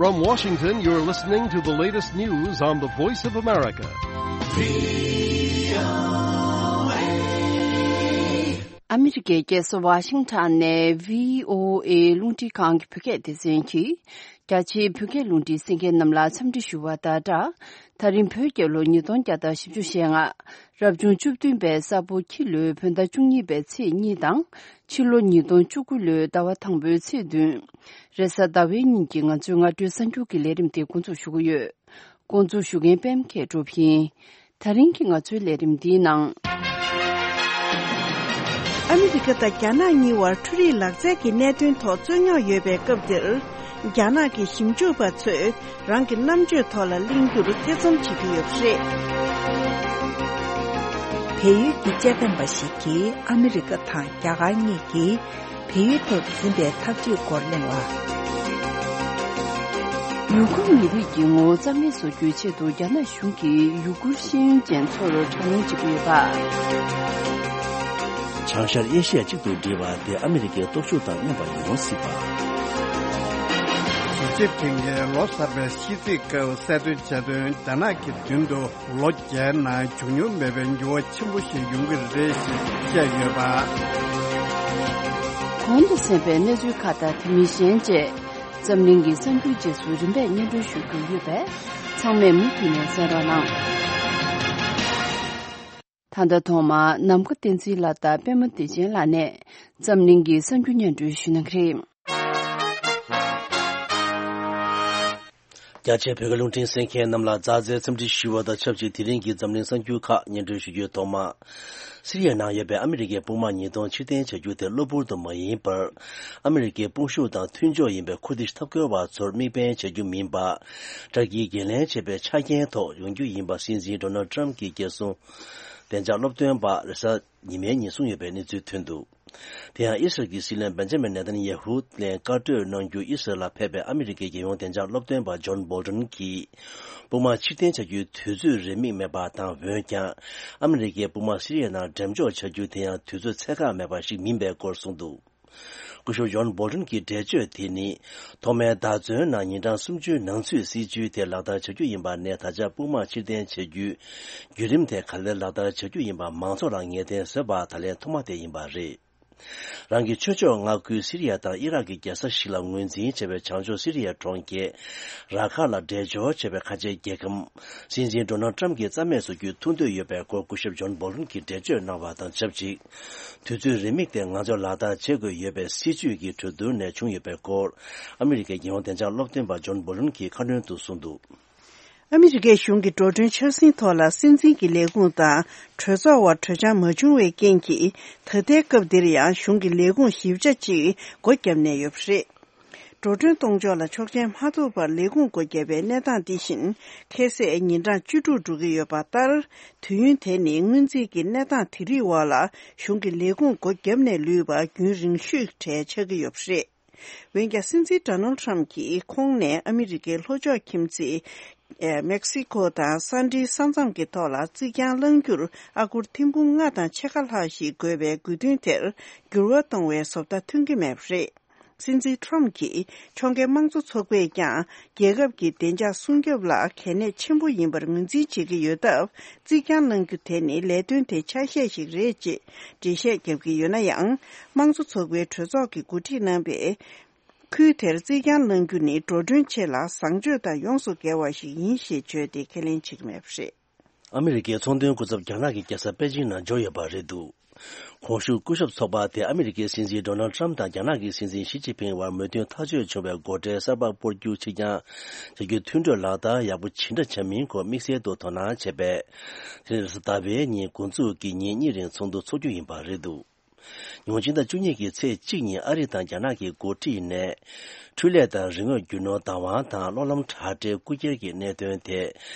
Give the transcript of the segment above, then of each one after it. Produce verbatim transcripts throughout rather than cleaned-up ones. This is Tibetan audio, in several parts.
From Washington, you're listening to the latest news on the Voice of America. ཨ་མི་རི་ཀའི་རྒྱལ་ས་ཝ་ཤིང་ཊོན་ནས་བྷི་ཨོ་ཨེ་རླུང་འཕྲིན་ཁང་གི་བོད་སྐད་སྡེ་ཚན་གྱིས། རྒྱ་ཆེའི་བོད་སྐད་རླུང་འཕྲིན་གསན་མཁན་རྣམས་ལ་འཚམས་འདྲི་ཞུ་བ་དང་སྦྲགས། ད་རིང་བོད་རྒྱལ་ལོ་ཉིས་སྟོང་བརྒྱ་དང་བཞི་བཅུ་ཞེ་ལྔ། རབ་བྱུང་བཅུ་བདུན་པའི་ས་ཕོ་ཁྱི་ལོའི་བོད་ཟླ་བཅུ་གཉིས་པའི་ཚེས་གཉིས་དང་། ཕྱི་ལོ་ཉིས་སྟོང་བཅུ་དགུ་ལོའི་ཟླ་བ་དང་པོའི་ཚེས་བདུན། རེས་གཟའ་ཟླ་བའི་ཉིན་གྱི་ང་ཚོའི་སྔ་དྲོའི་གསར་འགྱུར་གྱི་ལས་རིམ་དེ་འགོ་འཛུགས་ཞུ་གི་ཡོད། འགོ་འཛུགས་ཞུ་མཁན་པད་མ་མཁས་གྲུབ་ཡིན། ད་རིང་གི་ང་ཚོའི་ལས་རིམ་འདིའི་ནང་། ཨ་མི་རི་ཀ་དང་རྒྱ་ནག་གཉིས་བར་འཕྲུལ་རིག་ལག་རྩལ་གྱི་གནད་དོན་ཐོག་རྩོད་རྙོག་ཡོད་པའི་སྐབས་འདིར། རྒྱ་ནག་གི་ཞིབ་འཇུག་པ་ཚོས་རང་གི་རྣམ་དཔྱོད་ཐོག་ལ་གླེང་རྒྱུར་ཐེ་ཚོམ་བྱེད་ཀྱི་ཡོད་པ་རེད། བལ་ཡུལ་གྱི་དཔྱད་འདེམས་པ་ཞིག་གིས་ཨ་མི་རི་ཀ་དང་རྒྱ་གར་གཉིས་ཀྱིས། བལ་ཡུལ་དུ་འཛིན་པའི་འཐབ་ཇུས་སྐོར་གླེང་བ། ཡུ་གུར་མི་རིགས་ཀྱི་ངོ་བོ་རྩ་མེད་བཟོ་རྒྱུའི་ཆེད་དུ་རྒྱ་ནག་གཞུང་གིས་ཡུ་གུར་ཤེས་ཡོན་ཅན་ཚོར་དྲག་གནོན་བྱེད་ཀྱི་ཡོད་པ། བྱང་ཤར་ཨེ་ཤི་ཡ་གཅིག་ཏུ་སྒྲིལ་བ་དེ་ཨ་མི་རི་ཀའི་སྟོབས་ཤུགས་དང་མཉམ་པ་ཡོང་སྲིད་པ། ཞི་ཅིན་ཕིང་གིས་ལོ་གསར་པའི་ཤིས་ཚིག་སྐབས་གསལ་སྟོན་བྱས་དོན། རྒྱ་ནག་གི་མདུན་དུ། ལོ་བརྒྱའི་ནང་བྱུང་མྱོང་མེད་པའི་འགྱུར་བ་ཆེན་པོ་ཞིག་ཡོང་གི་རེད་ཞེས་བཤད་ཡོད་པ། གོང་དུ་གསན་པའི་གནས་ཚུལ་ཁག་དང་དེ་མིན་གཞན་བཅས། འཛམ་གླིང་གི་གསར་འགྱུར་རྗེས་སུ་རིམ་པས་སྙན་སྒྲོན་ཞུ་རྒྱུ་ཡོད་པས། ཚང་མས་མུ་མཐུད་ནས་གསན་རོགས་གནང་། ད་ལྟ་ཐོག་མར་ནམ་མཁའ་བསྟན་འཛིན་ལགས་དང་པད་མ་བདེ་ཆེན་ལགས་ནས་འཛམ་གླིང་གི་གསར་འགྱུར་སྙན་སྒྲོན་ཞུ་གནང་གི་རེད། རྒྱ་ཆེའི་བོད་སྐད་རླུང་འཕྲིན་གསན་མཁན་རྣམས་ལ་མཛའ་བརྩེའི་འཚམས་འདྲི་ཞུ་བ་དང་ཆབས་ཅིག་དེ་རིང་གི་འཛམ་གླིང་གསར་འགྱུར་ཁག་སྙན་སྒྲོན་ཞུ་རྒྱུའི་ཐོག་མ། སི་རི་ཡའི་ནང་ཡོད་པའི་ཨ་མི་རི་ཀའི་དཔུང་དམག་ཉིས་སྟོང་ཕྱིར་འཐེན་བྱ་རྒྱུ་དེ་གློ་བུར་དུ་མ་ཡིན་པར། ཨ་མི་རི་ཀའི་དཔུང་ཤུགས་དང་མཐུན་ཕྱོགས་ཡིན་པའི་ཁུ་དིཤ་འཐབ་རྒོལ་བ་ཚོར་དམིགས་འབེན་བྱ་རྒྱུ་མིན་པ། ཏུར་ཀིས་འགན་ལེན་བྱས་པའི་ཆ་རྐྱེན་ཐོག་ཡོང་རྒྱུ་ཡིན་པ་སྲིད་འཛིན་ཌོ་ནལ་ཏྲམ་གྱི་རྒྱལ་སྲུང་བདེ་འཇགས་སློབ་སྟོན་པ་རེས་གཟའ་ཉི་མའི་ཉིན་གསུངས་ཡོད་པའི་གནས་ཚུལ་ཐོན་འདུག་དེ་ཡང་ཨི་སི་རལ་གྱི་སྲིད་བློན་བེན་ཇ་མིན་ནེ་ཐན་ཡ་ཧུ་ལན་བཀའ་གྲོས་གནང་རྒྱུ་ཨི་སི་རལ་ལ་ཕེབས་པའི་ཨ་མི་རི་ཀའི་རྒྱལ་ཡོངས་བདེ་འཇགས་སློབ་སྟོན་པ་ཇོན་བོལ་ཏོན་གྱིས། དཔུང་དམག་ཕྱིར་འཐེན་བྱ་རྒྱུའི་དུས་ཚོད་རེ་མིག་མེད་པ་དང་། འོན་ཀྱང་། ཨ་མི་རི་ཀའི་དཔུང་དམག་སི་རི་ཡའི་ནང་འགྲེམས་འཇོག་བྱ་རྒྱུ་དེ་ཡང་དུས་ཚོད་ཚད་བཀག་མེད་པ་ཞིག་མིན་པའི་སྐོར་གསུངས་འདུག་སྐུ་ཞབས་ཇོན་བོལ་ཏོན་གྱི་འགྲེལ་བརྗོད་དེ་ནི། ཐོག་མའི་ཟླ་མཚན་ནང་ཉིན་གྲངས་སུམ་ཅུའི་ནང་ཚུད་སྲིད་ཇུས་དེ་ལག་བསྟར་བྱ་རྒྱུ་ཡིན་པ་ནས། ད་ཆ་དཔུང་དམག་ཕྱིར་འཐེན་བྱ་རྒྱུའི་བརྒྱུད་རིམ་དེ་ག་ལེར་ལག་བསྟར་བྱ་རྒྱུ་ཡིན་པ་མང་ཚོགས་ལ་ངེས་གཏན་བཟོས་པ་ད་ལན་ཐོག་མ་དེ་ཡིན་པ་རེད། རང་གི་ཆོས་ཕྱོགས་མངའ་ཁུལ་སི་རི་ཡ་དང་ཨི་རག་གི་རྒྱལ་ས་ཞིག་ལ་ངོས་འཛིན་བྱས་པའི་བྱང་ཕྱོགས་སི་རི་ཡའི་གྲོང་ཁྱེར་ར་ཁ་ལ་འབྲེལ་འབྱོར་བྱས་པའི་ཁ་ཆེའི་རྒྱལ་ཁམས་སྲིད་འཛིན་ཌོ་ནལ་ཏྲམ་གྱིས་རྩ་མེད་བཟོ་རྒྱུའི་ཐུགས་འདོད་ཡོད་པའི་སྐོར་སྐུ་ཞབས་ཇོན་བོལ་ཏོན་གྱིས་འགྲེལ་བརྗོད་གནང་བ་དང་ཆབས་ཅིག་དུས་ཚོད་རེ་མིག་དེ་ང་ཚོས་ལག་བསྟར་བྱེད་དགོས་ཡོད་པའི་སྲིད་ཇུས་ཀྱི་གྲོས་བསྡུར་ནས་བྱུང་ཡོད་པའི་སྐོར་ཨ་མི་རི་ཀའི་རྒྱལ་ཡོངས་བདེ་འཇགས་སློབ་སྟོན་པ་ཇོན་བོལ་ཏོན་གྱིས་ཁ་སྣོན་དུ་གསུངས་འདུག་ཨ་མི་རི་ཀའི་གཞུང་གི་འགྲོ་གྲོན་འཆར་ཟིན་ཐོག་ལ་སྲིད་འཛིན་གྱི་ལས་ཁུངས་དང་གྲོས་ཚོགས་བར་གྲོས་འཆར་མ་བྱུང་བའི་རྐྱེན་གྱིས། ད་ལྟའི་སྐབས་འདིར་ཡང་གཞུང་གི་ལས་ཁུངས་བཞི་བརྒྱ་ཅིག་སྒོ་བརྒྱབ་ནས་ཡོད་པ་རེད། འགྲོ་གྲོན་གཏོང་ཕྱོགས་ལ་ཆོག་མཆན་མ་ཐོབ་པར་ལས་ཁུངས་སྒོ་བརྒྱབ་པའི་གནས་སྟངས་འདི་བཞིན་ཁ་གསལ་ཉིན་གྲངས་བཅུ་དྲུག་འགྲོ་གི་ཡོད་པ་ལྟར། དུས་ཡུན་དེ་ནི་སྔོན་རྩིས་ཀྱི་གནས་སྟངས་དེ་རིགས་འོག་ལ་གཞུང་གི་ལས་ཁུངས་སྒོ་བརྒྱབ་ནས་ལུས་པ་རྒྱུན་རིང་ཤོས་གྲས་ཆགས་ཀྱི་ཡོད་པ་རེད། འོན་ཀྱང་སྲིད་འཛིན་ཌོ་ནལ་ཏྲམ་གྱིས་ཁོང་ནས་ཨ་མི་རི་ཀའི་ལྷོ་ཕྱོགས་ཁྱིམ་མཚེས་ཨེ་མེག་སི་ཀོ་དང་ས་འབྲེལ་ས་མཚམས་ཀྱི་ཐོག་ལ་རྩིག་གྱང་བསླང་རྒྱུར་ཨ་སྒོར་ཐེར་འབུམ་ལྔ་དང་ཕྱེད་ཀ་ལྷག་ཞིག་དགོས་པའི་དགོས་འདུན་དེར་འགྱུར་བ་གཏོང་བའི་བཟོ་ལྟ་ཐོན་གྱི་མེད་པ་རེད། སྲིད་འཛིན་ཏྲམ་གྱིས་ཕྱོགས་འགལ་དམངས་གཙོ་ཚོགས་པས་ཀྱང་རྒྱལ་ཁབ་ཀྱི་བདེ་འཇགས་སྲུང་སྐྱོབ་ལ་གལ་གནད་ཆེན་པོ་ཡིན་པར་ངོས་འཛིན་བྱེད་ཀྱི་ཡོད་སྟབས། རྩིག་གྱང་བསླང་རྒྱུ་དེ་ནི་ལས་དོན་དེ་ཆ་ཤས་ཤིག་རེད་ཅེས་འགྲེལ་བཤད་བརྒྱབ་ཀྱི་ཡོད་ན་ཡང་། དམངས་གཙོ་ཚོགས་པའི་གྲོས་ཚོགས་ཀྱིས་གོ་སྒྲིག་གནང་བའི་ཁུལ་དེར་རྩིག་གྱང་བསླང་རྒྱུ་ནི་འགྲོ་གྲོན་ཆེད་ལ་བཟང་སྤྱོད་དང་ཡོངས་སུ་འགལ་བ་ཞིག་ཡིན་ཞེས་བརྗོད་དེ་ཁས་ལེན་བྱེད་ཀྱི་མེད་པ་རེད། ཨ་མི་རི་ཀའི་ཚོང་དོན་སྐུ་ཚབ་རྒྱ་ནག་གི་རྒྱལ་ས་པེ་ཅིང་ནང་འབྱོར་ཡོད་པ་རེད་འདུག་གོང་ཞུས་སྐུ་ཞབས་ཚོགས་པ་དེ་ཨ་མི་རི་ཀའི་སྲིད་འཛིན་ཌོ་ནལ་ཏྲམ་དང་རྒྱ་ནག་གི་སྲིད་འཛིན་ཞི་ཅིན་ཕིང་བར་མོས་མཐུན་ཐག་གཅོད་བྱུང་བའི་སྒོ་ཁྲལ་གསར་པ་སྤོ་རྒྱུ་ཕྱིར་འགྱངས་བྱ་རྒྱུའི་མཐུན་གྲོས་ལག་བསྟར་ཡག་པོ་ཇི་འདྲ་བྱ་མིན་སྐོར་དམིགས་བསལ་དུ་དོ་སྣང་བྱས་པས། དེ་རེས་ཟླ་བའི་ཉིན་འགོ་འཛུགས་ཀྱིས་ཉིན་གཉིས་རིང་ཚོགས་འདུ་འཚོགས་རྒྱུ་ཡིན་པ་རེད་འདུག་ཉིས་སྟོང་བཅུ་གཉིས་ཀྱི་ཚེས་གཅིག་ཉིན་ཨ་རི་དང་རྒྱ་ནག་གི་འགོ་ཁྲིད་ནས། འཕྲུལ་ལས་དང་རིག་དངོས་རྒྱུ་ནོར་བདག་དབང་དང་གློག་ལམ་དྲ་སྦྲེལ་རྐུ་འཁྱེར་གྱི་གནད་དོན་ཐད།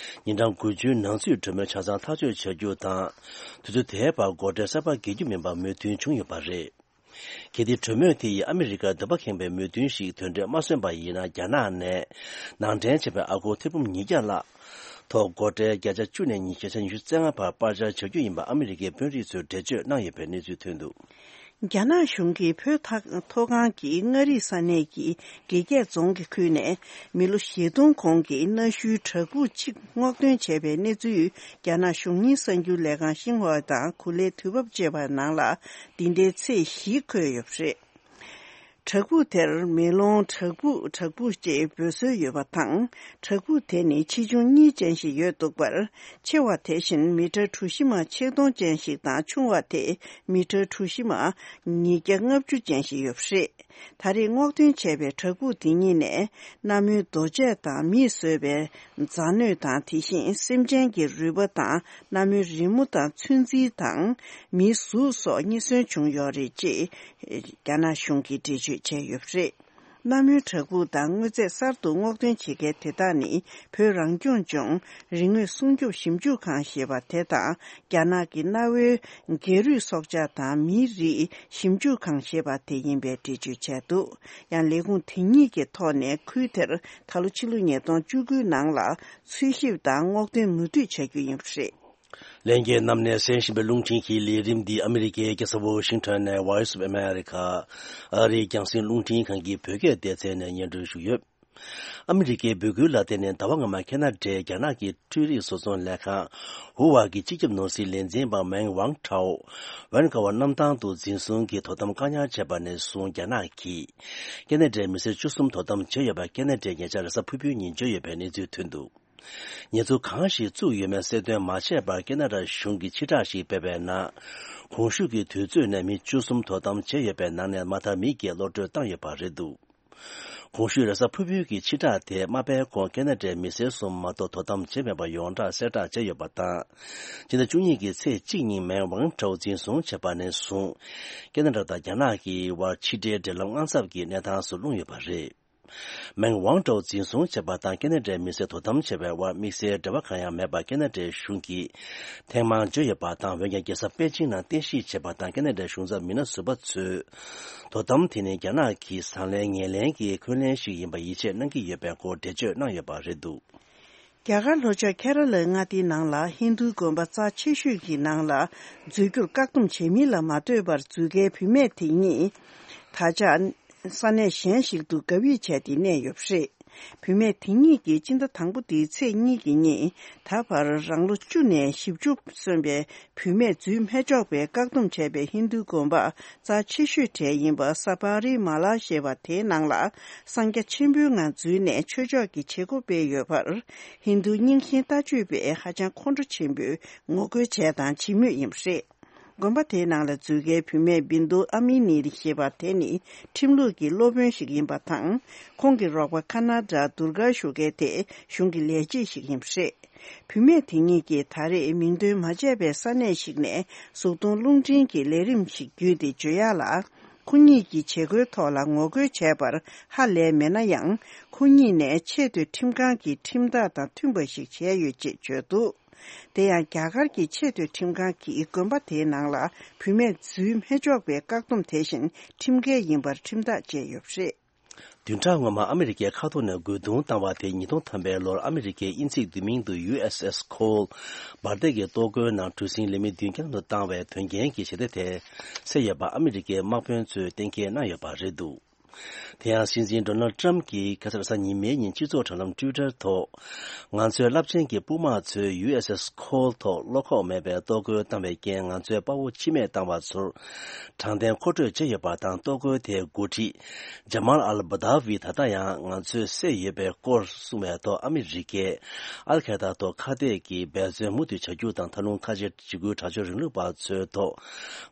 ཉིན་གྲངས་དགུ་བཅུའི་ནང་ཚུད་གྲོས་མོལ་ཆ་ཚང་ཐག་གཅོད་བྱ་རྒྱུ་དང་། དུས་ཚོད་དེའི་བར་སྒོ་ཁྲལ་གསར་པ་འགེལ་རྒྱུ་མིན་པ་མོས་མཐུན་བྱུང་ཡོད་པ་རེད། གལ་ཏེ་གྲོས་མོལ་དེ་ཡིས་ཨ་མི་རི་ཀར་འདོད་པ་ཁེངས་པའི་མོས་མཐུན་ཞིག་དོན་འགྲེལ་མ་སོན་པ་ཡིན་ན། རྒྱ་ནག་ནས་ནང་འདྲེན་བྱས་པའི་ཨ་སྒོར་ཐེར་འབུམ་ཉིས་བརྒྱ་ལྷག་ཐོག་སྒོ་ཁྲལ་བརྒྱ་ཆ་བཅུ་ནས་ཉི་ཤུ་རྩ་ལྔ་བར་སྤར་འཆར་བྱ་རྒྱུ་ཡིན་པ་ཨ་མི་རི་ཀའི་དཔོན་རིགས་ཚོས་འགྲེལ་བརྗོད་གནང་ཡོད་པའི་གནས་ཚུལ་ཐོན་འདུག་རྒྱ་ནག་གཞུང་གིས་བོད་མཐོ་སྒང་གི་མངའ་རིས་ས་གནས་ཀྱི་དགེ་རྒྱས་རྫོང་གི་ཁུལ་ནས་མི་ལོ་བཞི་སྟོང་གོང་གི་གནའ་ཤུལ་བྲག་ཕུག་གཅིག་སྔོག་འདོན་བྱས་པའི་གནས་ཚུལ། རྒྱ་ནག་གཞུང་གཉེར་གསར་འགྱུར་ལས་ཁང་ཤིན་ཧྭ་དང་གུ་ལེ་དུས་བབ་ཅེས་པ་ནང་ལ་འདི་ཟླའི་ཚེས་བཞི་འཁོད་ཡོད་པ་རེད། བྲག་ཕུག་དེར་མེ་ལོང་བྲག་ཕུག་བྲག་ཕུག་ཅེས་འབོད་སྲོལ་ཡོད་པ་དང་། བྲག་ཕུག་དེ་ནི་ཆེ་ཆུང་གཉིས་ཅན་ཞིག་ཡོད་འདུག་པར། ཆེ་བ་དེ་བཞིན་མི་ཊར་གྲུ་བཞི་མ་ཆིག་སྟོང་ཅན་ཞིག་དང་ཆུང་བ་དེ་མི་ཊར་གྲུ་བཞི་མ་ཉིས་བརྒྱ་ལྔ་བཅུ་ཅན་ཞིག་ཡོད་པ་རེད། ད་རེས་སྔོག་འདོན་བྱས་པའི་བྲག་ཕུག་དེ་གཉིས་ནས་གནའ་མིའི་རྡོ་ཆས་དང་མིས་བཟོས་པའི་རྫ་སྣོད་དང་དེ་བཞིན་སེམས་ཅན་གྱི་རུས་པ་དང་། གནའ་མོའི་རི་མོ་དང་ཚོན་རྩི་དང་མིའི་གཟུགས་སོགས་རྙེད་སོན་བྱུང་ཡོད་རེད་ཅེས་རྒྱ་ནག་གཞུང་གིས་འགྲེལ་བརྗོད་བྱས་ཡོད་པ་རེད། གནའ་མོའི་བྲག་ཕུག་དང་དངོས་རྫས་གསར་དུ་སྔོག་འདོན་བྱེད་མཁན་དེ་དག་ནི་བོད་རང་སྐྱོང་ལྗོངས་རིག་དངོས་སྲུང་སྐྱོབ་ཞིབ་འཇུག་ཁང་ཞེས་པ་དེ་དང་རྒྱ་ནག་གི་གནའ་བོའི་སྒལ་རུས་སྲོག་ཆགས་དང་མིའི་རིགས་ཞིབ་འཇུག་ཁང་ཞེས་པ་དེ་ཡིན་པའི་འགྲེལ་བརྗོད་བྱས་འདུག་ཡང་ལས་ཁུངས་དེ་གཉིས་ཀྱི་ཐོག་ནས་ཁུལ་དེར་ད་ལོ་ཕྱི་ལོ་ཉིས་སྟོང་བཅུ་དགུ་ནང་ལ་འཚོལ་ཞིབ་དང་སྔོག་འདོན་མུ་མཐུད་བྱ་རྒྱུ་ཡིན་པ་རེད། ལྷན་རྒྱས་རྣམས་ནས་གསན་བཞིན་པའི་རླུང་འཕྲིན་གྱི་ལས་རིམ་འདི་ཨ་མི་རི་ཀའི་རྒྱལ་ས་ཝོ་ཤིང་ཊོན་ནས་Voice of America ཨ་རིའི་རྒྱང་སྲིང་རླུང་འཕྲིན་ཁང་གི་བོད་སྐད་སྡེ་ཚན་ནས་སྙན་སྒྲོན་ཞུས་ཡོད། ཨ་མི་རི་ཀའི་འབོད་སྐུལ་ལ་བརྟེན་ནས་ཟླ་བ་སྔོན་མ་ཁེ་ན་ཌའི་རྒྱ་ནག་གི་འཕྲུལ་རིག་བཟོ་ཚོང་ལས་ཁང་ཧུ་ཝ་གི་སྤྱི་ཁྱབ་ནོར་སྲིད་ལས་འཛིན་པ་མེང་ཝང་ཁྲའོ་ཝན་ཀ་བ་གནམ་ཐང་དུ་འཛིན་བཟུང་གིས་དོ་དམ་བཀག་ཉར་བྱས་པ་ནས་བཟུང་རྒྱ་ནག་གིས་ཁེ་ན་ཌའི་མི་སེར་བཅུ་གསུམ་དོ་དམ་བྱས་ཡོད་པ་ཁེ་ན་ཌའི་ཉེ་ཆར་རེས་གཟའ་ཕུར་བུའི་ཉིན་བརྗོད་ཡོད་པའི་གནས་ཚུལ་ཐོན་འདུག་ཉེས་འཛུགས་གང་ཞིག་བཙུགས་ཡོད་མེད་གསལ་སྟོན་མ་བྱས་པར་ཁེ་ན་ཌ་གཞུང་གིས་ཕྱིར་བསྒྲགས་ཤིག་སྤེལ་བའི་ནང་། གོང་ཞུས་ཀྱི་དུས་ཚོད་ནས་མི་བཅུ་གསུམ་དོ་དམ་བྱས་ཡོད་པའི་ནང་ནས་མ་མཐར་མི་བརྒྱད་གློད་བཀྲོལ་བཏང་ཡོད་པ་རེད་འདུག་གོང་ཞུས་རེས་གཟའ་ཕུར་བུའི་གི་ཕྱིར་བསྒྲགས་དེ་མ་སྤེལ་གོང་ཁེ་ན་ཌའི་མི་སེར་གསུམ་མ་གཏོགས་དོ་དམ་བྱས་མེད་པ་ཡོངས་གྲགས་གསལ་བསྒྲགས་བྱས་ཡོད་པ་དང་། ཕྱི་ཟླ་བཅུ་གཉིས་ཀྱི་ཚེས་གཅིག་ཉིན་མེང་ཝང་ཁྲའོ་འཛིན་བཟུང་བྱས་པ་ནས་བཟུང་། ཁེ་ན་ཌ་དང་རྒྱ་ནག་གི་དབར་ཕྱི་འབྲེལ་འབྲེལ་ལམ་དངངས་འཚབ་ཀྱི་གནས་སྟངས་སུ་ལྷུང་ཡོད་པ་རེད། མེང་ཝང་ཀྲོའུ་འཛིན་བཟུང་བྱས་པ་དང་ཁེ་ན་ཌའི་མི་སེར་དོ་དམ་བྱས་པའི་དབར་དམིགས་བསལ་འབྲེལ་བ་གང་ཡང་མེད་པར་ཁེ་ན་ཌའི་གཞུང་གིས་ཐེངས་མང་བརྗོད་ཡོད་པ་དང་། འོན་ཀྱང་རྒྱལ་ས་པེ་ཅིང་ནང་རྟེན་གཞི་བྱས་པ་དང་ཁེ་ན་ཌའི་གཞུང་ཚབ་མི་སྣ་ཟུར་པ་ཚོས་དོ་དམ་དེ་ནི་རྒྱ་ནག་གི་བཟང་ལན་ངན་ལན་གྱི་འཁོན་ལན་ཞིག་ཡིན་པ་ཡིད་ཆེས་གནང་གི་ཡོད་པའི་སྐོར་འགྲེལ་བརྗོད་གནང་ཡོད་པ་རེད་འདུག་རྒྱ་གར་ལྷོ་ཕྱོགས་ཁེ་ར་ལའི་མངའ་སྡེའི་ནང་ལ་ཧིན་རྡུའི་དགོན་པ་རྩ་ཆེ་ཤོས་ཀྱི་ནང་ལ་འཛུལ་རྒྱུར་བཀག་སྡོམ་བྱེད་མིན་ལ་མ་ལྟོས་པར་འཛུལ་མཁན་བུད་མེད་དེ་གཉིས་ད་ཆ་ས་གནས་གཞན་ཞིག་ཏུ་བཀའ་བསྒྲིགས་བྱས་ཏེ་གནས་ཡོད་པ་རེད། བུད་མེད་དེ་གཉིས་ཀྱིས་སྤྱི་ཟླ་དང་པོ་འདིའི་ཚེས་གཉིས་ཀྱི་ཉིན་ད་བར་རང་ལོ་བཅུ་ནས་བཞི་བཅུ་སོན་པའི་བུད་མེད་འཛུལ་མི་ཆོག་པའི་བཀག་སྡོམ་བྱས་པའི་ཧིན་རྡུའི་དགོན་པ་རྩ་ཆེ་ཤོས་གྲས་ཡིན་པ་ས་པ་རི་མ་ལ་ཞེས་པ་དེའི་ནང་ལ་གསང་རྒྱ་ཆེན་པོའི་ངང་འཛུལ་ནས་ཆོས་ཕྱོགས་ཀྱི་བྱེད་སྒོ་སྤེལ་ཡོད་པར་ཧིན་རྡུའི་རྙིང་ཞེན་ལྟ་སྤྱོད་པས་ཧ་ཅང་ཁོང་ཁྲོ་ཆེན་པོས་ངོ་རྒོལ་བྱས་དང་བྱེད་མུས་ཡིན་པ་རེད། དགོན་པ་དེའི་ནང་ལ་འཛུལ་མཁན་བུད་མེད་བིན་དུ་ཨ་མི་ནི་ཞེས་པ་དེ་ནི་ཁྲིམས་ལུགས་ཀྱི་སློབ་དཔོན་ཞིག་ཡིན་པ་དང་། ཁོང་གི་རོགས་པ་ཁ་ན་ཌ་དུར་གར་ཞུ་མཁན་དེ་གཞུང་གི་ལས་བྱེད་ཞིག་ཡིན་པ་རེད། བུད་མེད་དེ་གཉིས་ཀྱིས་ད་རེས་མིང་འདོན་མ་བྱས་པའི་ས་གནས་ཤིག་ནས་གཟུགས་མཐོང་རླུང་འཕྲིན་གྱི་ལས་རིམ་ཞིག་བརྒྱུད་དེ་བརྗོད་ཡག་ལ། ཁོ་གཉིས་ཀྱི་བྱེད་སྒོའི་ཐོག་ལ་ངོ་རྒོལ་བྱས་པར་ཧ་ལས་མེད་ན་ཡང་། ཁོ་གཉིས་ནས་ཆེས་མཐོའི་ཁྲིམས་ཁང་གི་ཁྲིམས་ཐག་དང་མཐུན་པ་ཞིག་བྱས་ཡོད་ཅེས་བརྗོད་འདུག་དེ་ཡང་རྒྱ་གར་གྱི་ཆེས་མཐོའི་ཁྲིམས་ཁང་གིས་དགོན་པ་དེའི་ནང་ལ་བུད་མེད་འཛུལ་མི་ཆོག་པའི་བཀག་སྡོམ་དེ་བཞིན་ཁྲིམས་འགལ་ཡིན་པར་ཁྲིམས་ཐག་བཅད་ཡོད་པ་རེད། བདུན་ཕྲག་སྔོན་མ་ཨ་མི་རི་ཀའི་མཁའ་ཐོག་ནས་རྒོལ་རྡུང་བཏང་བ་དེ་ཉིས་སྟོང་ཐམ་པའི་ལོར་ཨ་མི་རི་ཀའི་དབྱིན་ཚིག་བསྡུས་མིང་དུ་ཡུ་ཨེས་ཨེས་ཁོལ་འབར་མདེལ་གྱི་གཏོར་རྒོལ་ནང་གྲུ་གཟིངས་ལས་མི་བདུན་བརྒྱ་ལྷག་བཏང་བའི་དོན་རྐྱེན་གྱི་ཞི་བདེ་དེ་སེལ་ཡོད་པ་ཨ་མི་རི་ཀའི་དམག་དཔོན་ཚོས་གཏན་འཁེལ་གནང་ཡོད་པ་རེད་འདུག་དེ་ཡང་སྲིད་འཛིན་ཌོ་ནལ་ཊམ་གྱིས་ཁ་སང་རེས་གཟའ་ཉི་མའི་ཉིན་སྤྱི་ཚོགས་དྲ་ལམ་ཊུའི་ཊར་ཐོག་ང་ཚོའི་རླབས་ཆེན་གྱི་དཔུང་དམག་ཚོས་ཡུ་ཨེས་ཨེས་ཁོལ་ཐོག་བློ་ཁོག་མེད་པའི་གཏོར་རྒོལ་བཏང་བའི་རྐྱེན་ང་ཚོའི་དཔའ་བོ་འཆི་རྨས་བཏང་བ་ཚོར་དྲང་བདེན་མཁོ་སྤྲོད་བྱས་ཡོད་པ་དང་། གཏོར་རྒོལ་དེའི་འགོ་ཁྲིད་ཇ་མཱལ་ཨལ་བྷ་དཱ་ཝི་ད་ལྟ་ཡང་ང་ཚོས་བསད་ཡོད་པའི་སྐོར་གསུངས་པའི་ཐོག་ཨ་མི་རི་ཀས་ཨལ་ཁ་ཡེ་ད་ཐོག་ཁ་གཏད་ཀྱི་འབད་བརྩོན་མུ་མཐུད་བྱ་རྒྱུ་དང་། མཐའ་ལྷུང་ཁ་ཆེ་འཇིགས་སྐུལ་དྲག་སྤྱོད་རིང་ལུགས་པ་ཚོའི་ཐོག་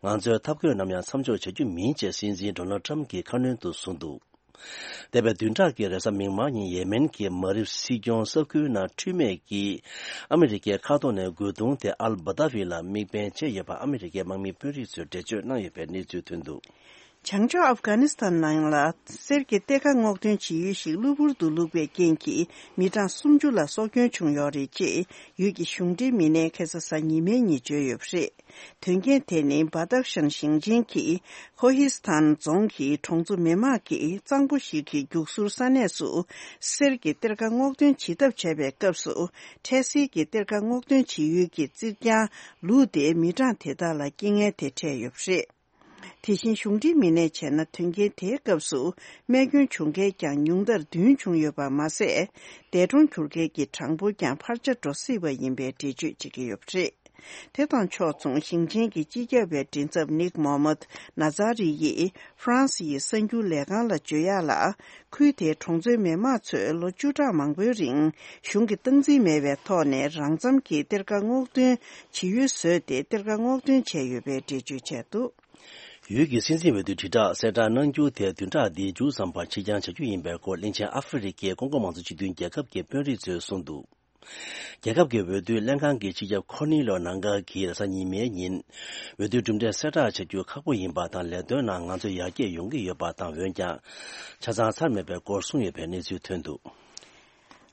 ང་ཚོའི་ཐབས་བཀོད་ནམ་ཡང་མཚམས་འཇོག་བྱ་རྒྱུ་མིན་ཅེས་སྲིད་འཛིན་ཌོ་ནལ་ཊམ་གྱིས་ཁ་སྣོན་དུ་གསུངས་འདུག་འདས་པའི་བདུན་ཕྲག་གི་རེས་གཟའ་མིག་དམར་ཉིན་ཡེ་མེན་གྱི་མ་རིབ་སྲིད་སྐྱོང་ས་ཁུལ་ནང་འཕྲུལ་མས་ཀྱིས་ཨ་མི་རི་ཀའི་མཁའ་ཐོག་ནས་རྒོལ་རྡུང་དེ་ཨལ་བྷ་དཱ་ཝི་ལ་དམིགས་འབེན་བྱས་ཡོད་པ་ཨ་མི་རི་ཀའི་དམག་མིའི་དཔོན་རིགས་ཚོས་འགྲེལ་བརྗོད་གནང་ཡོད་པའི་གནས་ཚུལ་ཐོན་འདུག་བྱང་ཕྱོགས་ཨབ་གྷ་ནི་སི་ཐན་ནང་ལ་གསེར་གྱི་གཏེར་ཁ་སྔོག་འདོན་བྱེད་ཡུལ་ཞིག་གློ་བུར་དུ་བླུགས་པའི་རྐྱེན་གྱིས་མི་གྲངས་སུམ་ཅུ་ལ་སྲོག་སྐྱོན་བྱུང་ཡོད་རེད་ཅེས་ཡུལ་གྱི་གཞུང་འབྲེལ་མི་སྣས་ཁ་སང་གཟའ་ཉི་མའི་ཉིན་བརྗོད་ཡོད་པ་རེད། དོན་རྐྱེན་དེ་ནི་བྷ་དག་ཤན་ཞིང་ཆེན་གྱི་ཁོ་ཧི་སི་ཐན་རྫོང་གི་གྲོང་ཚོ་མི་མང་གིས་གཙང་པོ་ཞིག་གི་རྒྱུག་ཟུར་ས་གནས་སུ་གསེར་གྱི་གཏེར་ཁ་སྔོག་འདོན་བྱེད་ཐབས་བྱས་པའི་སྐབས་སུ། འཕྲལ་སེལ་གྱི་གཏེར་ཁ་སྔོག་འདོན་བྱེད་ཡུལ་གྱི་རྩིག་གྱང་ལུག་དེས་མི་གྲངས་དེ་དག་ལ་རྐྱེན་ངན་དེ་འཕྲད་ཡོད་པ་རེད། དེ་བཞིན་གཞུང་འབྲེལ་མི་སྣས་བྱས་ན། དོན་རྐྱེན་དེའི་སྐབས་སུ་རྨས་སྐྱོན་བྱུང་མཁན་ཀྱང་ཉུང་མཐར་བདུན་བྱུང་ཡོད་པ་མ་ཟད། འདས་གྲོངས་གྱུར་མཁན་གྱི་གྲངས་འབོར་ཀྱང་འཕར་ཆ་འགྲོ་སྲིད་པ་ཡིན་པའི་འགྲེལ་བརྗོད་བྱེད་ཀྱི་ཡོད་པ་རེད། དེ་དང་ཕྱོགས་མཚུངས། ཞིང་ཆེན་གྱི་སྤྱི་ཁྱབ་པའི་མགྲིན་ཚབ་ནིག་མོ་མད་ན་ཛ་རི་ཡིས་ཧྥ་རན་སི་ཡི་གསར་འགྱུར་ལས་ཁང་ལ་བརྗོད་ཡག་ལ། ཁུལ་དེའི་གྲོང་ཚོའི་མི་མང་ཚོས་ལོ་བཅུ་ཕྲག་མང་པོའི་རིང་གཞུང་གི་སྟངས་འཛིན་མེད་པའི་ཐོག་ནས་རང་འཚམ་གྱིས་གཏེར་ཁ་སྔོག་འདོན་བྱེད་ཡུལ་བཟོས་ཏེ། གཏེར་ཁ་སྔོག་འདོན་བྱས་ཡོད་པའི་འགྲེལ་བརྗོད་བྱས་འདུག་ཡུལ་གྱི་སྲིད་འཛིན་འོས་བསྡུའི་དྲིལ་བསྒྲགས་གསལ་བསྒྲགས་གནང་རྒྱུ་དེ་བདུན་ཕྲག་འདིའི་མཇུག་ཙམ་བར་ཕྱིར་འགྱངས་བྱ་རྒྱུ་ཡིན་པའི་སྐོར། གླིང་ཆེན་ཨ་ཧྥེ་རི་ཁའི་ཀོང་ཀོ་མང་གཙོ་སྤྱི་མཐུན་རྒྱལ་ཁབ་ཀྱི་དཔོན་རིགས་ཚོས་གསུངས་འདུག་རྒྱལ་ཁབ་ཀྱི་འོས་བསྡུ་ལྷན་ཁང་གི་སྤྱི་ཁྱབ་ཁོར་ནི་ལོ་ནང་ག་གིས་རེས་གཟའ་ཉི་མའི་ཉིན། འོས་བསྡུའི་གྲུབ་འབྲས་གསལ་བསྒྲགས་བྱ་རྒྱུ་ཁག་པོ་ཡིན་པ་དང་། ལས་དོན་ནང་ང་ཚོ་ཡར་རྒྱས་ཡོང་གི་ཡོད་པ་དང་། འོན་ཀྱང་། ཆ་ཚང་ཚར་མེད་པའི་སྐོར་གསུངས་ཡོད་པའི་གནས་ཚུལ་ཐོན་འདུག་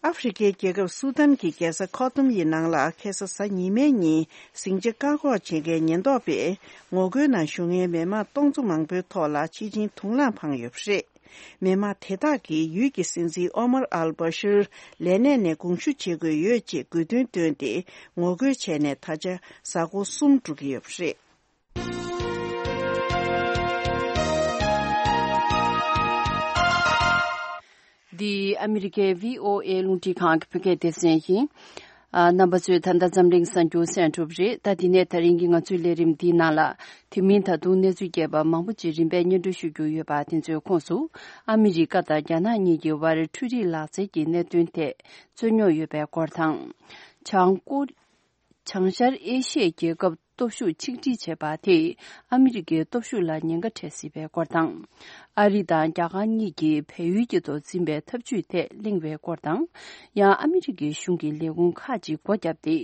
ཨ་ཧྥེ་རི་ཁའི་རྒྱལ་ཁབ་སུ་དཱན་གྱི་རྒྱལ་ས་ཁོ་ཏུམ་ཡི་ནང་ལ། ཁ་སང་གཟའ་ཉི་མའི་ཉིན་ཟིང་ཆ་བཀག་འགོག་བྱེད་མཁན་ཉེན་རྟོག་པས་ངོ་རྒོལ་ནང་ཞུགས་མཁན་མི་མང་སྟོང་ཚོ་མང་པོའི་ཐོག་ལ་ཆིལ་ཆིལ་དུག་རླངས་འཕངས་ཡོད་པ་རེད། མི་མང་དེ་དག་གིས་ཡུལ་གྱི་སྲིད་འཛིན་ཨོ་མར་ཨལ་བྷ་ཤིར་ལས་གནས་ནས་དགོངས་ཞུ་བྱེད་དགོས་ཡོད་ཅེས་དགོས་འདུན་བཏོན་ཏེ་ངོ་རྒོལ་བྱས་ནས། ད་ཆ་གཟའ་འཁོར་གསུམ་འགྲོ་གི་ཡོད་པ་རེད། འདི་ཨ་མི་རི་ཀའི་བྷི་ཨོ་ཨེ་རླུང་འཕྲིན་ཁང་གི་བོད་སྐད་སྡེ་ཚན་ཡིན། ཨ། རྣམ་པ་ཚོས་ད་ལྟ་འཛམ་གླིང་གསར་འགྱུར་གསན་གྲུབ་རེད། ད་དེ་ནས་ད་རིང་གི་ང་ཚོའི་ལས་རིམ་འདིའི་ནང་ལ། དེ་མིན་ད་དུང་གནས་ཚུལ་རྒྱས་པ་མང་པོ་ཅིག་རིམ་པས་སྙན་སྒྲོན་ཞུ་རྒྱུ་ཡོད་པ། དེ་ཚོའི་ཁོངས་སུ། ཨ་མི་རི་ཀ་དང་རྒྱ་ནག་གཉིས་ཀྱི་དབར་འཕྲུལ་རིག་ལག་རྩལ་གྱི་གནད་དོན་ཐད་རྩོད་རྙོག་ཡོད་པའི་སྐོར་དང་། བྱང་ཀོ། བྱང་ཤར་ཨེ་ཤི་ཡའི་རྒྱལ་ཁབ་སྟོབས་ཤུགས་ཆིག་སྒྲིལ་བྱས་པ་དེས་ཨ་མི་རི་ཀའི་སྟོབས་ཤུགས་ལ་ཉེན་ཁ་འཕྲད་སྲིད་པའི་སྐོར་དང་། ཨ་རི་དང་རྒྱ་གར་གཉིས་ཀྱིས་བལ་ཡུལ་གྱི་ཐོག་འཛིན་པའི་འཐབ་ཇུས་ཐད་གླེང་བའི་སྐོར་དང་། ཡང་ཨ་མི་རི་ཀའི་གཞུང་གི་ལས་ཁུངས་ཁག་ཅིག་སྒོ་བརྒྱབ་སྟེ།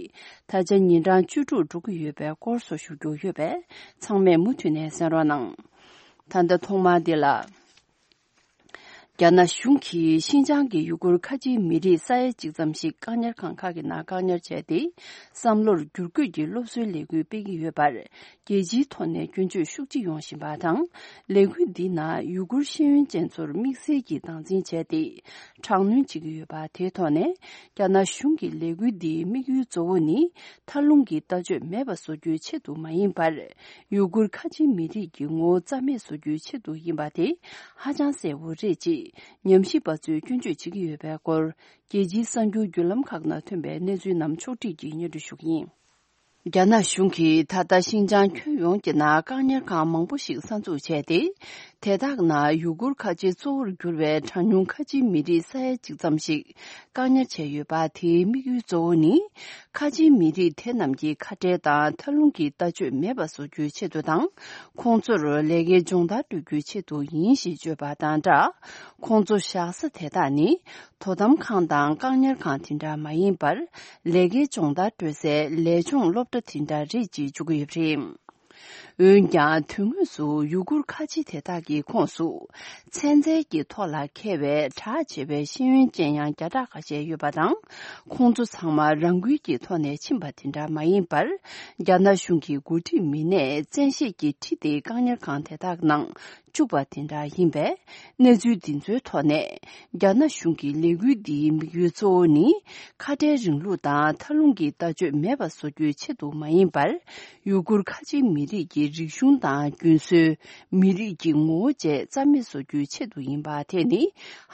ད་ཆ་ཉིན་གྲངས་བཅུ་དྲུག་འགྲོ་གི་ཡོད་པའི་སྐོར་སོགས་ཞུ་རྒྱུ་ཡོད་པས། ཚང་མས་མུ་མཐུད་ནས་གསན་རོགས་གནང་། ད་ལྟ་ཐོག་མར་འདི་ལ། རྒྱ་ནག་གཞུང་གིས་ཤིན་ཅང་གི་ཡུ་གུར་ཁ་ཆེའི་མི་རིགས་ས་ཡ་གཅིག་ཙམ་ཞིག་བཀག་ཉར་ཁང་ཁག་གི་ནང་བཀག་ཉར་བྱས་ཏེ། བསམ་བློར་བསྒྱུར་བཀོད་ཀྱི་སློབ་གསོའི་ལས་འགུལ་སྤེལ་གྱི་ཡོད་པར། རྒྱལ་སྤྱིའི་ཐོག་ནས་སྐྱོན་བརྗོད་ཤུགས་ཆེ་ཡོང་བཞིན་པ་དང་། ལས་འགུལ་འདིའི་ནང་ཡུ་གུར་ཤེས་ཡོན་ཅན་ཚོར་དམིགས་བསལ་གྱིས་སྟངས་འཛིན་བྱས་ཏེ། དྲག་གནོན་བྱེད་ཀྱི་ཡོད་པ་དེའི་ཐོག་ནས། རྒྱ་ནག་གཞུང་གི་ལས་འགུལ་འདིའི་དམིགས་ཡུལ་གཙོ་བོ་ནི། མཐའ་ལྷུང་གི་ལྟ་སྤྱོད་མེད་པ་བཟོ་རྒྱུའི་ཆེད་དུ་མ་ཡིན་པར། ཡུ་གུར་ཁ་ཆེའི་མི་རིགས་ཀྱི་ངོ་བོ་རྩ་མེད་བཟོ་རྒྱུའི་ཆེད་དུ་ཡིན་པ་དེ་ཧ་ཅང་གསལ་བོ་རེད་ཅེས་ཉམས་ཞིབ་པ་ཚོས་སྐྱོན་བརྗོད་བྱེད་ཀྱི་ཡོད་པའི་སྐོར། རྒྱལ་སྤྱིའི་གསར་འགྱུར་བརྒྱུད་ལམ་ཁག་ནང་ཐོན་པའི་གནས་ཚུལ་རྣམས་ཕྱོགས་སྒྲིག་གིས་སྙན་སྒྲོན་ཞུ་གི་ཡིན། རྒྱ་ནག་གཞུང་གིས་ད་ལྟ་ཤིན་ཅང་ཁྱོན་ཡོངས་ཀྱི་ནང་བཀག་ཉར་ཁང་མང་པོ་ཞིག་གསར་འཛུགས་བྱས་ཏེ། དེ་དག་ནང་ཡུ་གུར་ཁ་ཆེ་གཙོ་བོར་གྱུར་བའི་གྲངས་ཉུང་ཁ་ཆེའི་མི་རིགས་ས་ཡ་གཅིག་ཙམ་ཞིག་བཀག་ཉར་བྱས་ཡོད་པ། དེའི་དམིགས་ཡུལ་གཙོ་བོ་ནི། ཁ་ཆེའི་མི་རིགས་དེ་རྣམས་ཀྱི་ཁ་བྲལ་དང་མཐའ་ལྷུང་གི་ལྟ་སྤྱོད་མེད་པ་བཟོ་རྒྱུའི་ཆེད་དུ་དང་། ཁོང་ཚོར་ལས་ཀའི་སྦྱོང་བརྡར་སྤྲོད་རྒྱུའི་ཆེད་དུ་ཡིན་ཞེས་བརྗོད་པ་དང་སྦྲགས། ཁོང་ཚོ་བཞག་ས་དེ་དག་ནི། དོ་དམ་ཁང་དང་བཀག་ཉར་ཁང་དེ་འདྲ་མ་ཡིན་པར། ལས་ཀའི་སྦྱོང་བརྡར་སྤྲོད་སའི་ལས་སྦྱོང་སློབ་གྲྭ་དེ་འདྲ་རེད་ཅེས་བརྗོད་ཀྱི་ཡོད་པ་རེད། འོན་ཀྱང་། དོན་དངོས་སུ་ཡུ་གུར་ཁ་ཆེ་དེ་དག་གི་ཁོངས་སུ། ཚན་རྩལ་གྱི་ཐོག་ལ་མཁས་པའི་གྲགས་ཆེ་བའི་ཤེས་ཡོན་ཅན་ཡང་བརྒྱ་ཕྲག་ཁ་ཤས་ཡོད་པ་དང་། ཁོང་ཚོ་ཚང་མ་རང་འགུལ་གྱི་ཐོག་ནས་ཕྱིན་པ་དེ་འདྲ་མ་ཡིན་པར། རྒྱ་ནག་གཞུང་གི་འགོ་ཁྲིད་མི་སྣས་བཙན་ཤེད་ཀྱིས་ཁྲིད་དེ་བཀག་ཉར་ཁང་དེ་དག་ནང་བཅུག་པ་དེ་འདྲ་ཡིན་པས། གནས་ཚུལ་འདི་ཚོའི་ཐོག་ནས། རྒྱ་ནག་གཞུང་གི་ལས་འགུལ་འདིའི་དམིགས་ཡུལ་གཙོ་བོ་ནི། ཁ་བྲལ་རིང་ལུགས་དང་མཐའ་ལྷུང་གི་ལྟ་སྤྱོད་མེད་པ་བཟོ་རྒྱུའི་ཆེད་དུ་མ་ཡིན་པར། ཡུ་གུར་ཁ་ཆེའི་མི་རིགས་ཀྱི་རིག་གཞུང་དང་རྒྱུན་སྲོལ། མི་རིགས་ཀྱི་ངོ་བོ་བཅས་རྩ་མེད་བཟོ་རྒྱུའི་ཆེད་དུ་ཡིན་པ་དེ་ནི་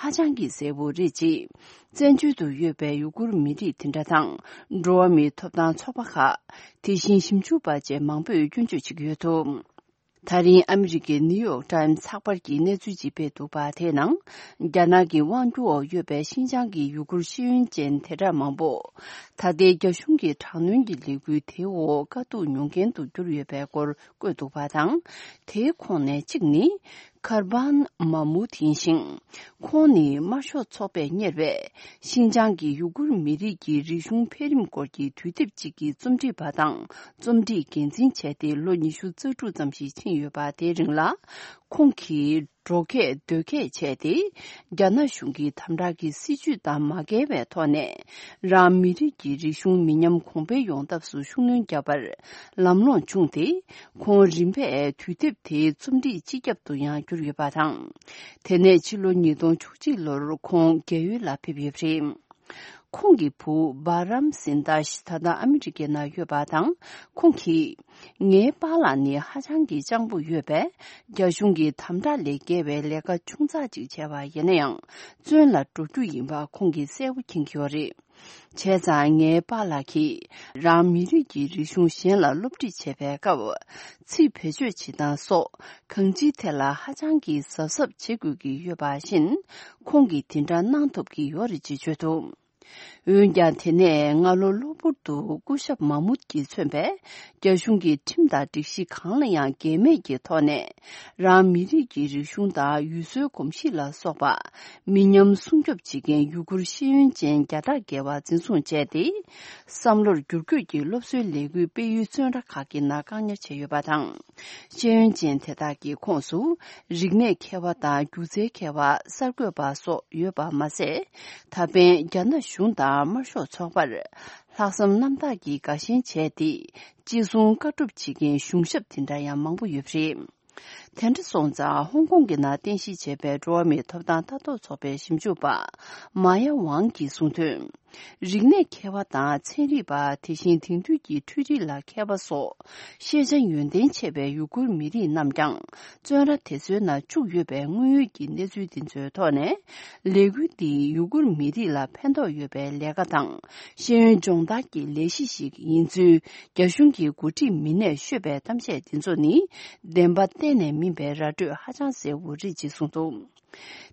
ཧ་ཅང་གི་གསལ་བོ་རེད་ཅེས། བཙན་བྱོལ་དུ་ཡོད་པའི་ཡུ་གུར་མི་རིགས་དེ་འདྲ་དང་། འགྲོ་བ་མིའི་ཐོབ་ཐང་ཚོགས་པ་ཁག་དེ་བཞིན་ཞིབ་འཇུག་པ་བཅས་མང་པོས་སྐྱོན་བརྗོད་བྱེད་ཀྱི་ཡོད་འདུག་ད་རིང་ཨ་མི་རི་ཀའི་ནིའུ་ཡོག་ཊའིམ་ཚགས་པར་གྱིས་གནས་ཚུལ་ཅིག་སྤེལ་འདུག་པ། དེའི་ནང་། རྒྱ་ནག་གི་དབང་སྒྱུར་འོག་ཡོད་པའི་ཤིན་ཅང་གི་ཡུ་གུར་ཤེས་ཡོན་ཅན་དེ་གྲས་མང་པོ། ད་ལྟའི་རྒྱ་གཞུང་གི་དྲག་གནོན་གྱི་ལས་འགུལ་དེའི་འོག་དཀའ་སྡུག་མྱོང་མཁན་དུ་གྱུར་ཡོད་པའི་སྐོར་བཀོད་འདུག་པ་དང་། དེའི་ཁོངས་ནས་གཅིག་ནི། ཁར་བན་མ་མུད་ཡིན་ཞིང་། ཁོང་ནི་དམར་ཤོག་ཚོགས་པས་གཉེར་བའི་ཤིན་ཅང་གི་ཡུ་གུར་མི་རིགས་ཀྱི་རིག་གཞུང་འཕེལ་རིམ་སྐོར་གྱི་དུས་དེབ་ཅིག་གི་རྩོམ་སྒྲིག་པ་དང་རྩོམ་སྒྲིག་འགན་འཛིན་བྱས་ཏེ་ལོ་ཉི་ཤུ་རྩ་དྲུག་ཙམ་ཞིག་ཕྱིན་ཡོད་པ། དེའི་རིང་ལ་ཁོང་གིས་འགྲོ་སྐད་སྡོད་སྐད་བྱས་ཏེ། རྒྱ་ནག་གཞུང་གི་དམ་དྲག་གི་སྲིད་ཇུས་དང་མ་འགལ་བའི་ཐོག་ནས། རང་མི་རིགས་ཀྱི་རིག་གཞུང་མི་ཉམས་གོང་འཕེལ་ཡོང་ཐབས་སུ་ཤུགས་སྣོན་བརྒྱབ་པར་ལམ་ལྷོང་བྱུང་སྟེ། ཁོང་རིམ་པས་དུས་དེབ་དེའི་རྩོམ་སྒྲིག་སྤྱི་ཁྱབ་ཏུ་ཡང་གྱུར་ཡོད་པ་དང་། དེ་ནས་ཕྱི་ལོ་ཉིས་སྟོང་བཅུ་གཅིག་ལོར་ཁོང་རྒས་ཡོལ་ལ་ཕེབས་ཡོད་པ་རེད། ཁོང་གི་བུ་བྷ་རམ་སིན་དཱཤ་ད་ལྟ་ཨ་མི་རི་ཀའི་ནང་ཡོད་པ་དང་། ཁོང་གིས། ངའི་པཱ་ལགས་ནི་ཧ་ཅང་གི་སྤྱང་པོ་ཡོད་པས། རྒྱ་གཞུང་གི་དམ་དྲག་ལས་བརྒལ་བའི་ལས་ཀ་ཆུང་ཙག་ཅིག་བྱས་པ་ཡིན་ན་ཡང་། བཙོན་ལ་འགྲོ་རྒྱུ་ཡིན་པ་ཁོང་གིས་གསལ་པོ་མཁྱེན་གྱི་ཡོད་རེད། བྱས་ཙང་ངའི་པཱ་ལགས་ཀྱིས་རང་མི་རིགས་ཀྱི་རིག་གཞུང་གཞན་ལ་སློབ་ཁྲིད་བྱེད་པའི་སྐབས། ཚིག་བེད་སྤྱོད་བྱེད་སྟངས་སོགས་གང་ཅིའི་ཐད་ལ་ཧ་ཅང་གི་གཟབ་གཟབ་བྱེད་དགོས་ཀྱི་ཡོད་པ་བཞིན། ཁོང་གིས་དེ་འདྲ་གནང་ཐུབ་ཀྱི་ཡོད་རེད་ཅེས་བརྗོད་འདུག་འོན་ཀྱང་། དེ་ནས་སྔ་ལོ་གློ་བུར་དུ་སྐུ་ཞབས་མཱ་མུད་ཀྱིས་མཚོན་པའི་རྒྱ་གཞུང་གི་ཁྲིམས་དང་སྒྲིག་གཞི་གང་ལ་ཡང་འགལ་མེད་ཀྱི་ཐོག་ནས། རང་མི་རིགས་ཀྱི་རིག་གཞུང་དང་ཡུལ་སྲོལ་གོམས་གཤིས་ལ་སོགས་པ་མི་ཉམས་སྲུང་སྐྱོབ་བྱེད་མཁན་ཡུ་གུར་ཤེས་ཡོན་ཅན་བརྒྱ་ཕྲག་བརྒལ་བ་འཛིན་བཟུང་བྱས་ཏེ། བསམ་བློར་བསྒྱུར་བཀོད་ཀྱི་སློབ་གསོའི་ལས་འགུལ་སྤེལ་ཡུལ་བཙོན་ར་ཁག་གི་ནང་བཀག་ཉར་བྱས་ཡོད་པ་དང་། ཤེས་ཡོན་ཅན་དེ་དག་གི་ཁོངས་སུ། རིག་གནས་མཁས་པ་དང་སྒྱུ་རྩལ་མཁས་པ། གསར་འགོད་པ་སོགས་ཡོད་པ་མ་ཟད། ད་ཕན་རྒྱ་ནག་གཞུང་དང་དམར་ཤོག་ཚོགས་པར། ལྷག་བསམ་རྣམ་དག་གིས་དགའ་ཞེན་བྱས་ཏེ། ཅི་གསུང་བཀའ་སྒྲུབ་བྱེད་མཁན་གཞུང་ཞབས་དེ་འདྲ་ཡང་མང་པོ་ཡོད་པ་རེད། དེ་འདྲ་སོང་ཙང་། ཧོང་ཀོང་གི་ནང་རྟེན་གཞི་བྱས་པའི་འགྲོ་བ་མིའི་ཐོབ་ཐང་ལྟ་རྟོག་ཚོགས་པའི་ཞིབ་འཇུག་པ། མཱ་ཡ་ཝང་གིས་གསུངས་དོན། རིག་གནས་མཁས་པ་དང་ཚན་རིག་པ། དེ་བཞིན་དེང་དུས་ཀྱི་འཕྲུལ་རིག་ལ་མཁས་པ་སོགས་ཤེས་བྱ་ཡོན་ཏན་ཆེ་བའི་ཡུ་གུར་མི་རིགས་རྣམས་ཀྱང་བཙོན་ར་དེ་ཚོའི་ནང་བཅུག་ཡོད་པའི་དངོས་ཡོད་ཀྱི་གནས་ཚུལ་འདི་ཚོའི་ཐོག་ནས། ལས་འགུལ་འདིས་ཡུ་གུར་མི་རིགས་ལ་ཕན་ཐོགས་ཡོད་པའི་ལས་ཀ་དང་ཤེས་ཡོན་སྦྱོང་བརྡར་གྱི་ལས་གཞི་ཞིག་ཡིན་ཚུལ་རྒྱ་གཞུང་གི་འགོ་ཁྲིད་མི་སྣས་ཤོད་པའི་གཏམ་བཤད་འདི་ཚོ་ནི། བདེན་པ་གཏན་ནས་མིན་པའི་ར་སྤྲོད་ཧ་ཅང་གསལ་བོ་རེད་ཅེས་གསུངས་འདུག་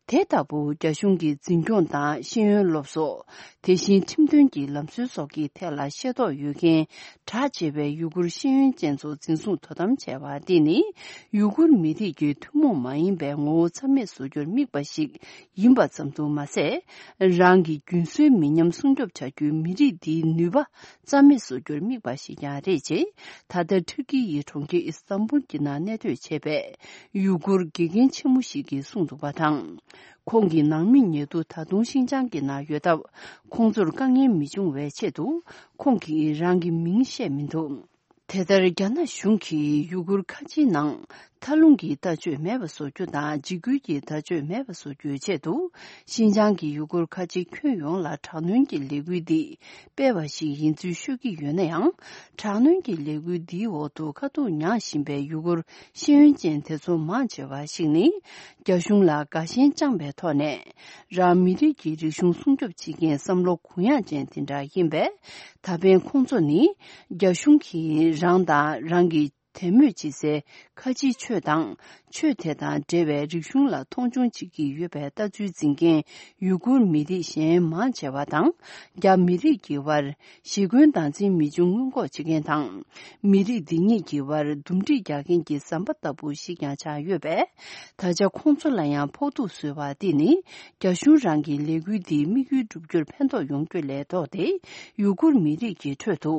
དེ་ལྟ་བུ་རྒྱ་གཞུང་གི་འཛིན་སྐྱོང་དང་ཤེས་ཡོན་སློབ་གསོ། དེ་བཞིན་ཁྲིམས་དོན་གྱི་ལམ་སྲོལ་སོགས་ཀྱི་ཐད་ལ་ཤེས་རྟོགས་ཡོད་མཁན་གྲགས་ཆེ་བའི་ཡུ་གུར་ཤེས་ཡོན་ཅན་ཚོ་འཛིན་བཟུང་དོ་དམ་བྱས་པ་འདི་ནི། ཡུ་གུར་མི་རིགས་ཀྱི་ཐུན་མོང་མ་ཡིན་པའི་ངོ་བོ་རྩ་མེད་བཟོ་རྒྱུར་དམིགས་པ་ཞིག་ཡིན་པ་ཙམ་དུ་མ་ཟད། རང་གི་རྒྱུན་སྲོལ་མི་ཉམས་སྲུང་སྐྱོབ་བྱ་རྒྱུའི་མི་རིགས་འདིའི་ནུས་པ་རྩ་མེད་བཟོ་རྒྱུར་དམིགས་པ་ཞིག་ཀྱང་རེད་ཅེས། ད་ལྟ་ཐུར་ཀི་ཡི་གྲོང་ཁྱེར་ཨི་སི་ཏམ་བུལ་གྱི་ནང་གནས་སྡོད་བྱས་པའི་ཡུ་གུར་དགེ་རྒན་ཆེན་མོ་ཞིག་གིས་གསུངས་འདུག་པ་དང་། ཁོང་གི་ནང་མི་ཉེ་དུ་ད་དུང་ཤིན་ཅང་གི་ནང་ཡོད་སྟབས། ཁོང་ཚོར་དཀའ་ངལ་མི་འབྱུང་བའི་ཆེད་དུ། ཁོང་གིས་རང་གི་མིང་བཤད་མི་འདུག་དེ་ལྟར། རྒྱ་ནག་གཞུང་གིས་ཡུ་གུར་ཁ་ཆེའི་ནང་མཐའ་ལྷུང་གི་ལྟ་སྤྱོད་མེད་པ་བཟོ་རྒྱུ་དང་། འཇིགས་སྐུལ་གྱི་ལྟ་སྤྱོད་མེད་པ་བཟོ་རྒྱུའི་ཆེད་དུ། ཤིན་ཅང་གི་ཡུ་གུར་ཁ་ཆེ་ཁྱོན་ཡོངས་ལ་དྲག་གནོན་གྱི་ལས་འགུལ་འདི་སྤེལ་བ་ཞིག་ཡིན་ཚུལ་ཤོད་ཀྱི་ཡོད་ན་ཡང་། དྲག་གནོན་གྱི་ལས་འགུལ་འདིའི་འོག་ཏུ་དཀའ་སྡུག་མྱངས་བཞིན་པའི་ཡུ་གུར་ཤེས་ཡོན་ཅན་དེ་ཚོ་མང་ཆེ་བ་ཞིག་ནི། རྒྱ་གཞུང་ལ་དགའ་ཞེན་བཅངས་པའི་ཐོག་ནས། རང་མི་རིགས་ཀྱི་རིག་གཞུང་སྲུང་སྐྱོབ་བྱེད་མཁན་བསམ་བློ་གུ་ཡངས་ཅན་དེ་འདྲ་ཡིན་པས། ད་ཕན་ཁོང་ཚོ་ནི། རྒྱ་གཞུང་གིས་རང་དང་རང་གི་དད་མོས་བྱེད་སའི་ཁ་ཆེའི་ཆོས་དང་། ཆོས་དེ་དང་འབྲེལ་བའི་རིག་གཞུང་ལ་མཐོང་ཆུང་བྱེད་ཀྱི་ཡོད་པའི་ལྟ་ཚུལ་འཛིན་མཁན་ཡུ་གུར་མི་རིགས་གཞན་མང་ཆེ་བ་དང་། རྒྱ་མི་རིགས་ཀྱི་དབར་ཞི་རྒོལ་སྟངས་འཛིན་མི་འབྱུང་སྔོན་འགོག་བྱེད་མཁན་དང་། མི་རིགས་འདི་གཉིས་ཀྱི་དབར་འདུམ་འགྲིག་རྒྱག་མཁན་གྱི་ཟམ་པ་ལྟ་བུ་ཞིག་ཀྱང་ཆགས་ཡོད་པས། ད་ཆ་ཁོང་ཚོ་ལ་ཡང་ཕོག་ཐུག་བཟོས་པ་འདི་ནི། རྒྱ་གཞུང་རང་གི་ལས་འགུལ་འདིའི་དམིགས་ཡུལ་བསྒྲུབ་རྒྱུར་ཕན་ཐོགས་ཡོང་རྒྱུ་ལས་ལྡོག་སྟེ། ཡུ་གུར་མི་རིགས་ཀྱི་ཁྲོད་དུ།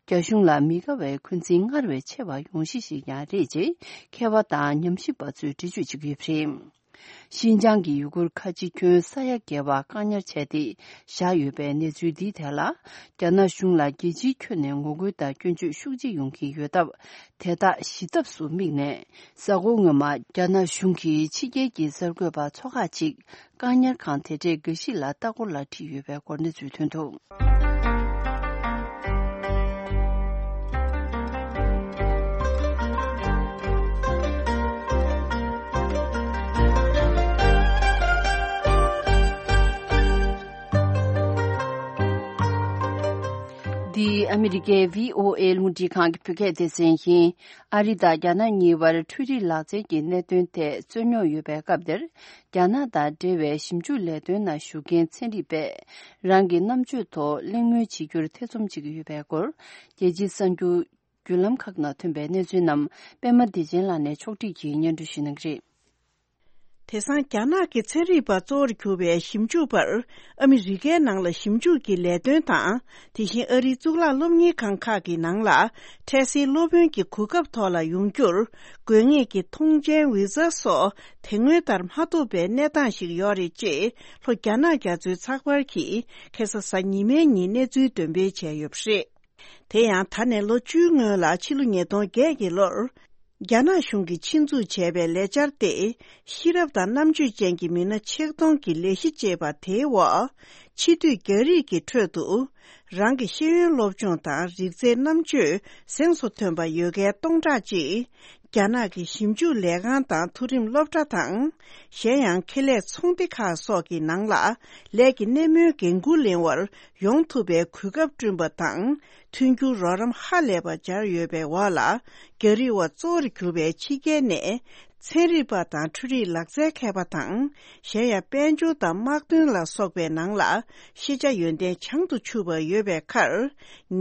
རྒྱ་གཞུང་ལ་མི་དགའ་བའི་འཁོན་འཛིན་སྔར་བས་ཆེ་བ་ཡོང་གཞི་ཞིག་ཀྱང་རེད་ཅེས་མཁས་པ་དང་ཉམས་ཞིབ་པ་ཚོས་འགྲེལ་བརྗོད་བྱེད་ཀྱི་ཡོད་པ་རེད། ཤིན་ཅང་གི་ཡུ་གུར་ཁ་ཆེ་ཁྱོན་ས་ཡ་བརྒལ་བ་བཀག་ཉར་བྱས་ཏེ་བཞག་ཡོད་པའི་གནས་ཚུལ་འདིའི་ཐད་ལ། རྒྱ་ནག་གཞུང་ལ་རྒྱལ་སྤྱིའི་ཁྱོན་ནས་ངོ་རྒོལ་དང་སྐྱོན་བརྗོད་ཤུགས་ཆེ་ཡོང་གི་ཡོད་སྟབས། དེ་དག་ཞི་ཐབས་སུ་དམིགས་ནས། གཟའ་འཁོར་སྔོན་མ། རྒྱ་ནག་གཞུང་གིས་ཕྱི་རྒྱལ་གྱི་གསར་འགོད་པ་ཚོ་ཁག་ཅིག་བཀག་ཉར་ཁང་དེ་འདྲའི་འགའ་ཞིག་ལ་ལྟ་སྐོར་ལ་ཁྲིད་ཡོད་པའི་སྐོར་གནས་ཚུལ་ཐོན་འདུག་འདི་ཨ་མི་རི་ཀའི་བྷི་ཨོ་ཨེ་རླུང་འཕྲིན་ཁང་གི་བོད་སྐད་སྡེ་ཚན་ཡིན། ཨ་རི་དང་རྒྱ་ནག་གཉིས་བར་འཕྲུལ་རིག་ལག་རྩལ་གྱི་གནད་དོན་ཐད་རྩོད་རྙོག་ཡོད་པའི་སྐབས་འདིར། རྒྱ་ནག་དང་འབྲེལ་བའི་ཞིབ་འཇུག་ལས་དོན་ནང་ཞུགས་མཁན་ཚན་རིག་པས། རང་གི་རྣམ་དཔྱོད་ཐོག་གླེང་མོལ་བྱེད་རྒྱུར་ཐེ་ཚོམ་བྱེད་ཀྱི་ཡོད་པའི་སྐོར། རྒྱལ་སྤྱིའི་གསར་འགྱུར་བརྒྱུད་ལམ་ཁག་ནང་ཐོན་པའི་གནས་ཚུལ་རྣམས། པད་མ་བདེ་ཆེན་ལགས་ནས་ཕྱོགས་སྒྲིག་གིས་སྙན་སྒྲོན་ཞུ་གནང་གི་རེད། དེང་སང་རྒྱ་ནག་གི་ཚན་རིག་པ་གཙོ་བོར་གྱུར་པའི་ཞིབ་འཇུག་པར། ཨ་མི་རི་ཀའི་ནང་ལ་ཞིབ་འཇུག་གི་ལས་དོན་དང་། དེ་བཞིན་ཨ་རིའི་གཙུག་ལག་སློབ་གཉེར་ཁང་ཁག་གི་ནང་ལ། འཕྲལ་སེལ་སློབ་དཔོན་གྱི་གོ་སྐབས་ཐོག་ལ་ཡོང་རྒྱུར། དགོས་ངེས་ཀྱི་ཐོངས་མཆན་བི་ཟ་སོགས། དེ་སྔོན་ལྟར་མ་ཐོབ་པའི་གནས་སྟངས་ཤིག་ཡོད་རེད་ཅེས། ལྷོ་རྒྱ་ནག་རྒྱ་མཚོའི་ཚགས་པར་གྱིས། ཁ་སང་གཟའ་ཉི་མའི་ཉིན་གནས་ཚུལ་འདོན་སྤེལ་བྱས་ཡོད་པ་རེད། དེ་ཡང་ད་ནས་ལོ་བཅུའི་སྔོན་ལ། ཕྱི་ལོ་ཉིས་སྟོང་བརྒྱད་ཀྱི་ལོར། རྒྱ་ནག་གཞུང་གིས་ཆེད་འཛུགས་བྱས་པའི་ལས་འཆར་ཏེ། ཤེས་རབ་དང་རྣམ་དཔྱོད་ཅན་གྱི་མི་སྣ་ཆིག་སྟོང་གི་ལས་གཞི་ཅེས་པ་དེའི་འོག་ཕྱི་སྡོད་རྒྱ་རིགས་ཀྱི་ཁྲོད་དུ། རང་གི་ཤེས་ཡོན་སློབ་སྦྱོང་དང་རིག་རྩལ་རྣམ་དཔྱོད་གཟེངས་སུ་ཐོན་པ་ཡོད་མཁན་སྟོང་ཕྲག་གཅིག་རྒྱ་ནག་གི་ཞིབ་འཇུག་ལས་ཁང་དང་མཐོ་རིམ་སློབ་གྲྭ་དང་། གཞན་ཡང་ཁེ་ལས་ཚོང་སྡེ་ཁག་སོགས་ཀྱི་ནང་ལ་ལས་ཀྱི་གནས་མོལ་འགན་འཁུར་ལེན་པར་ཡོང་ཐུབ་པའི་གོ་སྐབས་བསྐྲུན་པ་དང་། མཐུན་འགྱུར་རོགས་རམ་ཧ་ལས་པ་སྦྱར་ཡོད་པའི་འོག་ལ། རྒྱ་རིགས་བ་གཙོ་བོར་གྱུར་པའི་ཕྱི་རྒྱལ་ནས་ཚན་རིག་པ་དང་འཕྲུལ་རིག་ལག་རྩལ་མཁས་པ་དང་། གཞན་ཡང་དཔལ་འབྱོར་དང་དམག་དོན་ལ་སོགས་པའི་ནང་ལ་ཤེས་བྱ་ཡོན་ཏན་བྱང་དུ་ཆུད་པ་ཡོད་པའི་ཁར།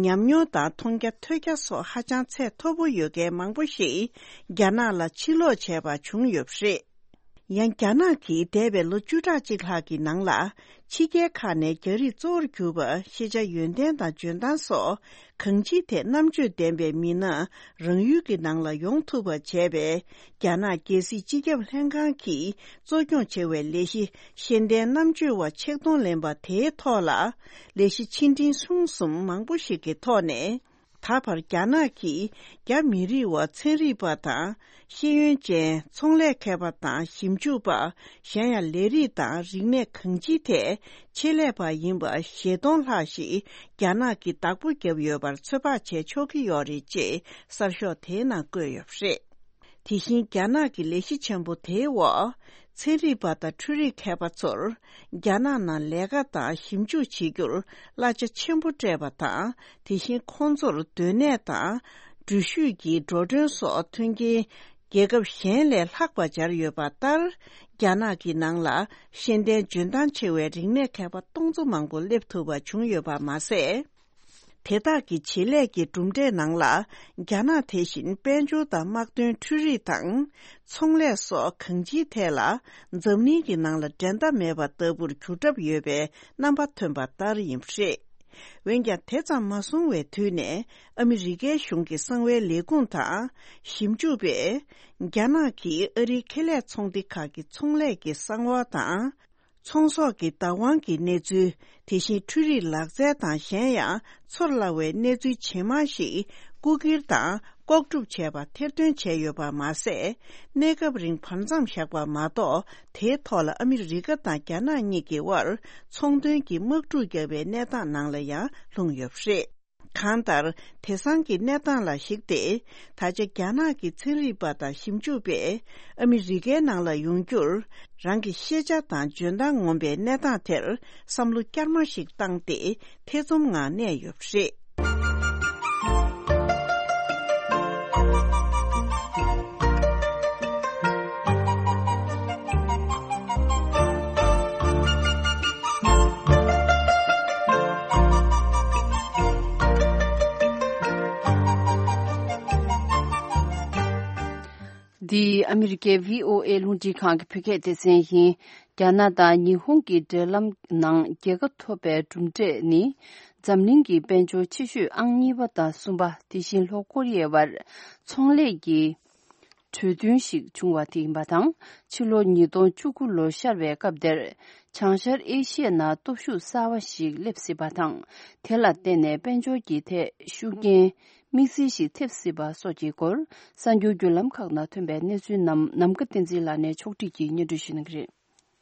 ཉམས་མྱོང་དང་མཐོང་རྒྱ་ཐོས་རྒྱ་སོགས་ཧ་ཅང་ཚད་མཐོ་པོ་ཡོད་མཁན་མང་པོ་ཞིག་རྒྱ་ནག་ལ་ཕྱིར་ལོག་བྱས་པ་བྱུང་ཡོད་པ་རེད། ཡང་རྒྱ་ནག་གིས་འདས་པའི་ལོ་བཅུ་ཕྲག་གཅིག་ལྷག་གི་ནང་ལ། ཕྱི་རྒྱལ་ཁག་ནས་རྒྱ་རིགས་གཙོ་བོར་གྱུར་པ་ཤེས་བྱ་ཡོན་ཏན་དང་འཇོན་ཐང་སོགས་གང་ཅིའི་ཐད་རྣམ་དཔྱོད་ལྡན་པའི་མི་སྣ་རང་ཡུལ་གྱི་ནང་ལ་ཡོང་ཐུབ་པ་བྱས་པའི་རྒྱ་ནག་རྒྱལ་སྲིད་སྤྱི་ཁྱབ་ལྷན་ཁང་གིས་གཙོ་སྐྱོང་བྱས་པའི་ལས་གཞི་ཤེས་ལྡན་རྣམ་དཔྱོད་པ་ཆིག་སྟོང་ལོན་པ་དེའི་ཐོག་ལ། ལས་གཞི་ཆེ་འབྲིང་ཆུང་གསུམ་མང་པོ་ཞིག་གི་ཐོག་ནས། ད་བར་རྒྱ་ནག་གིས་རྒྱ་མི་རིགས་བ་ཚན་རིག་པ་དང་ཤེས་ཡོན་ཅན་ཚོང་ལས་མཁས་པ་དང་ཞིབ་འཇུག་པ། གཞན་ཡང་ལས་རིགས་དང་རིག་གནས་གང་ཅིའི་ཐད་ཆེད་ལས་པ་ཡིན་པ་བཞི་སྟོང་ལྷག་ཞིག་རྒྱ་ནག་གིས་བདག་པོ་བརྒྱབ་ཡོད་པར་ཚོད་དཔག་བྱེད་ཆོག་གི་ཡོད་རེད་ཅེས་གསར་ཤོག་དེའི་ནང་བཀོད་ཡོད་པ་རེད། དེ་བཞིན་རྒྱ་ནག་གི་ལས་གཞི་ཆེན་པོ་དེའི་འོག་ཚན་རིག་པ་དང་འཕྲུལ་རིག་མཁས་པ་ཚོར་རྒྱ་ནག་ནང་ལས་ཀ་དང་ཞིབ་འཇུག་བྱེད་རྒྱུར་གླ་ཆ་ཆེན་པོ་སྤྲད་པ་དང་། དེ་བཞིན་ཁོང་ཚོར་སྡོད་གནས་དང་འགྲུལ་བཞུད་ཀྱི་འགྲོ་གྲོན་སོགས་མཐུན་རྐྱེན་རྒྱལ་ཁབ་གཞན་ལས་ལྷག་པ་སྦྱར་ཡོད་པ་ལྟར། རྒྱ་ནག་གི་ནང་ལ་ཤེས་ལྡན་འཇོན་ཐང་ཆེ་བའི་རིག་གནས་མཁས་པ་སྟོང་ཚོ་མང་པོ་སླེབས་ཐུབ་པ་བྱུང་ཡོད་པ་མ་ཟད། དེ་དག་གི་བྱེད་ལས་ཀྱི་གྲུབ་འབྲས་ནང་ལ། རྒྱ་ནག་དེ་བཞིན་དཔལ་འབྱོར་དང་དམག་དོན་འཕྲུལ་རིག་དང་། ཚོང་ལས་སོགས་གང་ཅིའི་ཐད་ལ། འཛམ་གླིང་གི་ནང་ལ་འགྲན་ཟླ་མེད་པ་ལྟ་བུར་གྱུར་གྲབས་ཡོད་པའི་རྣམ་པ་ཐོན་པ་ལྟར་ཡིན་པ་རེད། འོན་ཀྱང་དེ་ཙམ་མ་སོང་བའི་དུས་ནས་ཨ་མི་རི་ཀའི་གཞུང་གི་གསང་བའི་ལས་ཁུངས་དང་ཞིབ་འཇུག་པས། རྒྱ་ནག་གིས་ཨ་རིའི་ཁེ་ལས་ཚོང་སྡེ་ཁག་གི་ཚོང་ལས་ཀྱི་གསང་བ་དང་། ཚོང་ཟོག་གི་བདག་དབང་གི་གནས་ཚུལ། དེ་བཞིན་འཕྲུལ་རིག་ལག་རྩལ་དང་གཞན་ཡང་ཚོར་སླ་བའི་གནས་ཚུལ་ཇེ་མང་ཞིག་རྐུ་འཁྱེར་དང་ལྐོག་སྒྲུབ་བྱས་པ་ཐེར་འདོན་བྱས་ཡོད་པ་མ་ཟད། གནས་སྐབས་རིང་བར་མཚམས་བཞག་པ་མ་གཏོགས། དེའི་ཐོག་ལ་ཨ་མི་རི་ཀ་དང་རྒྱ་ནག་གཉིས་ཀྱི་དབར་ཚོང་དོན་གྱི་དམག་འཁྲུག་བརྒྱབ་པའི་གནས་སྟངས་ནང་ལ་ཡང་ལྷུང་ཡོད་པ་རེད། གང་ལྟར། དེང་སང་གི་གནས་སྟངས་ལ་གཞིགས་ཏེ། ད་ཆ་རྒྱ་ནག་གི་ཚན་རིག་པ་དང་ཞིབ་འཇུག་པས། ཨ་མི་རི་ཀའི་ནང་ལ་ཡོང་རྒྱུར། རང་གི་ཤེས་བྱ་དང་འཇོན་ཐང་ངོམ་པའི་གནས་སྟངས་དེར་བསམ་བློ་བསྐྱར་མ་ཞིག་བཏང་སྟེ། ཐེ་ཚོམ་ངང་གནས་ཡོད་པ་རེད། འདི་ཨ་མི་རི་ཀའི་བྷི་ཨོ་ཨེ་རླུང་འཕྲིན་ཁང་གི་བོད་སྐད་སྡེ་ཚན་ཡིན། རྒྱ་ནག་དང་ཉི་ཧོང་གི་འབྲེལ་ལམ་ནང་རྒྱལ་ཁ་ཐོབ་པའི་གྲུབ་འབྲས་ནི། འཛམ་གླིང་གི་དཔལ་འབྱོར་ཆེ་ཤོས་ཨང་གཉིས་པ་དང་གསུམ་པ། དེ་བཞིན་ལྷོ་ཀོ་རི་ཡའི་བར་ཚོང་ལས་ཀྱི་གྲོས་མཐུན་ཞིག་བྱུང་བ་དེ་ཡིན་པ་དང་། ཕྱི་ལོ་ཉིས་སྟོང་བཅུ་དགུ་ལོ་ཤར་བའི་སྐབས་དེར། བྱང་ཤར་ཨེ་ཤི་ཡའི་ནང་སྟོབས་ཤུགས་གསར་བ་ཞིག་སླེབས་སྲིད་པ་དང་། དེ་ལ་བརྟེན་ནས་དཔལ་འབྱོར་གྱི་ཐད་ཤུགས་རྐྱེན་དམིགས་བསལ་ཞིག་ཐེབས་སྲིད་པ་སོགས་ཀྱི་སྐོར། གསར་འགྱུར་བརྒྱུད་ལམ་ཁག་ནང་ཐོན་པའི་གནས་ཚུལ་རྣམས་ནམ་མཁའ་བསྟན་འཛིན་ལགས་ནས་ཕྱོགས་སྒྲིག་གིས་སྙན་སྒྲོན་ཞུ་གནང་གི་རེད།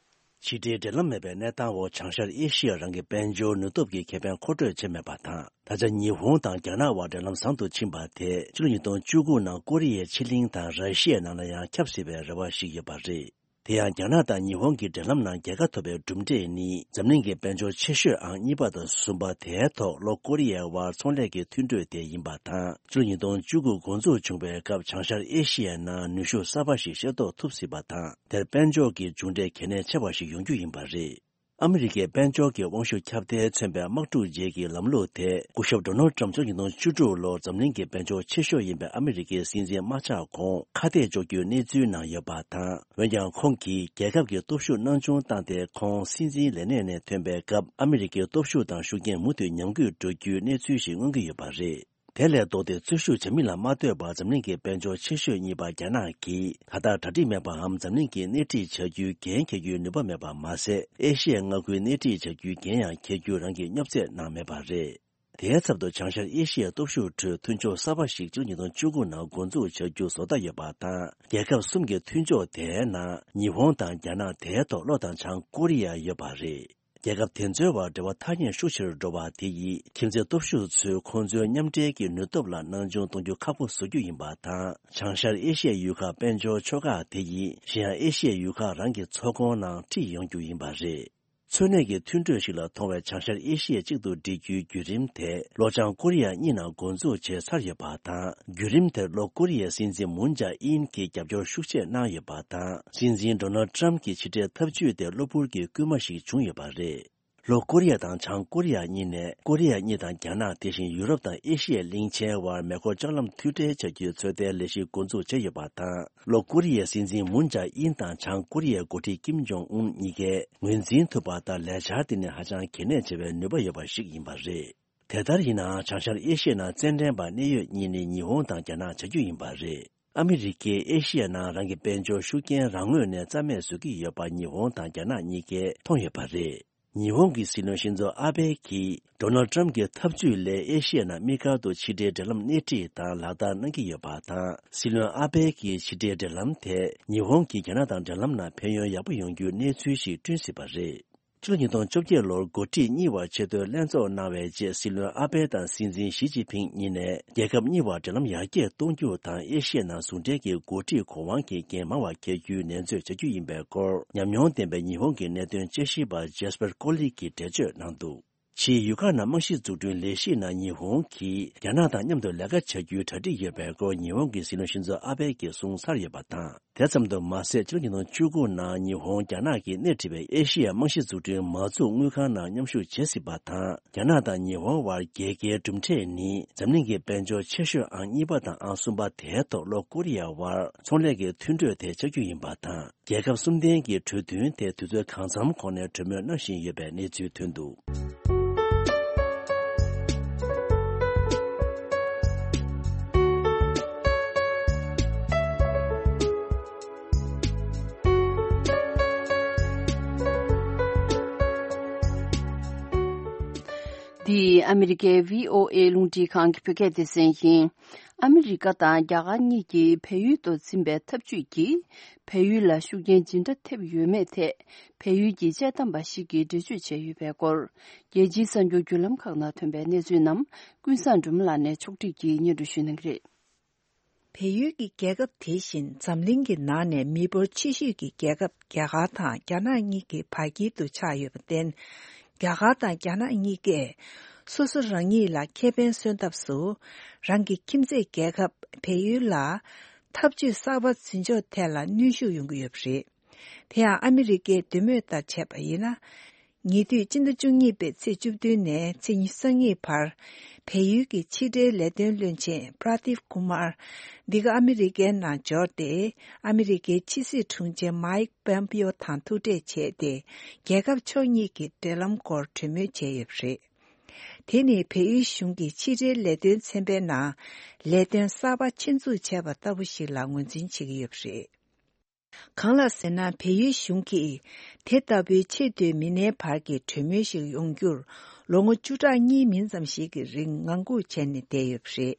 ཕྱི་འབྲེལ་འབྲེལ་ལམ་མེད་པའི་གནས་སྟངས་འོག་བྱང་ཤར་ཨེ་ཤི་ཡ་རང་གི་དཔལ་འབྱོར་ནུས་སྟོབས་ཀྱི་ཁེ་ཕན་མཁོ་སྤྲོད་བྱེད་མེད་པ་དང་། ད་ཆ་ཉི་ཧོང་དང་རྒྱ་ནག་དབར་འབྲེལ་ལམ་བཟང་དུ་ཕྱིན་པ་དེས་ཕྱི་ལོ་ཉིས་སྟོང་བཅུ་དགུ་ནང་ཀོ་རི་ཡའི་ཕྱེད་གླིང་དང་ར་ཤི་ཡའི་ནང་ལ་ཡང་ཁྱབ་སྲིད་པའི་རེ་བ་ཞིག་ཡོད་པ་རེད། དེ་ཡང་རྒྱ་ནག་དང་ཉི་ཧོང་གི་འབྲེལ་ལམ་ནང་རྒྱལ་ཁ་ཐོབ་པའི་གྲུབ་འབྲས་ནི། འཛམ་གླིང་གི་དཔལ་འབྱོར་ཆེ་ཤོས་ཨང་གཉིས་པ་དང་གསུམ་པ་དེའི་ཐོག་ལྷོ་ཀོ་རི་ཡའི་དབར་ཚོང་ལས་ཀྱི་མཐུན་གྲོས་དེ་ཡིན་པ་དང་། ཕྱི་ལོ་ཉིས་སྟོང་བཅུ་དགུ་འགོ་འཛུགས་བྱུང་བའི་སྐབས་བྱང་ཤར་ཨེ་ཤི་ཡའི་ནང་ནུས་ཤུགས་གསར་པ་ཞིག་ཤེས་རྟོགས་ཐུབ་སྲིད་པ་དང་། དེར་དཔལ་འབྱོར་གྱི་མཇུག་འབྲས་གལ་གནད་ཆེ་བ་ཞིག་ཡོང་རྒྱུ་ཡིན་པ་རེད། ཨ་མི་རི་ཀའི་དཔལ་འབྱོར་གྱི་དབང་ཤུགས་ཁྱབ་གདལ་མཚོན་པའི་དམག་འཁྲུག་རྗེས་ཀྱི་ལམ་ལུགས་དེ། སྐུ་ཞབས་ཌོ་ནལ་ཊམ་ཕྱི་ལོ་ཉིས་སྟོང་བཅུ་དྲུག་ལོར་འཛམ་གླིང་གི་དཔལ་འབྱོར་ཆེ་ཤོས་ཡིན་པའི་ཨ་མི་རི་ཀའི་སྲིད་འཛིན་མ་ཆགས་གོང་ཁ་གཏད་གཅོག་རྒྱུའི་གནས་ཚུལ་ནང་ཡོད་པ་དང་། འོན་ཀྱང་ཁོང་གིས་རྒྱལ་ཁབ་ཀྱི་སྟོབས་ཤུགས་སྣང་ཆུང་བཏང་སྟེ། ཁོང་སྲིད་འཛིན་ལས་གནས་ནས་ཐོན་པའི་སྐབས་ཨ་མི་རི་ཀའི་སྟོབས་ཤུགས་དང་ཤུགས་རྐྱེན་མུ་མཐུད་ཉམས་རྒུད་འགྲོ་རྒྱུའི་གནས་ཚུལ་ཞིག་མངོན་གྱི་ཡོད་པ་རེད། དེ་ལས་ལྡོག་སྟེ་རྩོད་ཤུགས་ཇེ་མི་ལ་མ་ལྟོས་པར་འཛམ་གླིང་གི་དཔལ་འབྱོར་ཆེ་ཤོས་གཉིས་པ་རྒྱ་ནག་གིས་ད་ལྟ་གྲ་སྒྲིག་མེད་པའམ་འཛམ་གླིང་གི་སྣེ་ཁྲིད་བྱ་རྒྱུའི་འགན་འཁྱེར་རྒྱུའི་ནུས་པ་མེད་པ་མ་ཟད། ཨེ་ཤི་ཡའི་མངའ་ཁུལ་སྣེ་ཁྲིད་བྱ་རྒྱུའི་འགན་ཡང་འཁྱེར་རྒྱུ་རང་གིས་སྙོབ་རྩེད་གནང་མེད་པ་རེད། དེའི་ཚབ་ཏུ་བྱང་ཤར་ཨེ་ཤི་ཡའི་སྟོབས་ཤུགས་ཁྲོད་མཐུན་ཕྱོགས་གསར་པ་ཞིག་ཕྱི་ལོ་ཉིས་སྟོང་བཅུ་དགུ་ནང་འགོ་འཛུགས་བྱ་རྒྱུ་བཟོ་ལྟ་ཡོད་པ་དང་། རྒྱལ་ཁབ་གསུམ་གྱི་མཐུན་ཕྱོགས་དེའི་ནང་ཉི་ཧོང་དང་རྒྱ་ནག་དེའི་ཐོག་ལྷོ་དང་བྱང་ཀོ་རི་ཡ་ཡོད་པ་རེད། རྒྱལ་ཁབ་དེ་ཚོའི་བར་འབྲེལ་བ་ཐ་སྙད་ཤུགས་ཆེ་རུ་འགྲོ་བ་དེ་ཡིས་ཁྱིམ་མཚེས་སྟོབས་ཤུགས་ཚོས་ཁོང་ཚོའི་མཉམ་འབྲེལ་གྱི་ནུས་སྟོབས་ལ་སྣང་ཆུང་གཏོང་རྒྱུ་ཁག་པོ་བཟོ་རྒྱུ་ཡིན་པ་དང་། བྱང་ཤར་ཨེ་ཤི་ཡའི་ཡུལ་ཁག་དཔལ་འབྱོར་ཕྱོགས་ཁག་དེ་ཡིས་གཞན་ཡང་ཨེ་ཤི་ཡའི་ཡུལ་ཁག་རང་གི་ཚོང་ཁང་ནང་ཁྲིད་ཡོང་རྒྱུ་ཡིན་པ་རེད། འཚོ་གནས་ཀྱི་མཐུན་གྲོས་ཤིག་ལ་མཐོང་བའི་བྱང་ཤར་ཨེ་ཤི་ཡ་གཅིག་ཏུ་སྒྲིལ་རྒྱུའི་བརྒྱུད་རིམ་དེ་ལྷོ་བྱང་ཀོ་རི་ཡ་གཉིས་ནང་འགོ་འཛུགས་བྱས་ཚར་ཡོད་པ་དང་། བརྒྱུད་རིམ་དེར་ལྷོ་ཀོ་རི་ཡའི་སྲིད་འཛིན་མུན་ཇཱ་ཨིན་གྱིས་རྒྱབ་སྐྱོར་ཤུགས་ཆེ་གནང་ཡོད་པ་དང་། སྲིད་འཛིན་ཌོ་ནལ་ཌི་ཊརམ་གྱི་ཕྱི་འབྲེལ་འཐབ་ཇུས་དེ་གློ་བུར་གྱི་སྐུལ་མ་ཞིག་བྱུང་ཡོད་པ་རེད། ལྷོ་ཀོ་རི་ཡ་དང་བྱང་ཀོ་རི་ཡ་གཉིས་ནས་ཀོ་རི་ཡ་གཉིས་དང་རྒྱ་ནག་དེ་བཞིན་ཡུ་རོབ་དང་ཨེ་ཤི་ཡའི་གླིང་ཆེན་བར་མེ་འཁོར་ལྕགས་ལམ་མཐུད་སྦྲེལ་བྱ་རྒྱུའི་ཚོད་ལྟའི་ལས་གཞི་འགོ་འཛུགས་བྱས་ཡོད་པ་དང་། ལྷོ་ཀོ་རི་ཡའི་སྲིད་འཛིན་མུན་ཇཱ་ཨིན་དང་བྱང་ཀོ་རི་ཡའི་འགོ་ཁྲིད་ཀིམ་ཇོང་ཨུན་གཉིས་ཀས་ངོས་འཛིན་ཐུབ་པ་ལྟར་ལས་འཆར་དེ་ནི་ཧ་ཅང་གལ་གནད་ཆེ་བའི་ནུས་པ་ཡོད་པ་ཞིག་ཡིན་པ་རེད། དེ་ལྟར་ཡིན་ནའང་བྱང་ཤར་ཨེ་ཤི་ཡའི་ནང་རྩེད་འགྲན་པ་གནད་ཡོད་གཉིས་ནི་ཉི་ཧོང་དང་རྒྱ་ནག་བྱ་རྒྱུ་ཡིན་པ་རེད། ཨ་མི་རི་ཀས་ཨེ་ཤི་ཡའི་ནང་རང་གི་དཔལ་འབྱོར་ཤུགས་རྐྱེན་རང་ངོས་ནས་རྩ་མེད་བཟོ་གི་ཡོད་པ་ཉི་ཧོང་དང་རྒྱ་ནག་གཉིས་ཀས་མཐོང་ཡོད་པ་རེད། ཉི་ཧོང་གི་སྲིད་བློན་ཤིན་ཛོ་ཨ་བྷེ་གིས་ཌོ་ནལ་ཌི་ཊརམ་གྱི་འཐབ་ཇུས་ལས་ཨེ་ཤི་ཡའི་ནང་དམིགས་བཀར་དུ་ཕྱི་འབྲེལ་འབྲེལ་ལམ་སྣེ་ཁྲིད་དང་ལག་བསྟར་གནང་གི་ཡོད་པ་དང་། སྲིད་བློན་ཨ་བྷེ་གིས་ཕྱི་འབྲེལ་འབྲེལ་ལམ་དེས་ཉི་ཧོང་གིས་རྒྱ་ནག་དང་འབྲེལ་ལམ་ནང་ཕན་ཡོན་ཡག་པོ་ཡོང་རྒྱུའི་གནས་ཚུལ་ཞིག་བསྐྲུན་སྲིད་པ་རེད། ཕྱི་ལོ་ཉིས་སྟོང་བཅོ་བརྒྱད་ལོར་འགོ་ཁྲིད་གཉིས་བར་ཆེས་མཐོའི་ལྷན་ཚོགས་གནང་བའི་རྗེས། སྲིད་བློན་ཨ་བྷེ་དང་སྲིད་འཛིན་ཞི་ཅིན་ཕིང་གཉིས་ནས་རྒྱལ་ཁབ་གཉིས་བར་འབྲེལ་ལམ་ཡར་རྒྱས་གཏོང་རྒྱུ་དང་། ཨེ་ཤི་ཡའི་ནང་ཟུང་འབྲེལ་གྱི་འགོ་ཁྲིད་གོ་དབང་གི་འགན་མང་བ་འཁྱེར་རྒྱུའི་ནན་བརྗོད་བྱ་རྒྱུ་ཡིན་པའི་སྐོར། ཉམས་མྱོང་ལྡན་པའི་ཉི་ཧོང་གི་གནད་དོན་དཔྱད་ཞིབ་པ་ཇེ་སི་པར་ཀོ་ལི་གིས་འགྲེལ་བརྗོད་གནང་འདུག་ཕྱིའི་ཡུལ་ཁག་ནང་རྨང་གཞི་འཛུགས་སྐྲུན་ལས་གཞིའི་ནང་ཉི་ཧོང་གིས་རྒྱ་ནག་དང་མཉམ་དུ་ལས་ཀ་བྱ་རྒྱུའི་གྲ་སྒྲིག་ཡོད་པའི་སྐོར། ཉི་ཧོང་གི་སྲིད་བློན་ཤིན་ཛོ་ཨ་བྷེ་གིས་གསུངས་ཚར་ཡོད་པ་དང་། དེ་ཙམ་དུ་མ་ཟད། ཕྱི་ལོ་ཉིས་སྟོང་བཅུ་དགུ་ནང་ཉི་ཧོང་རྒྱ་ནག་གིས་སྣེ་ཁྲིད་པའི་ཨེ་ཤི་ཡ་རྨང་གཞི་འཛུགས་སྐྲུན་མ་འཛུགས་དངུལ་ཁང་ནང་མཉམ་ཞུགས་བྱེད་སྲིད་པ་དང་། རྒྱ་ནག་དང་ཉི་ཧོང་བར་རྒྱལ་ཁའི་གྲུབ་འབྲས་ནི་འཛམ་གླིང་གི་དཔལ་འབྱོར་ཆེ་ཤོས་ཨང་གཉིས་པ་དང་ཨང་གསུམ་པ་དེའི་ཐོག་ལྷོ་ཀོ་རི་ཡ་བར་ཚོང་ལས་ཀྱི་མཐུན་གྲོས་དེ་ཆགས་རྒྱུ་ཡིན་པ་དང་། རྒྱལ་ཁབ་གསུམ་ལྡན་གྱི་གྲོས་མཐུན་དེ་དུས་ཚོད་གང་འཚམ་གོང་ནས་གྲོས་མོལ་གནང་བཞིན་ཡོད་པའི་གནས་ཚུལ་ཐོན་འདུག་འདི་ཨ་མི་རི་ཀའི་བྷི་ཨོ་ཨེ་རླུང་འཕྲིན་ཁང་གི་བོད་སྐད་སྡེ་ཚན་ཡིན། ཨ་མི་རི་ཀ་དང་རྒྱ་གར་གཉིས་ཀྱིས་བལ་ཡུལ་དུ་འཛིན་པའི་འཐབ་ཇུས་ཀྱིས་བལ་ཡུལ་ལ་ཤུགས་རྐྱེན་ཇི་འདྲ་ཐེབས་ཡོད་མེད་ཐད། བལ་ཡུལ་གྱི་དཔྱད་གཏམ་པ་ཞིག་གིས་འགྲེལ་བརྗོད་བྱས་ཡོད་པའི་སྐོར། རྒྱལ་སྤྱིའི་གསར་འགྱུར་བརྒྱུད་ལམ་ཁག་ནང་ཐོན་པའི་གནས་ཚུལ་རྣམས་ཀུན་བཟང་སྒྲོལ་མ་ལགས་ནས་ཕྱོགས་སྒྲིག་གིས་སྙན་སྒྲོན་ཞུ་གནང་གི་རེད། བལ་ཡུལ་གྱི་རྒྱལ་ཁབ་དེ་བཞིན་འཛམ་གླིང་གི་ནང་ནས་མི་འབོར་ཆེ་ཤོས་ཀྱི་རྒྱལ་ཁབ་རྒྱ་གར་དང་རྒྱ་ནག་གཉིས་ཀྱི་བར་དཀྱིལ་དུ་ཆགས་ཡོད་པར་བརྟེན། རྒྱ་གར་དང་རྒྱ་ནག་གཉིས་ཀས་སོ་སོ་རང་ཉིད་ལ་ཁེ་ཕན་སོན་ཐབས་སུ། རང་གི་ཁྱིམ་མཚེས་རྒྱལ་ཁབ་བལ་ཡུལ་ལ་འཐབ་ཇུས་གསར་པ་འཛིན་ཕྱོགས་ཐད་ལ་གནོན་ཤུགས་ཡོང་གི་ཡོད་པ་རེད། དེ་ཡང་ཨ་མི་རི་ཀའི་འདོད་མོས་ལྟར་བྱས་པ་ཡིན་ན། ཉེ་དུས་སྤྱི་ཟླ་བཅུ་གཉིས་པའི་ཚེས་བཅུ་བདུན་ནས་ཚེས་ཉི་ཤུ་རྩ་གཉིས་བར། བལ་ཡུལ་གྱི་ཕྱི་འབྲེལ་ལས་དོན་བློན་ཆེན་པྲ་དིབ་ཀུ་མར་འདི་ག་ཨ་མི་རི་ཀའི་ནང་འབྱོར་ཏེ། ཨ་མི་རི་ཀའི་ཕྱི་སྲིད་དྲུང་ཆེ་མའིག་པོམ་པིའོ་དང་ཐུག་འཕྲད་བྱས་ཏེ། རྒྱལ་ཁབ་ཕྱོགས་གཉིས་ཀྱི་འབྲེལ་ལམ་སྐོར་གྲོས་མོལ་བྱས་ཡོད་པ་རེད། དེ་ནི་བལ་ཡུལ་གཞུང་གི་ཕྱི་འབྲེལ་ལས་དོན་ཚན་པའི་ནང་ལས་དོན་གསར་པ་ཆེད་འཛུགས་བྱས་པ་ལྟ་བུ་ཞིག་ལ་ངོས་འཛིན་བྱེད་ཀྱི་ཡོད་པ་རེད། གང་ལགས་ཟེར་ན། བལ་ཡུལ་གཞུང་གིས་དེ་ལྟ་བུའི་ཆེས་མཐོའི་མི་སྣའི་བར་གྱི་གྲོས་མོལ་ཞིག་ཡོང་རྒྱུར་ལོ་ངོ་བཅུ་ཕྲག་གཉིས་མིན་ཙམ་ཞིག་གི་རིང་ངང་སྒུག་བྱས་ནས་བསྡད་ཡོད་པ་རེད།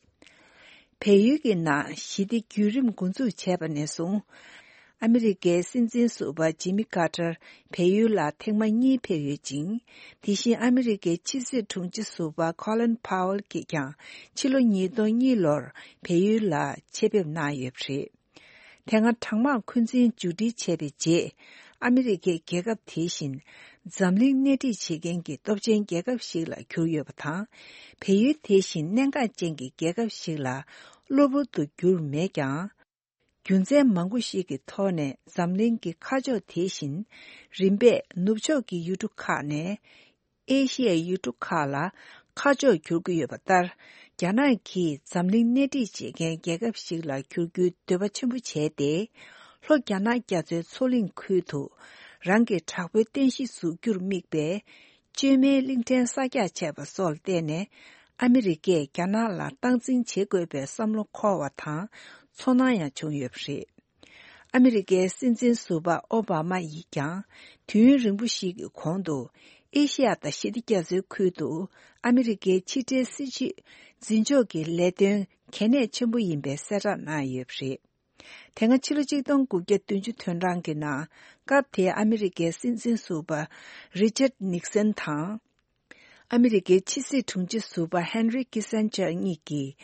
བལ་ཡུལ་གྱི་ནང་ཞི་བདེ་བརྒྱུད་རིམ་འགོ་འཛུགས་བྱས་པ་ནས་བཟུང་། ཨ་མི་རི་ཀའི་སྲིད་འཛིན་ཟུར་པ་ཇི་མི་ཀར་ཏར་བལ་ཡུལ་ལ་ཐེངས་མ་གཉིས་ཕེབས་ཡོད་ཅིང་། དེ་བཞིན་ཨ་མི་རི་ཀའི་ཕྱི་སྲིད་དྲུང་ཆེ་ཟུར་པ་ཁོ་ལིན་ཕའོ་ལ་གིས་ཀྱང་ཕྱི་ལོ་ཉིས་སྟོང་གཉིས་ལོར་བལ་ཡུལ་ལ་ཆེད་ཕེབས་གནང་ཡོད་པ་རེད། དེ་སྔ་གྲང་དམག་འཁོན་འཛིན་མཇུག་སྒྲིལ་བྱས་པའི་རྗེས། ཨ་མི་རི་ཀས་རྒྱལ་ཁབ་དེ་བཞིན་འཛམ་གླིང་སྣེ་ཁྲིད་བྱེད་མཁན་གྱི་སྟོབས་ཆེན་རྒྱལ་ཁབ་ཞིག་ལ་གྱུར་ཡོད་པ་དང་། བལ་ཡུལ་དེ་བཞིན་གནད་འགག་ཅན་གྱི་རྒྱལ་ཁབ་ཞིག་ལ་གློ་བུར་དུ་གྱུར་མེད་ཀྱང་། རྒྱུ་མཚན་མང་པོ་ཞིག་གི་ཐོག་ནས་འཛམ་གླིང་གི་ཁ་ཕྱོགས་དེ་བཞིན་རིམ་པས་ནུབ་ཕྱོགས་ཀྱི་ཡུལ་གྲུ་ཁག་ནས། ཨེ་ཤི་ཡའི་ཡུལ་གྲུ་ཁག་ལ་ཁ་ཕྱོགས་འགྱུར་གྱི་ཡོད་པ་ལྟར། རྒྱ་ནག་གིས་འཛམ་གླིང་སྣེ་ཁྲིད་བྱེད་མཁན་རྒྱལ་ཁབ་ཞིག་ལ་འགྱུར་རྒྱུའི་འདོད་པ་ཆེན་པོ་བྱས་ཏེ། ལྷོ་རྒྱ་ནག་རྒྱ་མཚོའི་མཚོ་གླིང་ཁུལ་དུ་རང་གི་དྲག་པོའི་རྟེན་གཞི་འཛུགས་རྒྱུར་དམིགས་པའི་བཅོས་མའི་གླིང་ཕྲན་གསར་རྒྱག་བྱས་པ་སོགས་ལ་བརྟེན་ནས། ཨ་མི་རི་ཀས་རྒྱ་ནག་ལ་སྟངས་འཛིན་བྱེད་དགོས་པའི་བསམ་བློ་འཁོར་བ་དང་ཚོར་སྣང་ཡང་བྱུང་ཡོད་པ་རེད། ཨ་མི་རི་ཀའི་སྲིད་འཛིན་ཟུར་པ་ཨོ་བྷ་མ་ཡིས་ཀྱང་དུས་ཡུན་རིང་པོ་ཞིག་གི་གོང་དུ་ཨེ་ཤི་ཡ་དང་ཞི་བདེ་རྒྱ་མཚོའི་ཁུལ་དུ་ཨ་མི་རི་ཀའི་ཕྱི་འབྲེལ་སྲིད་བྱུས་འཛིན་ཕྱོགས་ཀྱི་ལས་དོན་གལ་གནད་ཆེན་པོ་ཡིན་པའི་གསལ་བསྒྲགས་གནང་ཡོད་པ་རེད། དེ་སྔ་ཕྱི་ལོ་ཆིག་སྟོང་དགུ་བརྒྱ་བདུན་ཅུ་དོན་གྲངས་ཀྱི་ནང་། སྐབས་དེའི་ཨ་མི་རི་ཀའི་སྲིད་འཛིན་ཟུར་པ་རི་ཅར་ནིག་སན་དང་། ཨ་མི་རི་ཀའི་ཕྱི་སྲིད་དྲུང་ཆེ་ཟུར་པ་ཧན་རི་ཀི་སན་ཇར་གཉིས་ཀྱིས།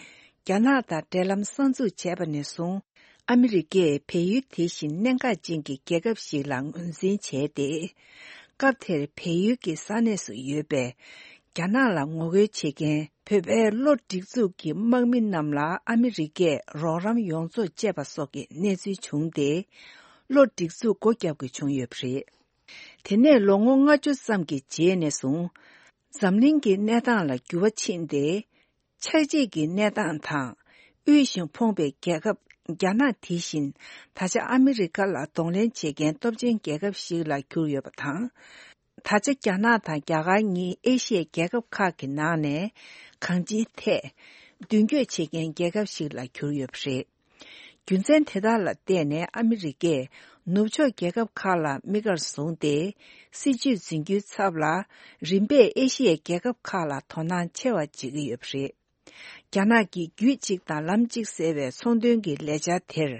རྒྱ་ནག་དང་འབྲེལ་ལམ་གསར་འཛུགས་བྱས་པ་ནས་བཟུང་། ཨ་མི་རི་ཀས་བལ་ཡུལ་དེ་བཞིན་གནད་འགག་ཅན་གྱི་རྒྱལ་ཁབ་ཞིག་ལ་ངོས་འཛིན་བྱས་ཏེ། སྐབས་དེར་བལ་ཡུལ་གྱི་ས་གནས་སུ་ཡོད་པའི་རྒྱ་ནག་ལ་ངོ་རྒོལ་བྱེད་མཁན་བོད་པའི་བློ་སྒྲིག་འཛུགས་ཀྱི་དམག་མི་རྣམས་ལ་ཨ་མི་རི་ཀས་རོགས་རམ་ཡོངས་རྫོགས་བཅད་པ་སོགས་ཀྱི་གནས་ཚུལ་བྱུང་སྟེ། བློ་སྒྲིག་འཛུགས་སྒོ་བརྒྱབ་དགོས་བྱུང་ཡོད་པ་རེད། དེ་ནས་ལོ་ངོ་ལྔ་བཅུ་ཙམ་གྱི་རྗེས་ནས་བཟུང་། འཛམ་གླིང་གི་གནས་སྟངས་ལ་འགྱུར་བ་ཕྱིན་ཏེ། ཆགས་འཇིག་གི་གནས་སྟངས་དང་། དབུལ་ཞིང་ཕོངས་པའི་རྒྱལ་ཁབ་རྒྱ་ནག་དེ་བཞིན། ད་ཆ་ཨ་མི་རི་ཀ་ལ་གདོང་ལེན་བྱེད་མཁན་སྟོབས་ཆེན་རྒྱལ་ཁབ་ཞིག་ལ་གྱུར་ཡོད་པ་དང་། ད་ཆ་རྒྱ་ནག་དང་རྒྱ་གར་གཉིས་ཨེ་ཤི་ཡའི་རྒྱལ་ཁབ་ཁག་གི་ནང་ནས། གང་ཅིའི་ཐད། མདུན་སྐྱོད་བྱེད་མཁན་རྒྱལ་ཁབ་ཞིག་ལ་གྱུར་ཡོད་པ་རེད། རྒྱུ་མཚན་དེ་དག་ལ་བརྟེན་ནས་ཨ་མི་རི་ཀས་ནུབ་ཕྱོགས་རྒྱལ་ཁབ་ཁག་ལ་དམིགས་གར་བཟུང་སྟེ། སྲིད་ཇུས་འཛིན་རྒྱུའི་ཚབ་ལ། རིམ་པས་ཨེ་ཤི་ཡའི་རྒྱལ་ཁབ་ཁག་ལ་དོ་སྣང་ཆེ་བ་བྱེད་ཀྱི་ཡོད་པ་རེད། རྒྱ་ནག་གིས་རྒྱུད་གཅིག་དང་ལམ་གཅིག་ཟེར་བའི་ཚོང་དོན་གྱི་ལས་འཆར་དེར།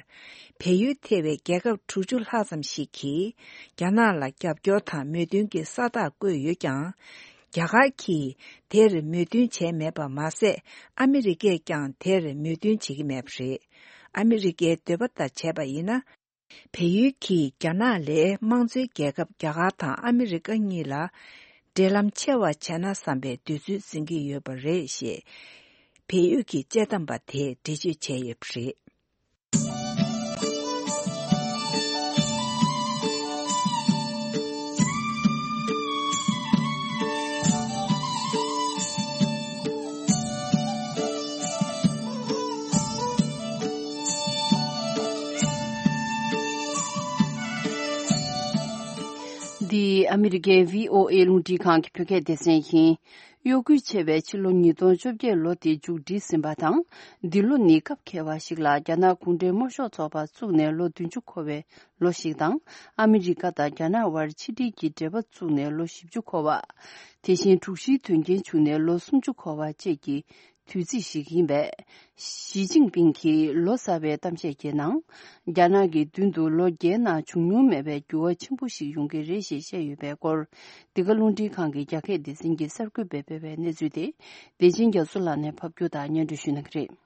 བལ་ཡུལ་ཐེ་བའི་རྒྱལ་ཁབ་དྲུག་ཅུ་ལྷག་ཙམ་ཞིག་གིས། རྒྱ་ནག་ལ་རྒྱབ་སྐྱོར་དང་མོས་མཐུན་གྱི་ས་རྟགས་བཀོད་ཡོད་ཀྱང་། རྒྱ་གར་གྱིས་དེར་མོས་མཐུན་བྱས་མེད་པ་མ་ཟད། ཨ་མི་རི་ཀས་ཀྱང་དེར་མོས་མཐུན་བྱེད་ཀྱི་མེད་པ་རེད། ཨ་མི་རི་ཀའི་འདོད་པ་ལྟར་བྱས་པ་ཡིན་ན། བལ་ཡུལ་གྱིས་རྒྱ་ནག་ལས་དམངས་གཙོའི་རྒྱལ་ཁབ་རྒྱ་གར་དང་ཨ་མི་རི་ཀ་གཉིས་ལ། འབྲེལ་ལམ་ཆེ་བ་བྱས་ན་བསམ་པའི་འདོད་ཚུལ་འཛིན་གྱི་ཡོད་པ་རེད་ཞེས། བལ་ཡུལ་གྱི་དཔྱད་གཏམ་པ་དེས་འགྲེལ་བརྗོད་བྱས་ཡོད་པ་རེད། འདི་ཨ་མི་རི་ཀའི་བྷི་ཨོ་ཨེ་རླུང་འཕྲིན་ཁང་གི་བོད་སྐད་སྡེ་ཚན་ཡིན། གཡོ་འགུལ་ཆེ་བའི་ཕྱི་ལོ་ཉིས་སྟོང་བཅོ་བརྒྱད་ལོ་དེ་མཇུག་སྒྲིལ་ཟིན་པ་དང་། འདི་ལོ་ནི་སྐབས་འཁེལ་བ་ཞིག་ལ་རྒྱ་ནག་གུང་ཁྲན་དམར་ཤོག་ཚོགས་པ་བཙུགས་ནས་ལོ་བདུན་ཅུ་འཁོར་བའི་ལོ་ཞིག་དང་། ཨ་མི་རི་ཀ་དང་རྒྱ་ནག་དབར་ཕྱི་འབྲེལ་གྱི་འབྲེལ་བ་བཙུགས་ནས་ལོ་བཞི་བཅུ་འཁོར་བ། དེ་བཞིན་དྲུག་བཞིའི་དོན་རྐྱེན་བྱུང་ནས་ལོ་སུམ་ཅུ་འཁོར་བ་བཅས་ཀྱི་དུས་ཚིགས་ཤིག་ཡིན་པས། ཞི་ཅིན་ཕིང་གིས་ལོ་གསར་པའི་གཏམ་བཤད་ཀྱི་ནང་། རྒྱ་ནག་གི་མདུན་དུ་ལོ་བརྒྱའི་ནང་བྱུང་མྱོང་མེད་པའི་འགྱུར་བ་ཆེན་པོ་ཞིག་ཡོང་གི་རེད་ཞེས་བཤད་ཡོད་པའི་སྐོར། འདི་ག་རླུང་འཕྲིན་ཁང་གི་རྒྱ་སྐད་སྡེ་ཚན་གྱི་གསར་འགོད་པས་སྤེལ་བའི་གནས་ཚུལ་དེ། བདེ་ཆེན་རྒྱ་མཚོ་ལགས་ནས་ཕབ་སྒྱུར་དང་སྙན་སྒྲོན་ཞུ་གནང་གི་རེད།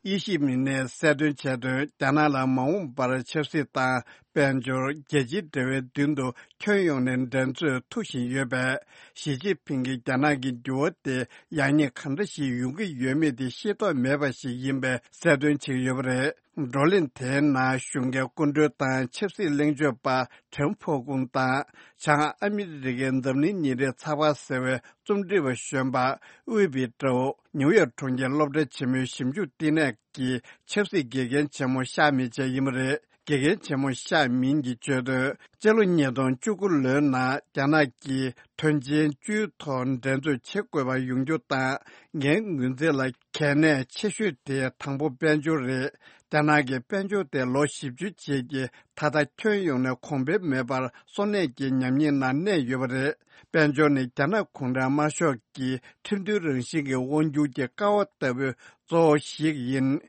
དབྱི་ཞིན་ཕིང་ནས་གསལ་སྟོན་བྱས་དོན། རྒྱ་ནག་ལ་མ་འོངས་པར་ཆབ་སྲིད་དང་། དཔལ་འབྱོར། རྒྱལ་སྤྱིའི་འབྲེལ་བའི་མདུན་དུ་ཁྱོན་ཡོངས་ནས་འགྲན་རྩོད་མཐུག་བཞིན་ཡོད་པས། ཞི་ཅིན་ཕིང་གིས་རྒྱ་ནག་གི་འགྱུར་བ་དེ་ཡག་ཉེས་གང་འདྲ་ཞིག་ཡོང་གི་ཡོད་མེད་དེ་ཤེས་རྟོགས་མེད་པ་ཞིག་ཡིན་པའི་གསལ་སྟོན་བྱེད་ཀྱི་ཡོད་པ་རེད། བགྲོ་གླེང་དེའི་ནང་གཞུང་གི་སྐུ་མགྲོན་དང་ཆབ་སྲིད་གླེང་བརྗོད་པ་ཁྲེན་ཕོ་ཀུང་དང་། བྱང་ཨ་མི་རི་ཀའི་འཛམ་གླིང་ཉིན་རེའི་ཚགས་པར་ཟེར་བའི་རྩོམ་སྒྲིག་པ་གཞོན་པ་དབུས་པི་ཀྲོའུ། ནིའུ་ཡོག་གྲོང་ཁྱེར་སློབ་གྲྭ་ཆེན་མོའི་ཞིབ་འཇུག་བསྟི་གནས་ཀྱི་ཆབ་སྲིད་དགེ་རྒན་ཆེན་མོ་ཤ་མིན་བཅས་ཡིན་པ་རེད། དགེ་རྒན་ཆེན་མོ་ཤ་མིན་གྱིས་བརྗོད་དོན། སྤྱི་ལོ་ཉིས་སྟོང་བཅུ་དགུ་ལོའི་ནང་རྒྱ་ནག་གིས་དོན་ཆེན་བཅུའི་ཐོག་འགྲན་རྩོད་བྱེད་དགོས་པ་ཡོང་རྒྱུ་དང་། ངའི་ངོས་འཛིན་ལ་གལ་གནད་ཆེ་ཤོས་དེ་དང་པོ་དཔལ་འབྱོར་རེད། རྒྱ་ནག་གི་དཔལ་འབྱོར་དེ་ལོ་བཞི་བཅུ་རྗེས་ཀྱི་ད་ལྟ་ཁྱོན་ཡོངས་ནས་གོང་འཕེལ་མེད་པར་སོར་གནས་ཀྱི་ཉམས་ཉེས་ནང་གནས་ཡོད་པ་རེད། དཔལ་འབྱོར་ནི་རྒྱ་ནག་གུང་ཁྲན་དམར་ཤོག་གི་ཁྲིམས་མཐུན་རང་བཞིན་གྱི་དབང་སྒྱུར་གྱི་ཀ་བ་ལྟ་བུའི་གཙོ་བོ་ཞིག་ཡིན།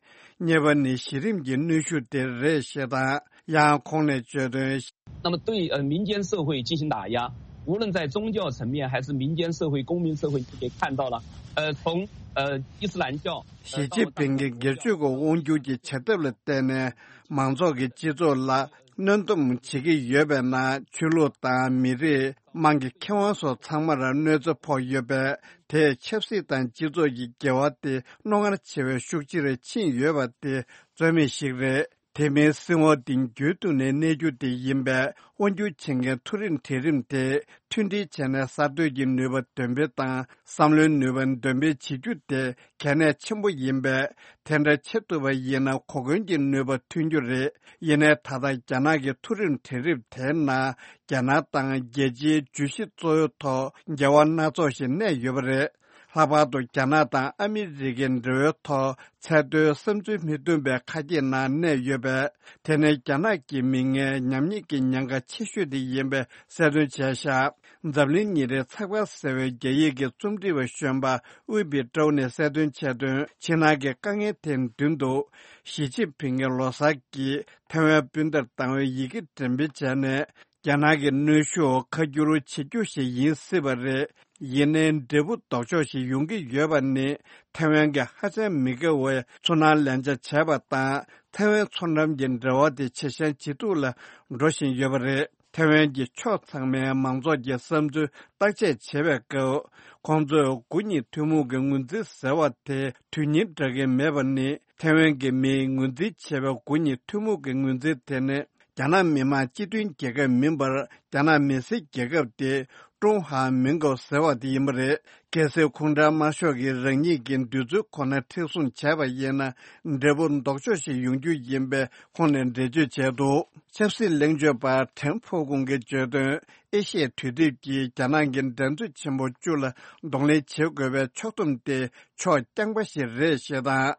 གཉིས་པ་ནི་གཞི་རིམ་གྱི་གནོན་ཤུགས་དེ་རེད་ཞེས་དང་། ཡང་ཁོང་ནས་བརྗོད་དོན། 那么对呃民间社会进行打压，无论在宗教层面还是民间社会、公民社会，你可以看到了，呃，从呃伊斯兰教，呃， ཞི་ཅིན་ཕིང་གིས་སྒེར་གཅོད་ཀྱི་དབང་སྒྱུར་གྱི་བྱ་ཐབས་ལ་བརྟེན་ནས་མང་ཚོགས་ཀྱི་སྤྱི་ཚོགས་ལ་གནོན་སྡོམ་བྱེད་ཀྱི་ཡོད་པའི་ནང་ཆོས་ལུགས་དང་མི་རིགས། དམངས་ཀྱི་ཁེ་དབང་སོགས་ཚང་མར་གནོད་འཚེ་ཕོག་ཡོད་པས། དེས་ཆབ་སྲིད་དང་སྤྱི་ཚོགས་ཀྱི་འགལ་བ་དེ་རྣོ་ངར་ཆེ་བའི་ཤུགས་ཆེར་ཕྱིན་ཡོད་པ་དེ་རྩོད་མེད་ཞིག་རེད། དེ་མིན་སྲིད་དབང་དེ་རྒྱུན་དུ་ནས་གནས་རྒྱུ་དེ་ཡིན་པས། དབང་སྒྱུར་བྱེད་མཁན་མཐོ་རིམ་གྲལ་རིམ་དེ་མཐུན་སྒྲིལ་བྱས་ནས་གསར་གཏོད་ཀྱི་ནུས་པ་འདོན་སྤེལ་དང་། བསམ་བློའི་ནུས་པ་འདོན་སྤེལ་བྱེད་རྒྱུ་དེ་གལ་གནད་ཆེན་པོ་ཡིན་པས། དེ་འདྲ་བྱེད་ཐུབ་པ་ཡིན་ན་གོ་སྐོན་གྱི་ནུས་པ་ཐོན་རྒྱུ་རེད། ཡིན་ནའི་ད་ལྟ་རྒྱ་ནག་གི་མཐོ་རིམ་གྲལ་རིམ་དེའི་ནང་རྒྱ་ནག་དང་རྒྱལ་སྤྱིའི་བརྗོད་གཞི་གཙོ་བོའི་ཐོག་འགལ་བ་སྣ་ཚོགས་ཤིག་གནས་ཡོད་པ་རེད། ལྷག་པར་དུ་རྒྱ་ནག་དང་ཨ་མི་རི་ཀའི་འབྲེལ་བའི་ཐོག་ཚད་མཐོའི་བསམ་ཚུལ་མི་མཐུན་པའི་ཁ་གྱེས་ནང་གནས་ཡོད་པས། དེ་ནི་རྒྱ་ནག་གི་མི་ངན་ཉམས་ཉེས་ཀྱི་ཉེན་ཁ་ཆེ་ཤོས་དེ་ཡིན་པའི་གསལ་སྟོན་བྱས་བཞག་འཛམ་གླིང་ཉིན་རེའི་ཚགས་པར་ཟེར་བའི་རྒྱ་ཡིག་གི་རྩོམ་སྒྲིག་པ་གཞོན་པ་ཝི་པི་ཀྲོའུ་ནས་གསལ་སྟོན་བྱས་དོན། ཕྱི་ནང་གི་དཀའ་ངལ་དེའི་མདུན་དུ། ཞི་ཅིན་ཕིང་གིས་ལོ་གསར་གྱི་ཐའེ་ཝན་སྤུན་ཟླར་བཏང་བའི་ཡི་གེ་འགྲེམས་སྤེལ་བྱས་ནས། རྒྱ་ནག་གི་གནོན་ཤུགས་ཁ་བསྒྱུར་བྱེད་རྒྱུ་ཞིག་ཡིན་སྲིད་པ་རེད། ཡིན་ནའི་འབྲས་བུ་ལྡོག་ཕྱོགས་ཤིག་ཡོང་གི་ཡོད་པ་ནི། ཐའེ་ཝན་གྱིས་ཧ་ཅང་མི་དགའ་བའི་ཚོར་སྣང་ལེན་ཆ་བྱས་པ་དང་། ཐའེ་ཝན་མཚོ་འགྲམ་གྱི་འབྲེལ་བ་དེ་ཇེ་ཞན་ཇེ་སྡུག་ལ་འགྲོ་བཞིན་ཡོད་པ་རེད། ཐའེ་ཝན་གྱི་ཕྱོགས་ཚང་མའི་མང་ཚོགས་ཀྱི་བསམ་ཚུལ་བརྟག་དཔྱད་བྱེད་པའི་སྐབས། ཁོང་ཚོས་དགུ་ཉིན་ཐུན་མོང་གི་ངོས་འཛིན་ཟེར་བ་དེ་དོན་སྙིང་འདྲ་གི་མེད་པ་ནི། ཐའེ་ཝན་གྱི་མིས་ངོས་འཛིན་བྱས་པའི་དགུ་ཉིན་ཐུན་མོང་གི་ངོས་འཛིན་དེ་ནི། རྒྱ་ནག་མི་དམངས་སྤྱི་མཐུན་རྒྱལ་ཁབ་མིན་པར། རྒྱ་ནག་མི་སེར་རྒྱལ་ཁབ་སྟེ། ཀྲུང་ཧྭ་མིན་ཀོ་ཟེར་བ་དེ་ཡིན་པ་རེད། གལ་སྲིད་ཁོང་ཁྲོ་དམར་ཤོག་གིས་རང་ཉིད་ཀྱི་འདོད་ཚུལ་ཁོ་ན་མཁྲེགས་བཟུང་བྱས་པ་ཡིན་ན། འབྲས་བུ་ལྡོག་ཕྱོགས་ཤིག་ཡོང་རྒྱུ་ཡིན་པའི་ཁོང་ནས་འགྲེལ་བརྗོད་བྱས་འདུག་ཆབ་སྲིད་གླེང་བརྗོད་པ་ཁྲེན་ཧྥོ་ཀུང་གིས་བརྗོད་དོན། ཨེ་ཤི་ཡའི་དུས་དེབ་ཀྱིས་རྒྱ་ནག་གི་འགྲན་རྩོད་ཆེན་པོ་བཅུ་ལ་གདོང་ལེན་བྱེད་དགོས་པའི་ཕྱོགས་བསྡོམས་དེ་ཕྱོགས་རྐྱང་པ་ཞིག་རེད་ཞེས་དང་།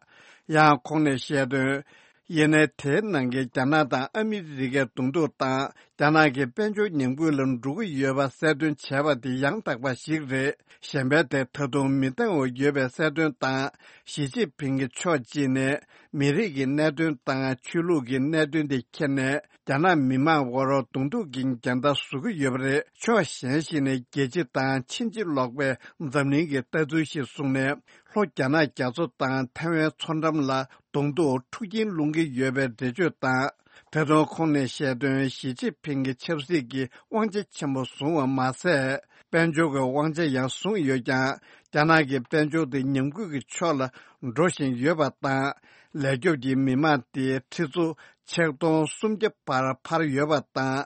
ཡང་ཁོང་ནས་བཤད་དོན། ཡིན་ནའི་དེའི་ནང་གི་རྒྱ་ནག་དང་ཨ་མི་རི་ཀའི་གདོང་ཐུག་དང་། རྒྱ་ནག་གི་དཔལ་འབྱོར་ཉམས་རྒུད་ལ་འགྲོ་གི་ཡོད་པ་གསལ་སྟོན་བྱས་པ་དེ་ཡང་དག་པ་ཞིག་རེད། གཞན་པའི་དེ་ད་དུང་མི་འདང་བ་ཡོད་པའི་གསལ་སྟོན་དང་། ཞི་ཅིན་ཕིང་གིས་ཕྱོགས་གཅིག་ནས་མི་རིགས་ཀྱི་གནད་དོན་དང་ཆོས་ལུགས་ཀྱི་གནད་དོན་དེ་ཁྱེར་ནས། རྒྱ་ནག་མི་དམངས་དབར་གདོང་ཐུག་གི་འགལ་ཟླ་བཟོ་གི་ཡོད་པ་རེད། ཕྱོགས་གཞན་ཞིག་ནས་རྒྱལ་སྤྱི་དང་ཕྱིན་ཅི་ལོག་པའི་འཛམ་གླིང་གི་ལྟ་ཚུལ་ཞིག་བཟུང་ནས། ལྷོ་རྒྱ་ནག་རྒྱ་མཚོ་དང་ཐའེ་ཝན་མཚོ་འགྲམ་ལ་གདོང་ཐུག་འཁྲུག་རྐྱེན་སློང་གི་ཡོད་པའི་འགྲེལ་བརྗོད་དང་། ད་དུང་ཁོང་ནས་བཤད་དོན། ཞི་ཅིན་ཕིང་གིས་ཆབ་སྲིད་ཀྱི་དབང་ཆ་ཆེན་པོ་བཟུང་བ་མ་ཟད། དཔལ་འབྱོར་གྱི་དབང་ཆ་ཡང་བཟུང་ཡོད་ཀྱང་། རྒྱ་ནག་གི་དཔལ་འབྱོར་དེ་ཉམས་རྒུད་ཀྱི་ཕྱོགས་ལ་འགྲོ་བཞིན་ཡོད་པ་དང་། ལས་སྐྱོབ་ཀྱི་མི་མང་དེ་ཁྲི་ཚོ་ཆིག་སྟོང་སུམ་བརྒྱ་བར་འཕར་ཡོད་པ་དང་།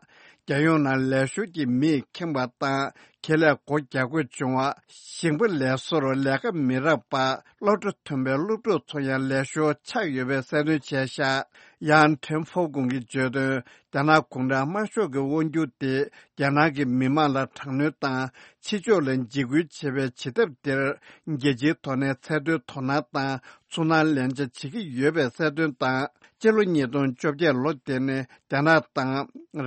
རྒྱལ་ཡོངས་ནང་ལས་ཞོར་གྱི་མིས་ཁེངས་པ་དང་། ཁེ་ལས་སྒོ་རྒྱག་དགོས་བྱུང་བ། ཞིང་པ་ལས་བཟོར་ལས་ཀ་མི་རག་པ། སློབ་གྲྭ་མཐོན་པའི་སློབ་ཕྲུག་ཚོ་ཡང་ལས་ཞོར་ཆགས་ཡོད་པའི་གསལ་སྟོན་བྱས་ཤག་ཡང་ཁྲེན་ཧྥོ་ཀུང་གིས་བརྗོད་དོན། རྒྱ་ནག་གུང་ཁྲན་དམར་ཤོག་གི་དབང་སྒྱུར་དེ་རྒྱ་ནག་གི་མི་དམངས་ལ་དྲག་གནོན་དང་། ཕྱི་ཕྱོགས་ལ་འཇིགས་སྐུལ་བྱེད་པའི་བྱེད་ཐབས་དེར། རྒྱལ་སྤྱིའི་ཐོག་ནས་ཚད་མཐོའི་དོ་སྣང་དང་ཚོར་སྣང་ལེན་ཆ་བྱེད་ཀྱི་ཡོད་པའི་གསལ་སྟོན་དང་། སྤྱི་ལོ་ཉིས་སྟོང་བཅོ་བརྒྱད་ལོ་དེ་ནས་རྒྱ་ནག་དང་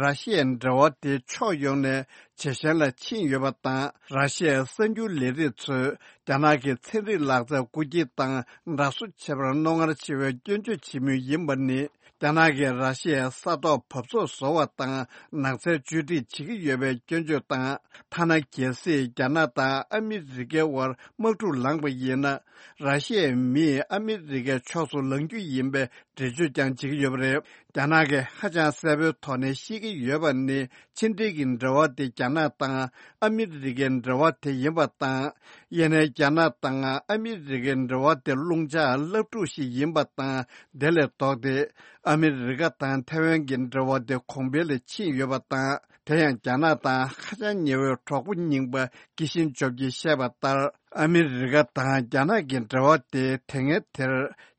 ར་ཤི་ཡའི་འབྲེལ་བ་དེ་ཕྱོགས་ཡོངས་ནས་ཇེ་ཞན་ལ་ཕྱིན་ཡོད་པ་དང་། ར་ཤི་ཡའི་གསར་འགྱུར་ལས་རིགས་ཚོས་རྒྱ་ནག་གི་ཚན་རིག་ལག་རྩལ་རྐུ་འཁྱེར་དང་འདྲ་བཟོ་བྱེད་པར་རྣོ་ངར་ཆེ་བའི་སྐྱོན་བརྗོད་བྱེད་མུས་ཡིན་པ་ནི། རྒྱ་ནག་གིས་ར་ཤི་ཡའི་ས་ཐོག་བབས་ཚོགས་བཟོ་བ་དང་ནགས་ཚལ་བཅོས་སྒྲིག་བྱེད་ཀྱི་ཡོད་པའི་སྐྱོན་བརྗོད་དང་། ཐ་ན་གལ་སྲིད་རྒྱ་ནག་དང་ཨ་མི་རི་ཀའི་དབར་དམག་འཁྲུག་ལངས་པ་ཡིན་ན། ར་ཤི་ཡའི་མིས་ཨ་མི་རི་ཀའི་ཕྱོགས་སུ་ལངས་རྒྱུ་ཡིན་པའི་འགྲེལ་བརྗོད་ཀྱང་བྱེད་ཀྱི་ཡོད་པ་རེད། རྒྱ་ནག་གིས་ཧ་ཅང་གསལ་པོའི་ཐོག་ནས་ཤེས་ཀྱི་ཡོད་པ་ནི། ཕྱི་འབྲེལ་གྱི་འབྲེལ་བ་དེ་རྒྱ་ནག་དང་ཨ་མི་རི་ཀའི་འབྲེལ་བ་དེ་ཡིན་པ་དང་། ཡིན་ནའི་རྒྱ་ནག་དང་ཨ་མི་རི་ཀའི་འབྲེལ་བ་དེ་རླུང་ལྕགས་སླབ་ཕྲུག་ཞིག་ཡིན་པ་དང་། དེ་ལས་ལྡོག་སྟེ། ཨ་མི་རི་ཀ་དང་ཐའེ་ཝན་གྱི་འབྲེལ་བ་དེ་གོང་འཕེལ་ལ་ཕྱིན་ཡོད་པ་དང་། དེ་ཡང་རྒྱ་ནག་དང་ཧ་ཅང་ཉེ་བའི་གྲོགས་པོ་རྙིང་པ་ཀི་ཤིན་ཇོབ་ཀྱིས་བཤད་པ་ལྟར། ཨ་མི་རི་ཀ་དང་རྒྱ་ནག་གི་འབྲེལ་བ་དེ་དེ་སྔའི་དེར་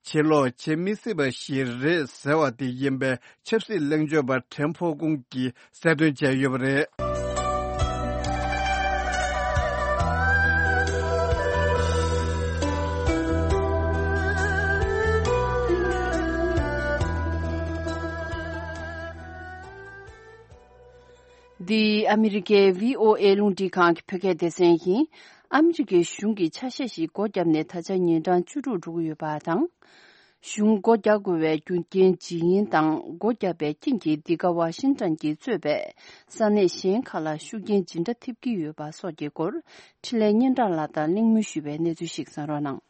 ཕྱིར་ལོག་བྱེད་མི་སྲིད་པ་ཞིག་རེད་ཟེར་བ་དེ་ཡིན་པའི་ཆབ་སྲིད་གླེང་བརྗོད་པ་ཁྲེན་ཧྥོ་ཀུང་གིས་གསལ་སྟོན་བྱས་ཡོད་པ་རེད། འདི་ཨ་མི་རི་ཀའི་བྷི་ཨོ་ཨེ་རླུང་འཕྲིན་ཁང་གི་བོད་སྐད་སྡེ་ཚན་ཡིན། ཨ་མི་རི་ཀའི་གཞུང་གིས་ཆ་ཤས་ཤིག་སྒོ་བརྒྱབ་ནས་ད་ཆ་ཉིན་གྲངས་བཅུ་དྲུག་འགྲོ་གི་ཡོད་པ་དང་། གཞུང་སྒོ་རྒྱག་དགོས་པའི་རྒྱུ་རྐྱེན་ཇི་ཡིན་དང་། སྒོ་བརྒྱབ་པའི་རྐྱེན་གྱིས་འདི་ག་ཝ་ཤིང་ཊོན་གྱིས་གཙོས་པའི་ས་གནས་གཞན་ཁག་ལ་ཤུགས་རྐྱེན་ཇི་འདྲ་ཐེབས་ཀྱི་ཡོད་པ་སོགས་ཀྱི་སྐོར། འཕྲིན་ལས་སྙན་གྲགས་ལགས་དང་གླེང་མོལ་ཞུས་པའི་གནས་ཚུལ་ཞིག་གསན་རོགས་གནང་།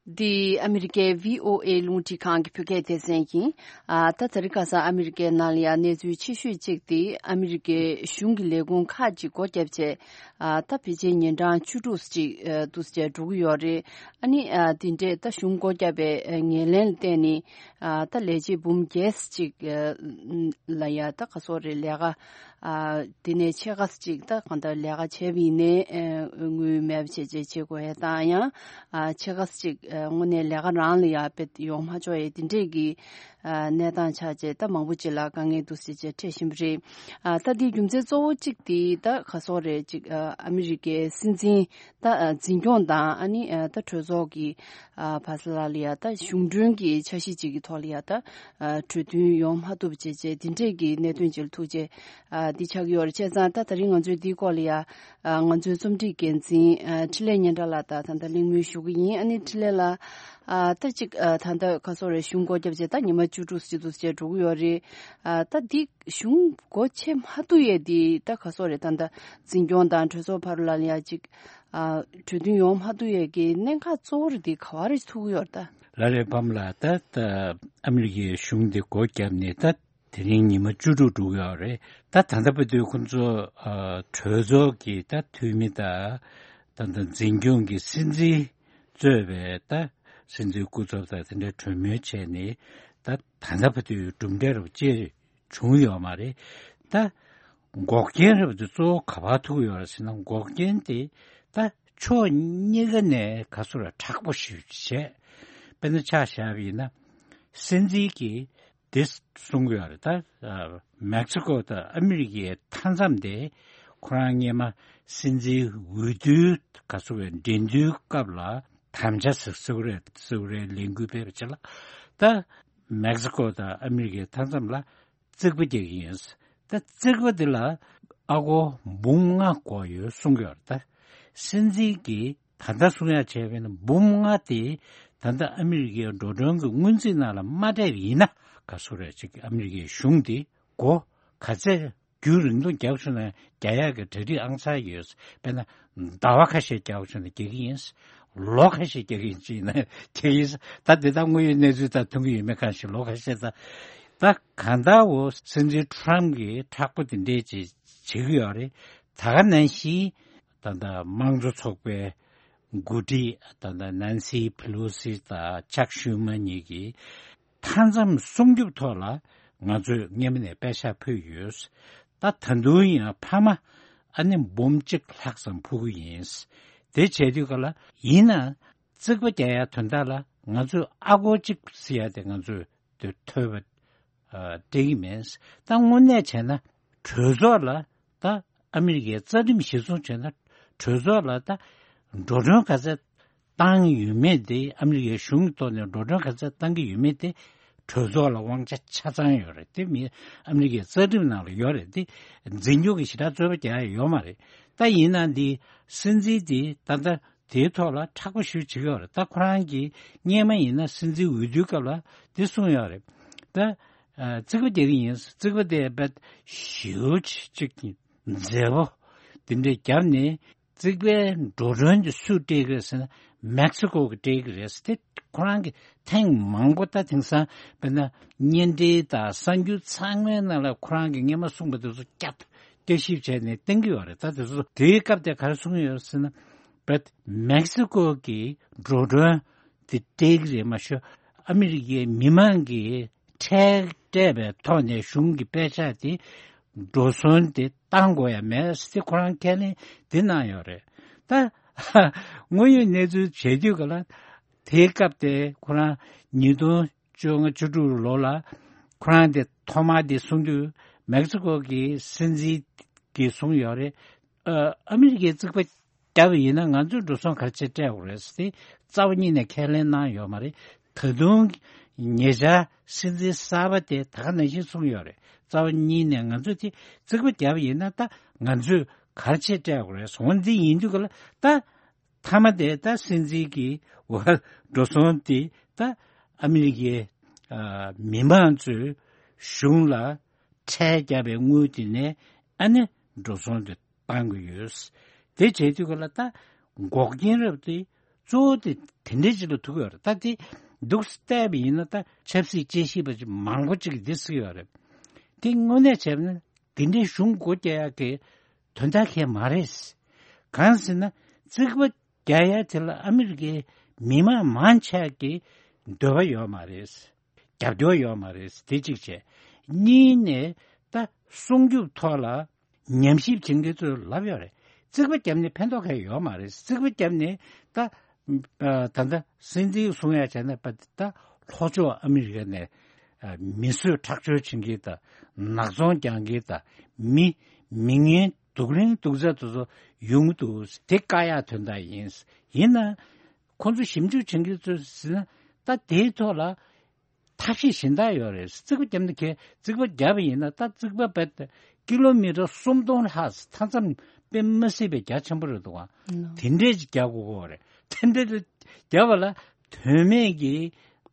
འདི་ཨ་མི་རི་ཀའི་བྷི་ཨོ་ཨེ་རླུང་འཕྲིན་ཁང་གི་བོད་སྐད་སྡེ་ཚན་ཡིན། ཨ། ད་དེ་རིང་ཁ་སང་ཨ་མི་རི་ཀའི་ནང་ལ་ཡང་གནས་ཚུལ་ཆེ་ཤོས་གཅིག་དེ་ཨ་མི་རི་ཀའི་གཞུང་གི་ལས་ཁུངས་ཁག་ཅིག་སྒོ་བརྒྱབ་བྱས། ཨ། ད་ཕལ་ཆེར་ཉིན་གྲངས་བཅུ་དྲུག་ཅིག་ཨ། འདུག་སེ་འགྲོ་གི་ཡོད་རེད། ཨ་ནི། ཨ། དེ་འདྲས་ད་གཞུང་སྒོ་བརྒྱབ་པའི་ངོས་ལེན་ལ་བརྟེན་ནས། ཨ། ད་ལས་བྱེད་འབུམ་བརྒྱད་ཅིག་ཨ། ལ་ཡ་ད་ག་སོག་རེད་ལས་ཀ་ཨ། དེ་ནས་ཕྱེད་ཀ་ཅིག་ད་གང་ལྟར་ལས་ཀ་བྱས་པ་ཡིན་ནའི་ཨ། དངུལ་མེད་པ་བྱས་བྱས་བྱེད་དགོས་ཡ་དང་ཡང་ཨ། ཕྱེད་ཀ་ཅིག་ཨ། དངོས་གནས་ལས་ཀ་རང་ལ་ཡ་དཔེ་ཡོང་མ་ཆོག་ཡ་དེ་འདྲས་ཀྱི་ ཨ་གནས་སྟངས་ཆགས་བྱས་ད་མང་པོ་ཅིག་ལ་དཀའ་ངལ་འདུག་སེ་བྱས་འཕྲད་བཞིན་པ་རེད། ཨ་ད་འདིའི་རྒྱུ་མཚན་གཙོ་བོ་གཅིག་དེ་ད་ག་སོག་རེད་ཅིག་ཨ་ཨ་མི་རི་ཀའི་སྲིད་འཛིན་ད་ཨ་འཛིན་སྐྱོང་དང་ཨ་ནི་ཨ་ད་གྲོས་ཚོགས་ཀྱི་ཨ་བྷ་ས་ལ་ལ་ཡ་ད་གཞུང་གྲོན་གྱི་འཆར་གཞི་ཅིག་གི་ཐོག་ལ་ཡ་ད་ཨ་གྲོས་མཐུན་ཡོང་མ་ཐུབ་བྱས་བྱས་འདི་འདྲས་ཀྱི་གནད་དོན་ཅིག་ལ་ཐུག་བྱས་ཨ་འདི་ཆགས་ཀྱི་ཡོད་རེད། བྱས་ཙང་ད་ད་རིང་ང་ཚོས་འདིའི་སྐོར་ལ་ཡ་ཨ་ང་ཚོའི་རྩོམ་སྒྲིག་འགན་འཛིན་ཨ་འཕྲིན་ལས་སྙན་གྲགས་ལགས་དང་ད་ལྟ་གླེང་མོལ་ཞུ་གི་ཡིན། ཨ་ནི་འཕྲིན་ལས་ལགས། ཨ་ད་ཅིག་ཨ་ད་ལྟ་ག་སོག་རེད། གཞུང་སྒོ་བརྒྱབ་བྱས་ད་ཉི་མ་བཅུ་དྲུག་ཙམ་ཅིག་འདུག་སེ་འགྲོ་གི་ཡོད་རེད། ཨ་ད་འདི་གཞུང་སྒོ་ཕྱེ་མ་ཐུབ་ཡས་འདི་ད་ག་སོག་རེད། ད་ལྟ་འཛིན་སྐྱོང་དང་གྲོས་ཚོགས་བར་ལ་ཡ་ཅིག་ཨ་གྲོས་མཐུན་ཡོང་མ་ཐུབ་ཡས་ཀྱི་གནད་འགག་གཙོ་བོ་རེད་འདི་ག་བ་རེ་ཐུག་གི་ཡོད་རེད་ད། ལ་ལས་ཕམ་ལ་ད་ད་ཨ་མི་རི་ཀའི་གཞུང་འདི་སྒོ་བརྒྱབ་ནས་ད་དེ་རིང་ཉི་མ་བཅུ་དྲུག་འགྲོ་གི་ཡོད་རེད། ད་ད་ལྟ་བར་དུ་ཁོང་ཚོ་ཨ་གྲོས་ཚོགས་ཀྱི་ད་འཐུས་མི་དང་ད་ད་འཛིན་སྐྱོང་གི་སྲིད་འཛིན་གཙོས་པའི་ད་སྲིད་འཛིན་སྐུ་ཚབ་དང་དེ་འདྲའི་གྲོས་མོལ་བྱས་ནས་ད་ད་ལྟ་བར་དུ་གྲུབ་འབྲས་རབ་བཅས་བྱུང་ཡོད་མ་རེད། ད་འགོག་རྐྱེན་རབ་དེ་གཙོ་བོ་ག་པར་ཐུག་ཡོད་རེད་ཟེར་ན། འགོག་རྐྱེན་དེ་ད་ཕྱོགས་གཉིས་ཀ་ནས་ག་ཚོད་ར་མཁྲེགས་པོ་ཞིག་བྱས། དཔེར་ན་ཆ་བཞག་པ་ཡིན་ན་སྲིད་འཛིན་གྱིས་དེ་གསུང་གི་ཡོད་རེད། ད་མེག་སི་ཀོ་དང་ཨ་མི་རི་ཀའི་མཐའ་མཚམས་དེ་ཁོ་རང་སྔོན་མ་སྲིད་འཛིན་འོས་བསྡུའི་ག་ཚོད་རེད་འགྲན་བསྡུར་སྐབས་ལ་དམ་བཅའ་ཟེར་ཟེར་གི་རེད། ཟེར་གི་རེད། ལས་འགུལ་སྤེལ་བ་བྱས་ལ་ད་མེག་སི་ཀོ་དང་ཨ་མི་རི་ཀའི་མཐའ་མཚམས་ལ་རྩིག་པ་རྒྱག་གི་ཡིན། ད་རྩིག་པ་འདི་ལ་ཨ་སྒོར་འབུམ་ལྔ་དགོས་ཡོད་གསུང་གི་ཡོད་རེད། ད་སྲིད་འཛིན་གྱིས་ད་ལྟ་གསུང་ཡག་བྱས་པས་ན་འབུམ་ལྔ་དེ་ད་ལྟ་ཨ་མི་རི་ཀའི་འགྲོ་གྲོན་གྱི་སྔོན་རྩིས་ནང་ལ་མ་སྤྲད་པ་ཡིན་ན་ག་ཚོད་རེད་ཅིག་ཨ་མི་རི་ཀའི་གཞུང་དེ་སྒོ་ག་ཚད་རྒྱུན་རིང་ཐུང་རྒྱག་བྱུང་ན་རྒྱག་ཡག་གི་གྲ་སྒྲིག་ཨང་གསར་ཡོད། དཔེར་ན་ཟླ་བ་ཁ་ཤས་རྒྱག་བྱུང་ན་རྒྱག་གི་ཡིན། ལོ་ཁ་ཤས་རྒྱག་གི་ཡིན་ཅིག་ཡིན་ན་རྒྱག་གི་ཡིན། ད་དེ་དག་དངོས་ཡོད་གནས་ཚུལ་དང་མཐུན་གྱི་ཡོད་མེད་གང་ཞིག་ལོ་ཁ་ཤས་ད་ད་གང་ལྟར་འོ་སྲིད་འཛིན་ཊམ་གྱིས་མཁྲེགས་པོ་དེ་འདྲས་ཅིག་བྱེད་ཀྱི་ཡོད་རེད། ད་ག་ནང་བཞིན་ད་ལྟ་དམངས་གཙོ་ཚོགས་པའི་འགོ་ཁྲིད་ད་ལྟ་ནན་སི་ཕི་ལོ་སི་དང་ཅག་ཤུ་མ་གཉིས་ཀྱིས་མཐའ་མཚམས་སྲུང་སྐྱོབ་ཐོག་ལ་ང་ཚོས་སྔོན་མ་ནས་པད་ཤག་ཕུལ་ཡོད། ད་ད་དུང་ཡང་ཕ་མ་ཨ་ནི་འབུམ་གཅིག་ལྷག་ཙམ་ཕུལ་གྱི་ཡིན། དེ་བྱས་དུས་ག་ལ་ཡིན་ན་རྩིག་པ་རྒྱག་ཡ་དོན་དག་ལ་ང་ཚོས་ཨ་སྒོར་གཅིག་ཟེར་ཡ་དེ་ང་ཚོས་དེ་ཐོབ་པ་ཨ་སྤྲད་ཀྱི་མེད། ད་དངོས་གནས་བྱས་ན་གྲོས་ཚོགས་ལ་ད་ཨ་མི་རི་ཀའི་རྩ་ཁྲིམས་གཞིར་བཟུང་བྱས་ན་གྲོས་ཚོགས་ལ་ད་འགྲོ་གྲོན་ག་ཚད་བཏང་ཡོད་མེད་དེ། ཨ་མི་རི་ཀའི་གཞུང་གི་ཐོག་ནས་འགྲོ་གྲོན་ག་ཚད་བཏང་གི་ཡོད་མེད་དེ་གྲོས་ཚོགས་ལ་དབང་ཆ་ཆ་ཚང་ཡོད་རེད། དེ་མི་ཨ་མི་རི་ཀའི་རྩ་ཁྲིམས་ནང་ལ་ཡོད་རེད། དེ་འཛིན་སྐྱོང་གི་ཞེ་དྲག་རྩོད་པ་རྒྱག་ཡ་ཡོད་མ་རེད། ད་ཡིན་ན་འདི་སྲིད་འཛིན་དེ་ད་ལྟ་དེའི་ཐོག་ལ་མཁྲེགས་པོ་ཞེ་པོ་བྱེད་ཀྱི་ཡོད་རེད། ད་ཁོ་རང་གིས་སྔོན་མ་ཡིན་ན་སྲིད་འཛིན་འོས་བསྡུའི་སྐབས་ལ་དེ་གསུངས་ཡོད་རེད། ད་ཨ་རྩིག་པ་རྒྱག་གི་ཡིན། རྩིག་པ་དེ་རྦད་ཞེ་པོ་ཅིག་མཛེས་པོ་དེ་འདྲས་བརྒྱབ་ནས་རྩིག་པའི་འགྲོ་གྲོན་དེ་སུས་སྤྲད་ཀྱི་རེད་ཟེར་ན་མེག་སི་ཀོ་གིས་སྤྲད་ཀྱི་རེད་ཟེར། དེ་ཁོ་རང་གིས་ཐེངས་མང་པོ་ད་དེང་སང་དཔེར་ན་བརྙན་འཕྲིན་དང་གསར་འགྱུར་ཚང་མའི་ནང་ལ་ཁོ་རང་གིས་སྔོན་མ་གསུངས་པ་དེ་ཚོ་བསྐྱར་བསྐྱར་ཞིབ་བྱས་ནས་བསྟན་གྱི་ཡོད་རེད། ད་དེ་ཚོ་དེའི་སྐབས་དེ་ག་རེ་གསུངས་ཡོད་ཟེར་ན། བེད་མེག་སི་ཀོ་གི་འགྲོ་གྲོན་དེ་སྤྲད་ཀྱི་རེད་མ་ཤོད། ཨ་མི་རི་ཀའི་མི་མང་གིས་ཁྲལ་སྤྲད་པའི་ཐོག་ནས་གཞུང་གི་པད་ཤག་དེ་འགྲོ་སོང་དེ་བཏང་དགོས་ཡ་མེད་ཟེར་ཁོ་རང་ཁས་ལེན་དེ་གནང་ཡོད་རེད། ད་དངོས་ཡོད་གནས་ཚུལ་བྱེད་དུས་ག་ལ་དེའི་སྐབས་དེ་ཁོ་རང་ཉིས་སྟོང་བཅོ་ལྔ་བཅུ་དྲུག་ལོ་ལ་ཁོ་རང་དེ་ཐོག་མར་དེ་གསུང་དུས་མེག་སི་ཀོ་གི་སྲིད་འཛིན་གྱིས་གསུངས་ཡོད་རེད། ཨ་ཨ་མི་རི་ཀའི་རྩིག་པ་བརྒྱབ་པ་ཡིན་ན་ང་ཚོས་འགྲོ་སོང་ག་རེ་བྱས་སྤྲད་དགོས་རེད་ཟེར་ཏེ་རྩ་བ་ཉིད་ནས་ཁས་ལེན་གནང་ཡོད་མ་རེད། ད་དུང་ཉེ་ཆར་སྲིད་འཛིན་གསར་པ་དེ་ད་ག་ནང་བཞིན་གསུངས་ཡོད་རེད། རྩ་བ་ཉིད་ནས་ང་ཚོས་དེ་རྩིག་པ་བརྒྱབ་པ་ཡིན་ན་ད་ང་ཚོས་ག་རེ་བྱས་སྤྲད་དགོས་རེད། འོ་འདི་ཡིན་དུས་ག་ལ་ད་མཐའ་མ་དེ་ད་སྲིད་འཛིན་གྱི་འོ་འགྲོ་སོང་དེ་ད་ཨ་མི་རི་ཀའི་ཨ་མི་མང་ཚོས་གཞུང་ལ་ཁྲལ་བརྒྱབ་པའི་དངུལ་དེ་ནས་ཨ་ནི་འགྲོ་སོང་དེ་བཏང་གི་ཡོད། དེ་བྱེད་དུས་ག་ལ་ད་འགོག་རྐྱེན་རབ་དེ་གཙོ་བོ་དེ་དེ་འདྲའི་ཅིག་ལ་ཐུག་ཡོད་རེད། ད་དེ་འདུག་སེ་བལྟས་པ་ཡིན་ན་ད་ཆབ་སྲིད་དཔྱད་ཞིབ་པ་ཅིག་མང་པོ་ཅིག་གིས་འདི་ཟེར་གྱི་ཡོད་རེད། དེ་དངོས་གནས་བྱས་ན་དེ་འདྲའི་གཞུང་སྒོ་རྒྱག་ཡག་གི་དོན་དག་གང་ཡང་མ་རེད། གང་ཟེར་ན་རྩིག་པ་རྒྱག་ཡ་དེ་ལ་ཨ་མི་རི་ཀའི་མི་མང་མང་ཆེ་གི་འདོད་པ་ཡོད་མ་རེད། རྒྱབ་སྐྱོར་ཡོད་མ་རེད། དེ་གཅིག་བྱས། གཉིས་ནས་ད་སྲུང་སྐྱོབ་ཐོག་ལ་ཉམས་ཞིབ་བྱེད་མཁན་ཚོས་ལབ་ཡོད་རེད། རྩིག་པ་བརྒྱབ་ནས་ཕན་ཐོགས་གང་ཡང་ཡོད་མ་རེད། རྩིག་པ་བརྒྱབ་ནས་ད་ད་ལྟ་སྲིད་འཛིན་གསུང་ཡ་བྱས་ན་ད་ལྷོ་ཕྱོགས་ཨ་མི་རི་ཀ་ནས་ ཨ་མི་གསོད་ཁྲག་སྦྱོར་བྱེད་མཁན་དང་ནག་ཚོང་རྒྱག་མཁན་དང་མི་མི་ངན་སྡུག་རིང་སྡུག་ཚ་དེ་ཚོ་ཡོང་གི་འདུག་དེ་བཀག་ཡག་དོན་དག་ཡིན། ཡིན་ན་ཁོང་ཚོ་ཞིབ་འཇུག་བྱེད་མཁན་ཚོས་ཟེར་ན་ད་དེའི་ཐོག་ལ་ཐབས་ཤེས་གཞན་དག་ཡོད་རེད། རྩིག་པ་བརྒྱབ་ན་ཁེ་རྩིག་པ་བརྒྱབ་པ་ཡིན་ན་ད་རྩིག་པ་བེད་ཀི་ལོ་མི་ཊར་སུམ་སྟོང་ལྷག་མཐའ་མཚམས་དཔེ་མ་སྲིད་པའི་རྒྱ་ཆེན་པོ་རེད་འདུག་ཨ། ལོ། དེ་འདྲས་ཅིག་རྒྱག་དགོས་ཀྱི་རེད། དེ་འདྲས་རྒྱབ་པ་ལ་དོན་མེད་ཀྱི་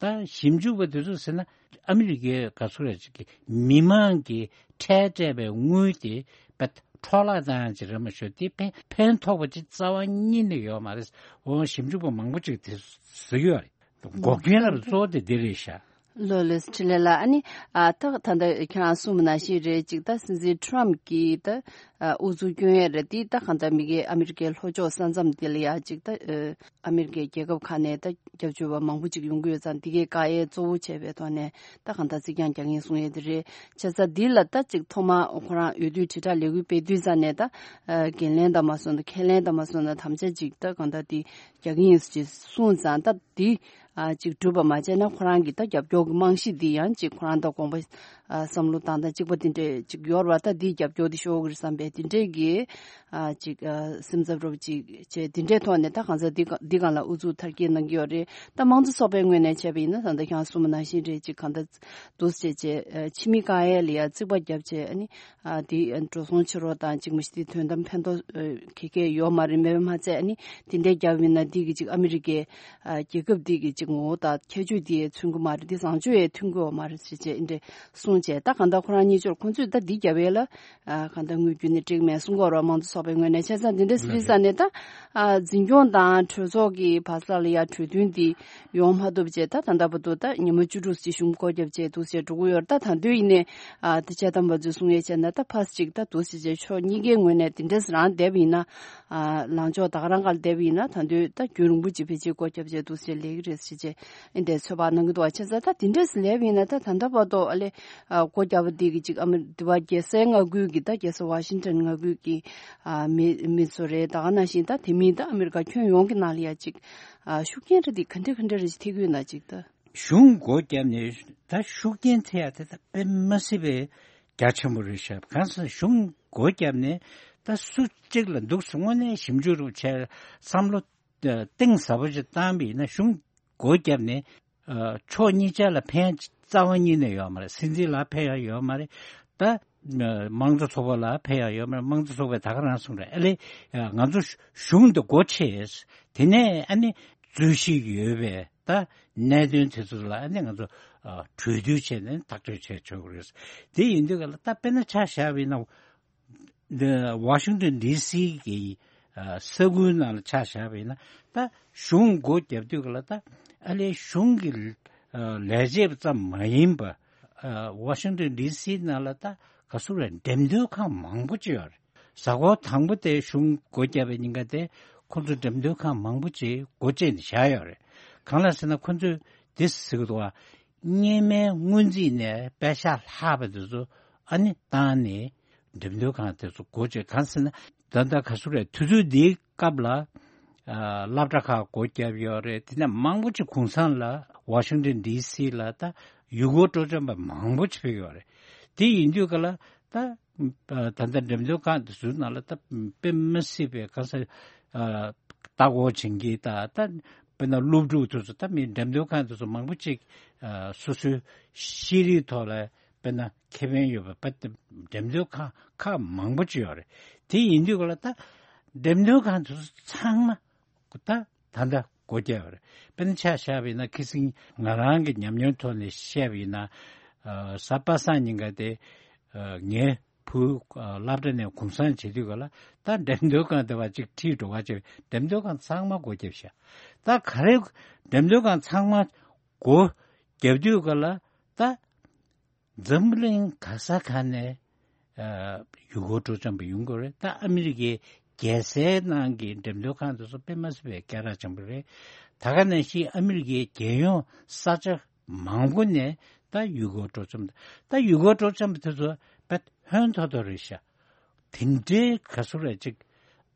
ད་ཞིབ་འཇུག་པ་དེ་ཚོ་ཟེར་ན་ཨ་མི་རི་ཀའི་ག་ཚོད་རེད་ཅིག་གི་མི་མང་གི་ཁྲལ་སྤྲད་པའི་དངུལ་དེ་བེད་འཕྲོ་བརླག་བཏང་ཡག་ཅིག་རེད་མ་ཞུ་དེ་ཕན་ཕན་ཐོགས་པ་ཅིག་རྩ་བ་ཉིད་ནས་ཡོད་མ་རེད། འོ་ཞིབ་འཇུག་པ་མང་པོ་ཅིག་དེ་ཟེར་གྱི་ཡོད་རེད། འགོག་རྐྱེན་ལ་གཙོ་བོ་དེ་འདི་རེད་ཤག་ལོ་ལེགས་འཕྲིན་ལས་ལགས། ཨ་ནི་ཨ་ད་ད་ལྟ་ཁྱེད་རང་གསུངས་པ་ནང་བཞིན་རེད་ཅིག་ད་སྲིད་འཛིན་ཊམ་གྱིས་ད་ཨ་ཨུ་ཚུགས་སྐྱོན་ཡས་རེད། དེ་ད་གང་ལྟར་མི་སྒེར་ཨ་མི་རི་ཀའི་ལྷོ་ཕྱོགས་ས་མཚམས་དེ་ལ་ཡ་ཅིག་ད་ཨ་མི་རི་ཀའི་རྒྱལ་ཁབ་ཁག་ནས་ད་རྒྱབ་སྐྱོར་བ་མང་པོ་ཅིག་ཡོང་གི་ཡོད་ཙང་དེ་གའི་བཀག་ཡས་གཙོ་བོ་བྱས་པའི་ཐོག་ནས་ད་གང་ལྟར་རྩིག་གྱང་རྒྱག་གིན་གསུང་ཡས་དེ་རེད། བྱས་ཙང་འདི་ལ་ད་ཅིག་ཐོག་མ་ཁོ་རང་འོས་བསྡུ་དྲིལ་བསྒྲགས་ལས་འགུལ་སྤེལ་དུས་ཙ་ནས་ད་ཨ་འགན་ལེན་དང་མ་སོང་ན་ཁས་ལེན་དང་མ་སོང་ན་དམ་བཅའ་ཅིག་ད་གང་ལྟར་དེ་རྒྱག་གི་ཡིན་ཅེས་གསུངས་ཙང་ད་འདི་ཨ་ཅིག་གྲུབ་པ་མ་བྱས་ན་ཁོ་རང་གི་ད་རྒྱབ་སྐྱོར་གྱི་རྨང་གཞི་འདི་ཡང་ཅིག་ཁོ་རང་དང་དགོངས་པ་ཨ་བསམ་བློ་བཏང་སྟངས་གཅིག་པ་འདི་འདྲས་ཅིག་ཡོད་རེད་བ། ད་འདིའི་རྒྱབ་སྐྱོར་འདི་ཤོར་གི་རེད་བསམ་པའི་འདི་འདྲས་ཀྱི་ཨ་ཅིག་ཨ་སེམས་འཚབ་རོབ་ཅིག་བྱས་འདི་འདྲས་ཐོག་ནས་ད་གང་ཟག་འདི་ག་འདི་སྒང་ལ་ཨུ་ཚུགས་མཐར་སྐྱེལ་གནང་གི་ཡོད་རེད། ད་དམངས་གཙོ་ཚོགས་པའི་ངོས་ནས་བྱས་པ་ཡིན་ན་ད་ལྟ་ཁྱེད་རང་གསུངས་པ་ནང་བཞིན་རེད། ཅིག་གང་ལྟར་འདུག་སེ་བྱས་བྱས་ཨ་ཕྱི་མི་བཀག་ཡས་ལ་ཡ་རྩིག་པ་བརྒྱབ་བྱས་ཨ་ནི། ཨ་དེ་འགྲོ་སོང་ཕྱི་རོལ་དང་གཅིག་མ་གཅིག་དེ་དོན་དམ་ཕན་ཐོགས་ཨ་ག་གེ་ཡོད་མ་རེད། མེད་པ་མ་ཚད་ཨ་ནི་དེ་འདྲའི་རྒྱབ་ཡིན་ན་འདི་གི་གཅིག་ཨ་མི་རི་ཀའི་ཨ་རྒྱལ་ཁབ་འདི་གི་གཅིག་ངོ་བོ་དང་ཁྱད་ཆོས་དེ་མཚོན་གི་མ་རེད། དེ་བཟང་སྤྱོད་ཡས་མཐུན་གི་ཡོད་མ་རེད་ཟེར་བྱས་ཨ་འདྲས་གསུངས་བྱས། ད་གང་ལྟར་ཁོ་རང་གཉིས་ཆོར་ཁོང་ཚོས་ད་འདི་རྒྱབ་ཡས་ལ་ཨ་གང་ལྟར་དངོས་བརྒྱུད་ནས་འགྲིག་མེད་གསུང་གི་ཡོད་རེད། དམངས་གཙོ་ཚོགས་པའི་ངོས་ནས། བྱས་ཙང་འདི་འདྲ་སི་རི་ས་ནས་ད་ཨ་འཛིན་སྐྱོང་དང་གྲོས་ཚོགས་ཀྱི་བར་ས་ལ་ཡ་གྲོས་མཐུན་འདི་ཡོང་མ་ཐུབ་བྱས་ད་ད་ལྟ་བར་དུ་ད་ཉི་མ་བཅུ་དྲུག་ཙམ་གཞུང་སྒོ་བརྒྱབ་བྱས་འདུག་བྱས་འགྲོ་གི་ཡོད་རེད། ད་ད་དུང་ཡིན་ནའི་ཨ་དེ་བྱས་དམ་པ་ཚོས་གསུང་ཡས་བྱས་ན་ད་ཕར་ཅིག་ད་འདུག་སེ་བྱས་ཕྱོགས་གཉིས་ཀའི་ངོས་ནས་དེ་འདྲས་རང་བསྡད་པ་ཡིན་ན་ཨ་ལངས་ཕྱོགས་ད་ག་རང་ག་ལ་བསྡད་པ་ཡིན་ན་ད་དུང་ད་རྒྱུན་རིང་པོ་ཅིག་ཕལ་ཆེར་སྒོ་བརྒྱབ་བྱས་འདུག་སེ་ལས་ཀྱི་རེད་ཟེར་བྱས་ཨེ་འདྲས་ཚོད་དཔག་གནང་གི་འདུག་བ། བྱས་ཙང་ད་དེ་འདྲས་ལས་པ་ཡིན་ན་ད་ད་ལྟ་བར་དུ་ཨ་ལེ་ཨ་སྒོ་བརྒྱབ་པ་འདི་གི་ཅིག་ཨ་མི་འདི་བ་རྒྱལ་སའི་མངའ་ཁུལ་གྱི་ད་རྒྱལ་ས་ཝ་ཤིང་ཊོན་མངའ་ཁུལ་གྱི་ཨ་མི་མི་ཚོ་རེད། ད་ག་ནང་བཞིན་ད་དེ་མིན་ད་ཨ་མི་རི་ཀ་ཁྱོན་ཡོངས་ཀྱི་ནང་ལ་ཡ་ཅིག་ཨ་ཤུགས་རྐྱེན་རེ་འདི་ག་འདྲ་ག་འདྲ་རེ་ཞིག་ཐེབས་ཀྱི་ཡོད་ན་ཅིག་ད། གཞུང་སྒོ་བརྒྱབ་ནས་ད་ཤུགས་རྐྱེན་ཐེབས་ཡ་དེ་ད་དཔེ་མ་སྲིད་པའི་རྒྱ་ཆེན་པོ་རེད་ཤག་གང་ཟེར་ན་གཞུང་སྒོ་བརྒྱབ་ནས་ད་སུ་གཅིག་ལ་འདུག་སེ་དངོས་གནས་ཞིབ་འཇུག་རུ་བྱས་བསམ་བློ་གཏིང་ཟབ་པོ་ཅིག་བཏང་བ་ཡིན་ན་གཞུང་སྒོ་བརྒྱབ་ནས་ཕྱོགས་གཉིས་ཆ་ལ་ཕན་རྩ་བ་ཉིད་ནས་ཡོད་མ་རེད། སྲིད་འཛིན་ལ་ཕན་ཡ་ཡོད་མ་རེད། ད་དམངས་གཙོ་ཚོགས་པ་ལ་ཕན་ཡ་ཡོད་མ་རེད། དམངས་གཙོ་ཚོགས་པས་ད་ག་རང་གསུངས་རེད། ཨ་ལེ་ང་ཚོ་གཞུང་དེ་སྒོ་ཕྱེ། དེ་ནས་ཨ་ནི་རྩོད་གཞི་ཡོད་པའི་ད་གནད་དོན་དེ་ཚོ་ལ་ཨ་ནི་ང་ཚོ་གྲོས་བསྡུར་བྱས་ནས་ཐག་གཅོད་བྱས་ཆོག་གི་རེད། དེ་ཡིན་དུས་ག་ལ་ད་དཔེར་ན་ཆ་བཞག་པ་ཡིན་ན། འདི་ཝ་ཤིང་ཏོན་ཌི་སི་གི་ཨ་ས་ཁུལ་ནང་ལ་ཆ་བཞག་པ་ཡིན་ན་ད་གཞུང་སྒོ་བརྒྱབ་དུས་ག་ལ་ད་ཨ་ལས་གཞུང་གི་ཨ་ལས་བྱེད་པ་ཙམ་མ་ཡིན་པ་ཨ་ཝ་ཤིང་ཏོན་ཌི་སི་ནང་ལ་ད་ག་ཟེར་རེད། འགྲེམས་སྟོན་ཁང་མང་པོ་ཅིག་ཡོད་རེད། གཟའ་འཁོར་དང་པོ་དེ་གཞུང་སྒོ་བརྒྱབ་པའི་ཉིན་ཀ་དེ་ཁོང་ཚོ་འགྲེམས་སྟོན་ཁང་མང་པོ་ཅིག་སྒོ་བཅད་ནས་བཞག་ཡོད་རེད། གང་ལ་ཟེར་ན་ཁོང་ཚོས་དེ་ཟེར་གི་འདུག་བ། སྔོན་མའི་སྔོན་རྩིས་ནས་པེ་ཤག་ལྷག་པ་དེ་ཚོ་ཨ་ནི་བཏང་ནས་འགྲེམས་སྟོན་ཁང་དེ་ཚོ་སྒོ་བཅད། གང་ཟེར་ན་ད་ལྟ་ག་ཟེར་རེད། དུས་ཚོད་འདིའི་སྐབས་ལ་ཨ་སློབ་གྲྭ་ཁག་སྒོ་བརྒྱབ་ཡོད་རེད། དེ་ནས་མང་པོ་ཅིག་གུང་སེང་ལ་ཝ་ཤིང་ཏོན་ཌི་སི་ལ་ད་ཡུལ་སྐོར་སྤྲོ་འཆམ་པ་མང་པོ་ཅིག་ཕེབས་ཡོད་རེད། དེ་ཡིན་དུས་ག་ལ་ད་ད་ལྟ་འགྲེམས་སྟོན་ཁང་དེ་ཚོའི་ནང་ལ་ད་དཔེ་མི་སྲིད་པའི་ག་ས་ཨ་ལྟ་སྐོར་བྱེད་མཁན་ད་ད་དཔེར་ན་སློབ་ཕྲུག་དེ་ཚོ་ད་མི་འགྲེམས་སྟོན་ཁང་དེ་ཚོ་མང་པོ་ཅིག་ཨ་སོ་སོའི་ཤེས་རིག་ཐོག་ལ་དཔེར་ན་ཁེ་ཕན་ཡོད་པ་དཔེ་འགྲེམས་སྟོན་ཁང་ཁག་མང་པོ་ཅིག་ཡོད་རེད། དེ་ཡིན་དུས་ག་ལ་ད་འགྲེམས་སྟོན་ཁང་དེ་ཚོ་ཚང་མ་ད་ད་ལྟ་སྒོ་བརྒྱབ་ཡོད་རེད། དཔེར་ན་ཆ་བཞག་པ་ཡིན་ན་ཁ་སང་ང་རང་གི་ཉམས་མྱོང་ཐོག་ནས་བཤད་པ་ཡིན་ན་ཨ་གཟའ་པ་སངས་ཉིན་ཀ་དེ་ཨ་ངའི་བུ་ཨ་སློབ་གྲྭ་ནས་གུང་སེང་བྱེད་དུས་ག་ལ་ད་འགྲེམས་སྟོན་ཁང་དེ་བ་གཅིག་ཁྲིད་འགྲོ་ག་བྱས། འགྲེམས་སྟོན་ཁང་ཚང་མ་སྒོ་བརྒྱབ་ཤག་ད་ག་རེ་འགྲེམས་སྟོན་ཁང་ཚང་མ་སྒོ་བརྒྱབ་དུས་ག་ལ་ད་འཛམ་བུ་གླིང་ག་ས་ག་ནས་ཨ་ཡུལ་སྐོར་སྤྲོ་འཆམ་པ་ཡོང་གི་རེད། ད་ཨ་མི་རི་ཀའི་རྒྱལ་སའི་ནང་གི་འགྲེམས་སྟོན་ཁང་དེ་ཚོ་དཔེ་མ་སྲིད་པའི་སྐད་གྲགས་ཆེན་པོ་རེད། ད་ག་ནང་བཞིན་ཨ་མི་རི་ཀའི་རྒྱལ་ཡོངས་ས་ཆ་མང་པོ་ནས་ད་ཡུལ་སྐོར་སྤྲོ་འཆམ། ད་ཡུལ་སྐོར་སྤྲོ་འཆམ་པ་དེ་ཚོ་དཔེ་ཧོན་ཐོར་ཐོར་རེད་ཤག་དེ་འདྲའི་ག་ཟེར་རེད་ཅིག་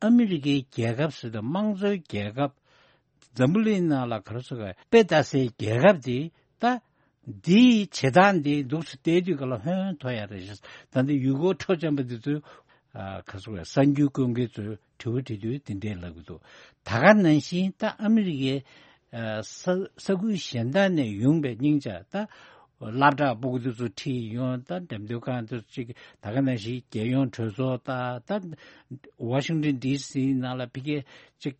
ཨ་མི་རི་ཀའི་རྒྱལ་ཁབ་ཟེར་དུས་དམངས་གཙོའི་རྒྱལ་ཁབ། འཛམ་བུ་གླིང་ནང་ལ་ག་རེ་ཟེར་ག་དཔེ་ལྟ་སའི་རྒྱལ་ཁབ་དེ་ད་ འདིའི་བྱེད་སྟངས་འདི་འདུག་སེ་བལྟས་དུས་ག་ལ་ཧོན་ཐོ་ཡ་རེད་ཤག་ད་ལྟ་ཡུལ་སྐོར་སྤྲོ་འཆམ་པ་འདི་ཚོས་ཨ་ག་ཟེར་དགོས་ཡ། གསར་འགྱུར་བཀོད་མཁན་ཚོས་དྲི་བ་དྲིས་དུས་དེ་འདྲས་ལབ་ཀྱི་འདུག་ད་ག་ནང་བཞིན་ད་ཨ་མི་རི་ཀའི་ཨ་ས་ས་ཁུལ་གཞན་དག་ནས་ཡོང་པའི་སྙིང་ཆ་ད་སློབ་གྲྭ་ཕྲུ་གུ་དེ་ཚོ་ཁྲིད་ཡོང་། ད་འགྲེམས་སྟོན་ཁང་དེ་ཚོ་གཅིག་ད་ག་ནང་བཞིན་རྒྱལ་ཡོངས་གྲོས་ཚོགས་ད་ད་ཝ་ཤིང་ཊོན་ཌི་སི་ནང་ལ་ཕ་གིའི་གཅིག་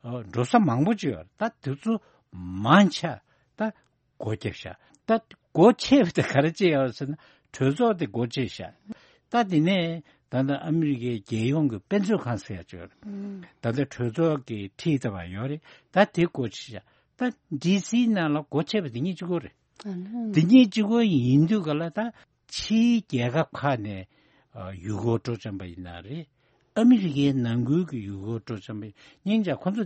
ཨ་འགྲོ་ས་མང་པོ་ཅིག་ཡོད་རེད། ད་དེ་ཚོ་མང་ཆེ་ད་སྒོ་བརྒྱབ་ཤག་ད་སྒོ་ཕྱེ་བ་དེ་ག་རེ་བྱས་ཡོད་ཟེར་ན་གྲོས་ཚོགས་དེ་སྒོ་ཕྱེ་ཤག་ད་དེ་ནས་ད་ལྟ་ཨ་མི་རི་ཀའི་རྒྱལ་ཡོངས་ཀྱི་དཔེ་མཛོད་ཁང་ཟེར་ཡ་ཅིག་ཡོད་རེད། ད་ལྟ་གྲོས་ཚོགས་ཀྱི་ཁྲིའི་ལྟ་བ་ཡོད་རེད། ད་དེ་སྒོ་ཕྱེ་ཤག་ད་ཌི་སི་ནང་ལ་སྒོ་ཕྱེ་བ་དེ་གཉིས་གཅིག་པོ་རེད། ཨ་ནི། དེ་གཉིས་གཅིག་པོ་ཡིན་དུས་ག་ལ་ད་ཕྱིའི་རྒྱལ་ཁབ་ཁག་ནས་ཨ་ཡུལ་སྐོར་སྤྲོ་འཆམ་པ་ཡིན་ན་རེད། ཨ་མི་རི་ཀའི་ནང་ཁུལ་གྱི་ཡུལ་སྐོར་སྤྲོ་འཆམ་པ་ཡིན། སྙིང་རྗེ་ཁོ་ཚོ་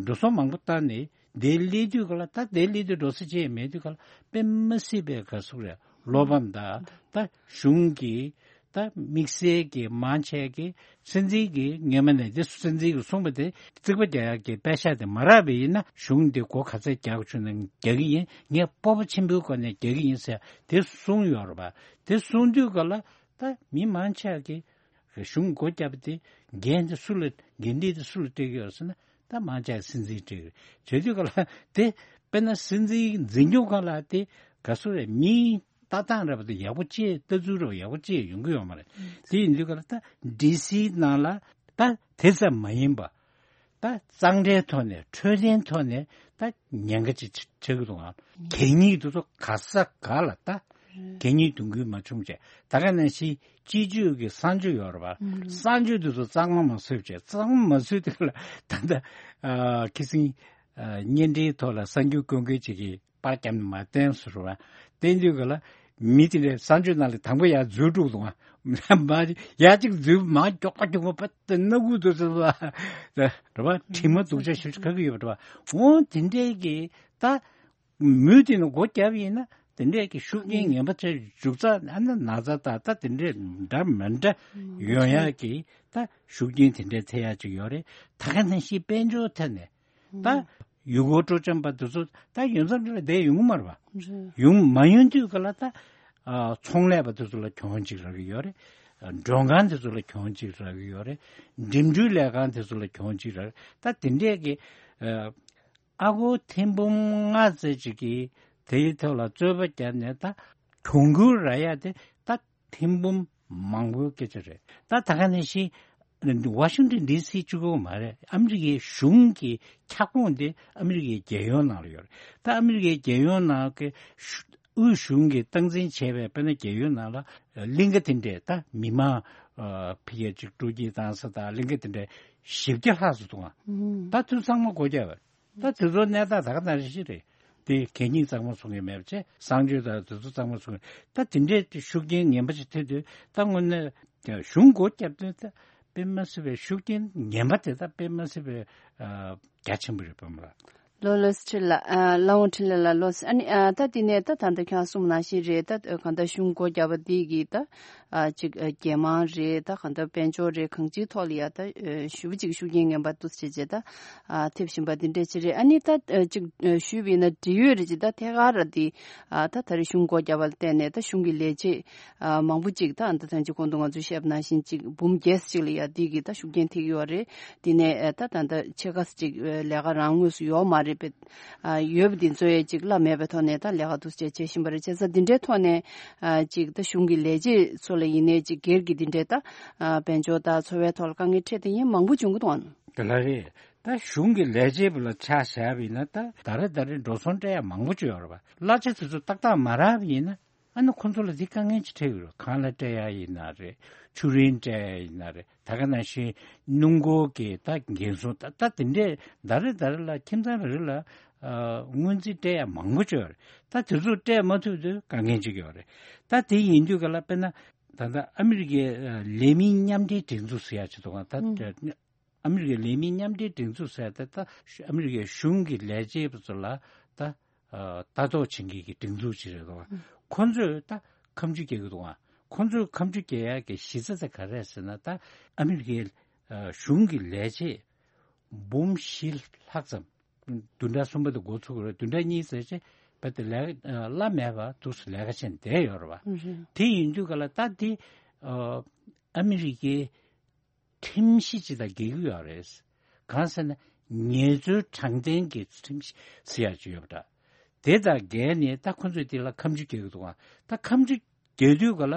འགྲོ་སོང་མང་པོ་བཏང་ནས་དེ་སླེབས་དུས་ག་ལ་ད་དེ་སླེབས་དུས་འགྲོ་ས་ཅི་ཡང་མེད་དུས་ག་ལ་དཔེ་མ་སྲིད་པའི་ག་ཟེར་དགོས་རེད། བློ་ཕམ་དང་ད་གཞུང་གི་ད་དམིགས་བསལ་གྱི་མང་ཆེ་གི་སྲིད་འཛིན་གྱི་སྔོན་མ་ནས་དེ་སྲིད་འཛིན་གྱིས་གསུངས་པ་དེ་རྩིག་པ་རྒྱག་ཡག་གི་པད་ཤག་དེ་མ་རག་པ་ཡིན་ན་གཞུང་འདི་སྒོ་ག་ཚད་རྒྱག་བཅུག་ན་རྒྱག་གི་ཡིན། ངས་སྤོབས་པ་ཆེན་པོའི་སྒོ་ནས་རྒྱག་གི་ཡིན་ཟེར་དེ་གསུངས་ཡོད་རེད་པ། དེ་གསུངས་དུས་ག་ལ་ད་མི་མང་ཆེ་གི་གཞུང་སྒོ་བརྒྱབ་པ་དེ་འགན་དེ་སུ་ལ་འགན་འཁྲི་དེ་སུ་ལ་སྤྲད་ཀྱི་ཡོད་ཟེར་ན་ད་མང་ཆེ་སྲིད་འཛིན་སྤྲད་ཀྱི་རེད། བྱེད་དུས་ག་ལ་དེ་དཔེར་ན་སྲིད་འཛིན་འཛིན་སྐྱོང་ཁང་ལ་དེ་ག་ཚོད་རེད། མི་ལྟ་སྟངས་རེད་པ་དེ་ཡག་པོ་ཅིག་ལྟ་ཚུལ་རེད་པ་ཡག་པོ་ཅིག་ཡོང་གི་ཡོད་མ་རེད། དེ་ཡིན་དུས་ག་ལ་ད་ཌི་སི་ནང་ལ་ད་དེ་ཙམ་མ་ཡིན་པ་ད་གཙང་སྦྲའི་ཐོག་ནས་འཕྲོད་བསྟེན་ཐོག་ནས་ད་ཉེན་ཁ་ཅིག་ཆགས་ཀྱི་འདུག་ཨང་། གད་སྙིགས་དེ་ཚོ་ག་ས་ག་ལ་ད་གད་སྙིགས་འདོན་རྒྱུ་མ་བྱུང་བྱས། ད་ག་ནང་བཞིན་སྤྱི་སྤྱོད་ཀྱི་གསང་སྤྱོད་ཡོད་རེད་པ། གསང་སྤྱོད་དེ་ཚོ་གཙང་མ་མ་བཟོས་བྱས། གཙང་མ་མ་བཟོས་དུས་ལ་ད་ལྟ་ཨ་ཁི་སིང་ཨ་བརྙན་འཕྲིན་ཐོག་ལ་གསར་འགྱུར་བཀོད་མཁན་ཅིག་གིས་པར་བརྒྱབ་ནས་མར་བསྟན་སོང་རེད་པ། བསྟན་དུས་ག་ལ་མི་དེ་འདྲའི་གསང་སྤྱོད་ནང་ལ་དང་པོ་ཡར་འཛུལ་འགྲོ་འདུག་ཨ། མར་ཡར་གཅིག་འཛུལ་མར་མགྱོགས་པ་མགྱོགས་པ་པ་དེ་སྣ་ཁུག་དེ་ཚོ་ལ་རེད་པ། དྲི་མ་སྡུག་ཅག་ཞེ་པོ་ཅིག་ག་གི་ཡོད་པ་རེད་པ། འོ་དེ་འདྲའི་གི་ད། མུས་དེ་ནས་སྒོ་བརྒྱབ་ཡིན་ན་དེ་འདྲས་ཀྱི་ཤུགས་རྐྱེན་ངན་པ་ཆེ་འཇུག་ཚ་ཨ་ན་ན་ཚ་ད་ལྟ་དེ་འདྲས་འདྲ་མི་འདྲ་ཡོང་ཡག་གི་ད་ཤུགས་རྐྱེན་དེ་འདྲས་ཐེབས་ཡག་ཅིག་ཡོད་རེད། ད་ག་ནང་བཞིན་དཔལ་འབྱོར་ཐད་ནས་ད་ཡུལ་སྐོར་སྤྲོ་འཆམ་པ་དེ་ཚོ་ད་ཡོང་མཚམས་དེ་ལ་བསྡད་ཡོང་གི་མ་རེད་པ། ཡོང་མ་ཡོང་དུས་ག་ལ་ད་ཨ་ཚོང་ལས་པ་དེ་ཚོ་ལ་གྱོང་ཅིག་རག་གི་ཡོད་རེད། མགྲོན་ཁང་དེ་ཚོ་ལ་གྱོང་ཅིག་རག་གི་ཡོད་རེད། འགྲིམ་འགྲུལ་ལས་ཁང་དེ་ཚོ་ལ་གྱོང་ཅིག་རག་གི་ད་དེ་འདྲས་ཀྱི་ཨ། ཨ་སྒོར་ཐེར་འབུམ་ལྔ་ཙམ་ཅིག་གིས་དེའི་ཐོག་ལ་རྩོད་པ་བརྒྱབ་ནས་ད་གྱོང་གུན་རག་ཡ་དེ་ད་ཐེར་འབུམ་མང་པོའི་སྐད་ཆ་རེད། ད་ད་ག་ནང་བཞིན་ཝ་ཤིང་ཏོན་ཌི་སི་གཅིག་པོ་མ་རེད། ཨ་མི་རི་ཀའི་གཞུང་གི་ཁྱབ་ཁོངས་དེ་ཨ་མི་རི་ཀའི་རྒྱལ་ཡོངས་ནང་ལ་ཡོད་རེད། ད་ཨ་མི་རི་ཀའི་རྒྱལ་ཡོངས་ནང་གི་དབུས་གཞུང་གིས་སྟངས་འཛིན་བྱས་པའི་དཔེར་ན་རྒྱལ་ཡོངས་ནང་ལ་གླིང་ག་དེ་འདྲས་ད་མི་མང་ཕ་གིར་ཅིག་སྤྲོ་སྐྱིད་བཏང་ས་དང་གླིང་ག་དེ་འདྲས་བཞི་བརྒྱ་ལྷག་ཙམ་འདུག་ཨ། ད་དུས་ཚང་མ་སྒོ་བརྒྱབ་པ། ད་དེ་ཚོ་གནས་སྟངས་ད་ག་ནང་བཞིན་རེད། དེ་གད་སྙིགས་གཙང་མ་བཟོ་མཁན་མེད་པ་བྱས། གསང་སྤྱོད་དང་དེ་ཚོ་གཙང་མ་བཟོ་མཁན་ད་དེ་འདྲའི་ཤུགས་རྐྱེན་ངན་པ་ཞིག་ཐེབས་དུས་ད་དངོས་གནས་གཞུང་སྒོ་བརྒྱབ་དུས་ད་དཔེ་མ་སྲིད་པའི་ཤུགས་རྐྱེན་ངན་པ་དེ་ད་དཔེ་མ་སྲིད་པའི་རྒྱ་ཆེན་པོ་རེད་པ་མ་རེད། ལོ་ལོས་ཁྲི་ལ་ལ་འོང་ཁྲི་ལ་ལ་ལོས་ཨ་ནི་ད་དེ་ནས་ད་ད་ལྟ་ཁྱེད་གསུངས་ནང་བཞིན་རེད། ད་གང་ལྟར་གཞུང་སྒོ་བརྒྱབ་པ་དེ་གིས་ད། ཨ་ཅིག་ཨ་རྒྱལ་དམངས་རེད། ད་གང་ལྟར་དཔལ་འབྱོར་རེད། གང་ཅིའི་ཐོག་ལ་ཡ་ད་ཨ་ཞེ་པོ་ཅིག་ཤུགས་རྐྱེན་ངན་པ་འདུག་སེ་བྱས་བྱས་ད་ཨ་ཐེབས་བཞིན་པ་འདི་འདྲས་ཅིག་རེད། ཨ་ནི་ད་ཨ་ཅིག་ཨ་ཞུས་པ་ཡིན་ན་འབྲེལ་ཡོད་རེད་ཅིག་ད་ཐད་ཀར་ར་འདི་ཨ་ད་ད་རེས་གཞུང་སྒོ་བརྒྱབ་པ་ལ་བརྟེན་ནས་ད་གཞུང་གི་ལས་བྱེད་ཨ་མང་པོ་ཅིག་ད་ཨ་ད་ཐེངས་ཅིག་གོང་དུ་ང་ཚོས་བཤད་པ་ནང་བཞིན་ཅིག་འབུམ་བརྒྱད་ཅིག་ལ་ཡ་འདི་གི་ད་ཤུགས་རྐྱེན་ཐེབས་ཀྱི་ཡོད་རེད། འདི་ནས་ཨ་ད་ད་ད་ཕྱེད་ཀ་ཅིག་ཨ་ལས་ཀ་རང་དངོས་སུ་ཡོད་མ་རེད་པས། ཨ་ཡོད་པ་འདི་ཚོ་ཡས་ཅིག་གླ་མེད་པའི་ཐོག་ནས་ད་ལས་ཀ་འདུག་སེ་བྱེད་བཞིན་པ་རེད། བྱས་ཙང་འདི་འདྲའི་ཐོག་ནས་ཨ་ཅིག་ད་གཞུང་གི་ལས་བྱེད་ཚོ་ལ་ཡིན་ནའི་ཅིག་སྒེར་གྱི་འདི་འདྲའི་ད་ཨ་དཔལ་འབྱོར་དང་འཚོ་བའི་ཐོག་ལ་དཀའ་ངལ་འཕྲད་དེ་ཡིན་མང་པོ་བྱུང་གི་འདུག་ཨང་། དེ་ལ་རེད། ད་གཞུང་གི་ལས་བྱེད་པ་ལ་ཆ་བཞག་པ་ཡིན་ན་ད་ད་རེ་ད་རེ་འགྲོ་སོང་སྤྲད་ཡ་མང་པོ་ཅིག་ཡོད་རེད་པ། གླ་ཆ་དེ་ཚོ་ཏག་ཏག་མ་རག་པ་ཡིན་ན། ཨ་ནི་ཁོ་ཚོ་ལ་འདི་དཀའ་ངལ་ཅིག་འཕྲད་ཡོད་རེད། ཁང་གླ་སྤྲད་ཡ་ཡིན་ན་རེད། ཆུ་རིན་སྤྲད་ཡ་ཡིན་ན་རེད། ད་ག་ནང་བཞིན་སྣུམ་འཁོར་གྱི་ད་འགན་སྲུང་ད་ད་དེ་འདྲས་ད་རེ་ད་རེ་ལ་ཁྱིམ་ཚང་རེ་རེ་ལ་ཨ་སྔོན་རྩིས་སྤྲད་ཡ་མང་པོ་ཅིག་ཡོད་རེད། ད་དེ་ཚོ་སྤྲད་མ་ཐུབ་དུས་དཀའ་ངལ་ཅིག་ཡོད་རེད། ད་དེ་ཡིན་དུས་ག་ལ་དཔེར་ན་ད་ལྟ་ཨ་མི་རི་ཀའི་ཨ་ལས་མི་མཉམ་འབྲེལ་སྒྲིག་འཛུགས་ཟེར་ཡ་ཅིག་འདུག་ག་ད་ཨ་མི་རི་ཀའི་ལས་མི་མཉམ་འབྲེལ་སྒྲིག་འཛུགས་ཟེར་ཏེ་ད་ཨ་མི་རི་ཀའི་གཞུང་གི་ལས་བྱེད་པ་ཚོ་ལ་ད་ཨ་ལྟ་རྟོག་བྱེད་མཁན་གྱི་སྒྲིག་འཛུགས་ཅིག་རེད་འདུག་ག་ཁོ་ཚོས་ད་ཁ་མཆུ་རྒྱག་གི་འདུག་ག་ཁོ་ཚོས་ཁ་མཆུ་རྒྱག་ཡག་གི་གཞི་རྩ་དེ་ག་རེ་རེད་ཟེར་ན། ད་ཨ་མི་རི་ཀའི་ཨ་གཞུང་གི་ལས་བྱེད་འབུམ་བཞི་ལྷག་ཙམ། བདུན་ཕྲག་གསུམ་པ་དེ་འགོ་ཚུགས་ཀྱི་རེད། བདུན་ཕྲག་གཉིས་ཙམ་རྗེས་ བ་དེ་ལས་ཀ་བླ་མེད་པ་འདུག་སེ་ལས་ཀ་བྱས་ནས་བསྡད་ཡོད་རེད་བ། ཨུ་ཧུ། དེ་ཡིན་དུས་ག་ལ་ད་དེ་ཨ་ཨ་མི་རི་ཀའི་ཁྲིམས་གཞི་ཅིག་དང་འགལ་གྱི་ཡོད་རེད། གང་ཟེར་ན་ངལ་རྩོལ་དྲང་བདེན་གྱི་ཁྲིམས་གཞི་ཟེར་ཡག་ཅིག་ཡོད་པ་འདྲ། དེ་དང་འགལ་ནས་ད་ཁོ་ཚོས་དེ་ལ་ཁ་མཆུ་རྒྱག་གི་འདུག་ག་ད་ཁ་མཆུ་རྒྱག་དུས་ག་ལ་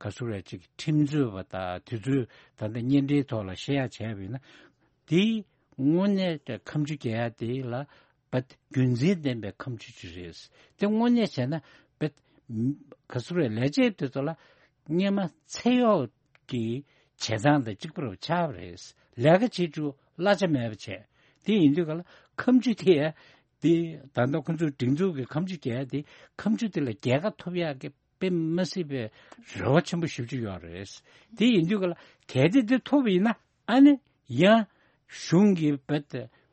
ག་ཟེར་རེད། ཅིག་ཁྲིམས་རྩོད་པ་དང་དེ་ཚོས་ད་ལྟ་གཉེན་འབྲེལ་ཐོག་ལ་བཤད་ཡག་བྱས་པ་ཡིན་ན། དེ་དངོས་གནས་ཀྱི་ཁ་མཆུ་རྒྱག་ཡག་དེ་ལ་བ་རྒྱུ་མཚན་ལྡན་པའི་ཁ་མཆུ་ཅིག་རེད། དེ་དངོས་གནས་བྱས་ན་བ་ག་ཟེར་རེད། ལས་བྱེད་དེ་ཚོ་ལ་སྔོན་མ་ཚེ་གཡོག་གི་བྱེད་སྟངས་དང་གཅིག་པ་རུ་ཆགས་པ་རེད། ལས་ཀ་བྱེད་རྒྱུ་གླ་ཆ་མེད་པ་བྱས། དེ་ཡིན་དུས་ག་ལ་ཁ་མཆུ་དེ་ཡ་དེ་ད་ལྟ་ཁོ་ཚོའི་སྒྲིག་འཛུགས་ཀྱི་ཁ་མཆུ་རྒྱག་ཡག་དེ་ཁ་མཆུ་དེ་ལ་རྒྱལ་ཁ་ཐོབ་ཡག་གི་དཔེ་མི་སྲིད་པའི་རེ་བ་ཆེན་པོ་ཞེ་པོ་ཅིག་ཡོད་རེད། དེ་ཡིན་དུས་ག་ལ་གལ་ཏེ་དེ་ཐོབ་པ་ཡིན་ན་ཨ་ནི་ཡང་གཞུང་གི་བ་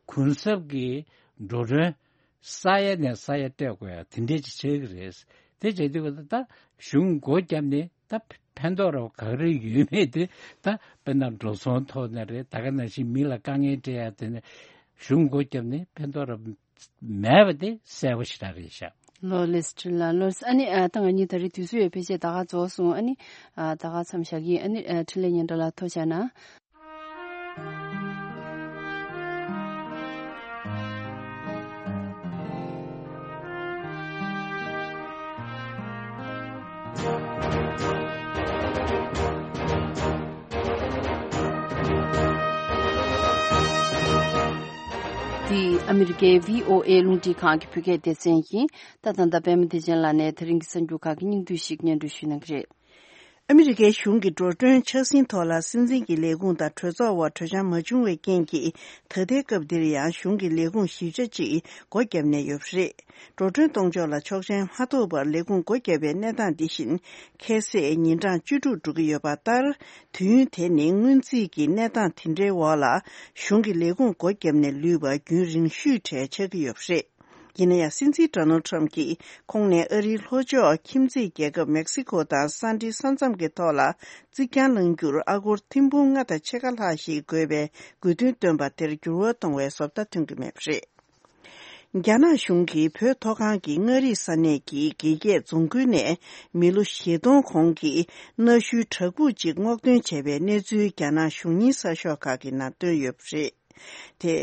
གུན་གསབ་ཀྱི་འགྲོ་གྲོན་ས་ཡ་ནས་ས་ཡ་སྤྲད་དགོས་ཡ་དེ་འདྲས་ཅིག་ཆགས་ཀྱི་རེད། དེ་བྱེད་དུས་ག་ལ་ད་གཞུང་སྒོ་བརྒྱབ་ནས་ད་ཕན་ཐོགས་རོགས་ག་རེ་ཡོད་མེད་དེ་ད་དཔེར་ན་འགྲོ་སོང་ཐོག་ནས་རེད། ད་ག་ནང་བཞིན་མི་ལ་དཀའ་ངལ་སྤྲད་ཡ་དེ་ནས་གཞུང་སྒོ་བརྒྱབ་ནས་ཕན་ཐོགས་རོགས་མེད་པ་དེ་གསལ་པོ་ཞེ་དྲག་རེད་ཤག་ལོ་ལེགས་ཁྲིན་ལགས། ལོ་ཨ་ནི་ཨ་ད་ང་གཉིས་ད་རེས་དུས་ཚོད་ཡོད་ཕལ་ཆེར་ད་ག་རྫོགས་སོང་། ཨ་ནི་ཨ་ད་ག་མཚམས་བཞག་གི་ཡིན། ཨ་ནི་ཨ་འཕྲིན་ལས་སྙན་གྲགས་ལགས་ཐུགས་རྗེ་གནང་། འདི་ཨ་མི་རི་ཀའི་བྷི་ཨོ་ཨེ་རླུང་འཕྲིན་ཁང་གི་བོད་སྐད་སྡེ་ཚན་ཡིན། ད་ད་ལྟ་པད་མ་བདེ་ཆེན་ལགས་ནས་དེ་རིང་གི་གསར་འགྱུར་ཁག་གི་སྙིང་བསྡུས་ཤིག་སྙན་སྒྲོན་ཞུ་གནང་གི་རེད། ཨ་མི་རི་ཀའི་གཞུང་གི་འགྲོ་གྲོན་ཆག་ཟིན་ཐོག་ལ་སྲིད་འཛིན་གྱི་ལས་ཁུངས་དང་གྲོས་ཚོགས་དབར་གྲོས་འཆམ་མ་བྱུང་བའི་རྐྱེན་གྱིས། ད་ལྟའི་སྐབས་འདིར་ཡང་གཞུང་གི་ལས་ཁུངས་བཞི་ཆ་གཅིག་སྒོ་བརྒྱབ་ནས་ཡོད་པ་རེད། འགྲོ་གྲོན་གཏོང་ཕྱོགས་ལ་ཆོག་མཆན་མ་ཐོབ་པར་ལས་ཁུངས་སྒོ་བརྒྱབ་པའི་གནས་སྟངས་འདི་བཞིན་ཁ་གསལ་ཉིན་གྲངས་བཅུ་དྲུག་འགྲོ་གི་ཡོད་པ་ལྟར། དུས་ཡུན་དེ་ནི་སྔོན་རྩིས་ཀྱི་གནས་སྟངས་དེ་འདྲའི་འོག་ལ་གཞུང་གི་ལས་ཁུངས་སྒོ་བརྒྱབ་ནས་ལུས་པ་རྒྱུན་རིང་ཤོས་གྲས་ཆགས་ཀྱི་ཡོད་པ་རེད། ཡིན་ན་ཡང་སྲིད་འཛིན་ཌོ་ནལ་ཊམ་གྱིས་ཁོང་ནས་ཨ་རིའི་ལྷོ་ཕྱོགས་ཁྱིམ་མཚེས་རྒྱལ་ཁབ་མེག་སི་ཁོ་དང་ས་འབྲེལ་ས་མཚམས་ཀྱི་ཐོག་ལ་རྩིག་གྱང་བསླང་རྒྱུར་ཨ་སྒོར་ཐེར་འབུམ་ལྔ་དང་ཕྱེད་ཀ་ལྷག་ཞིག་དགོས་པའི་དགོས་འདུན་བཏོན་པ་དེར་འགྱུར་བ་གཏོང་བའི་བཟོ་ལྟ་ཐོན་གྱི་མེད་པ་རེད། རྒྱ་ནག་གཞུང་གིས་བོད་མཐོ་སྒང་གི་མངའ་རིས་ས་གནས་ཀྱི་དགེ་རྒྱས་རྫོང་ཁུལ་ནས་མི་ལོ་བཞི་སྟོང་གོང་གི་གནའ་ཤུལ་བྲག་ཕུག་ཅིག་སྔོག་འདོན་བྱས་པའི་གནས་ཚུལ་རྒྱ་ནག་གཞུང་གཉེར་གསར་ཤོག་ཁག་གི་ནང་བཏོན་ཡོད་པ་རེད། དེ།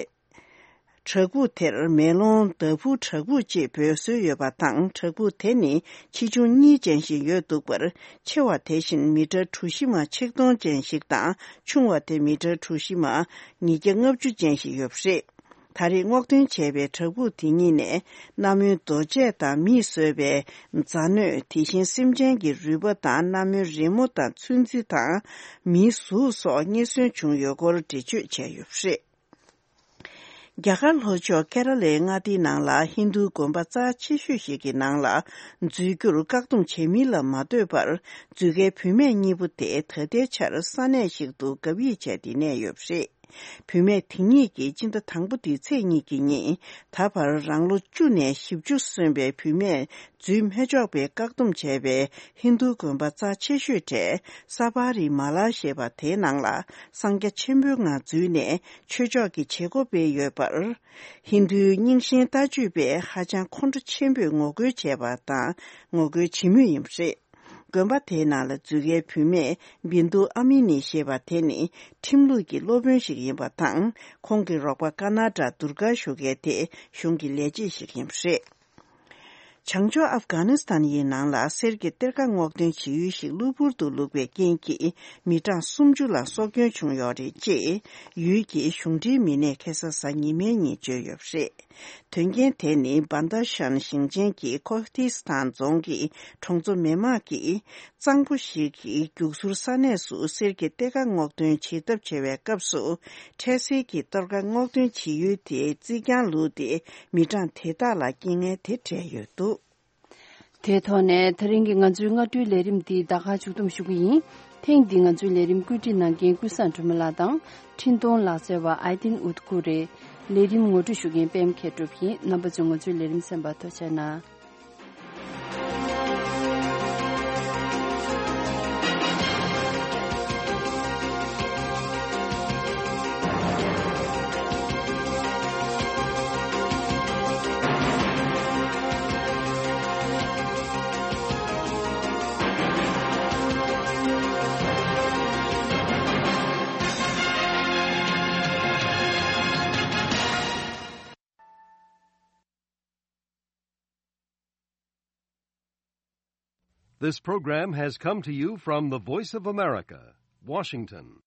བྲག་ཕུག་དེར་མེ་ལོང་ཟླ་ཕུག་བྲག་ཕུག་ཅེས་འབོད་སྲོལ་ཡོད་པ་དང་། བྲག་ཕུག་དེ་ནི་ཆེ་ཆུང་གཉིས་ཅན་ཞིག་ཡོད་འདུག་པར། ཆེ་བ་དེ་བཞིན་མི་ཊར་གྲུ་བཞི་མ་ཆིག་སྟོང་ཅན་ཞིག་དང་། ཆུང་བ་དེ་མི་ཊར་གྲུ་བཞི་མ་ཉིས་བརྒྱ་ལྔ་བཅུ་ཅན་ཞིག་ཡོད་པ་རེད། ད་རེས་སྔོག་འདོན་བྱས་པའི་བྲག་ཕུག་དེ་གཉིས་ནས་གནའ་མོའི་རྡོ་ཆས་དང་མིས་བཟོས་པའི་རྫ་སྣོད། དེ་བཞིན་སེམས་ཅན་གྱི་རུས་པ་དང་། གནའ་མོའི་རི་མོ་དང་ཚོན་རྩི་དང་མིའི་གཟུགས་སོགས་རྙེད་སོན་བྱུང་ཡོད་སྐོར་འགྲེལ་བརྗོད་བྱས་ཡོད་པ་རེད། རྒྱ་གར་ལྷོ་ཕྱོགས་ཀེ་ར་ལའི་མངའ་སྡེའི་ནང་ལ་ཧིན་རྡུའི་དགོན་པ་རྩ་ཆེ་ཤོས་ཤིག་གི་ནང་ལ་འཛུལ་རྒྱུར་བཀག་སྡོམ་བྱེད་མིན་ལ་མ་ལྟོས་པར། འཛུལ་མཁན་བུད་མེད་གཉིས་པོ་དེ་ད་ལྟའི་ཆར་ས་གནས་ཤིག་ཏུ་བག་ཡིག་བྱས་ཏེ་གནས་ཡོད་པ་རེད། བུད་མེད་དེ་གཉིས་ཀྱིས་སྤྱི་ཟླ་དང་པོ་འདིའི་ཚེས་གཉིས་ཀྱི་ཉིན། ད་བར་རང་ལོ་བཅུ་ནས་བཞི་བཅུ་སོན་པའི་བུད་མེད་འཛུལ་མི་ཆོག་པའི་བཀག་སྡོམ་བྱས་པའི་ཧིན་རྡུའི་དགོན་པ་རྩ་ཆེ་ཤོས་གྲས་ས་བ་རི་མ་ལ་ཞེས་པ་དེའི་ནང་ལ་གསང་རྒྱ་ཆེན་པོའི་ངང་འཛུལ་ནས། ཆོས་ཕྱོགས་ཀྱི་བྱེད་སྒོ་སྤེལ་ཡོད་པར། ཧིན་རྡུའི་རྙིང་ཞེན་ལྟ་སྤྱོད་པས་ཧ་ཅང་ཁོང་ཁྲོ་ཆེན་པོས་ངོ་རྒོལ་བྱས་པ་དང་ངོ་རྒོལ་བྱེད་མུས་ཡིན་པ་རེད། དགོན་པ་དེའི་ནང་ལ་འཛུལ་མཁན་བུད་མེད་བིན་དུ་ཨ་མི་ནི་ཞེས་པ་དེ་ནི་ཁྲིམས་ལུགས་ཀྱི་སློབ་དཔོན་ཞིག་ཡིན་པ་དང་། ཁོང་གི་རོགས་པ་ཀ་ན་ཌ་དུར་ག་ཞུ་མཁན་དེ་གཞུང་གི་ལས་བྱེད་ཞིག་ཡིན་པ་རེད། བྱང་ཕྱོགས་ཨབ་གྷ་ནི་སི་ཐན་ཡི་ནང་ལ་གསེར་གྱི་གཏེར་ཁ་སྔོག་འདོན་བྱེད་ཡུལ་ཞིག་གློ་བུར་དུ་ལུག་པའི་རྐྱེན་གྱིས་མི་གྲངས་སུམ་ཅུ་ལ་སྲོག་སྐྱོན་བྱུང་ཡོད་རེད་ཅེས་ཡུལ་གྱི་གཞུང་འབྲེལ་མི་སྣས་ཁ་སང་གཟའ་ཉི་མའི་ཉིན་བརྗོད་ཡོད་པ་རེད། དོན་རྐྱེན་དེ་ནི་བན་ད་ཤན་ཞིང་ཆེན་གྱི་ཁོ་ཐི་སི་ཐན་རྫོང་གི་གྲོང་ཚོ་མི་མང་གིས་གཙང་པོ་ཞིག་གི་རྒྱུག་ཟུར་ས་གནས་སུ་གསེར་གྱི་གཏེར་ཁ་སྔོག་འདོན་བྱེད་ཐབས་བྱེད་པའི་སྐབས་སུ། འཕྲལ་སེལ་གྱི་གཏེར་ཁ་སྔོག་འདོན་བྱེད་ཡུལ་དེའི་རྩིག་གྱང་ལུག་སྟེ། མི་གྲངས་དེ་དག་ལ་རྐྱེན་ངན་དེ་འཕྲད་ཡོད་འདུག། དེའི་ཐོག་ནས་དེ་རིང་གི་ང་ཚོའི་སྔ་དྲོའི་ལས་རིམ་འདི་ད་ག་མཇུག་བསྡོམས་ཞུ་གི་ཡིན། ཐེངས་འདིའི་ང་ཚོའི་ལས་རིམ་བཀོད་སྒྲིག་གནང་མཁན་ཀུན་བཟང་སྒྲོལ་མ་ལགས་དང་། འཕྲིན་གཏོང་ལག་རྩལ་བ་ཨའི་ཏིན་ཨུད་ཀུ་རེད། ལས་རིམ་ངོ་སྤྲོད་ཞུ་མཁན་པད་མ་མཁས་གྲུབ་ཡིན། རྣམ་པ་ཚོས་ང་ཚོའི་ལས་རིམ་གསན་པར་ཐུགས་རྗེ་གནང་། This program has come to you from the Voice of America, Washington.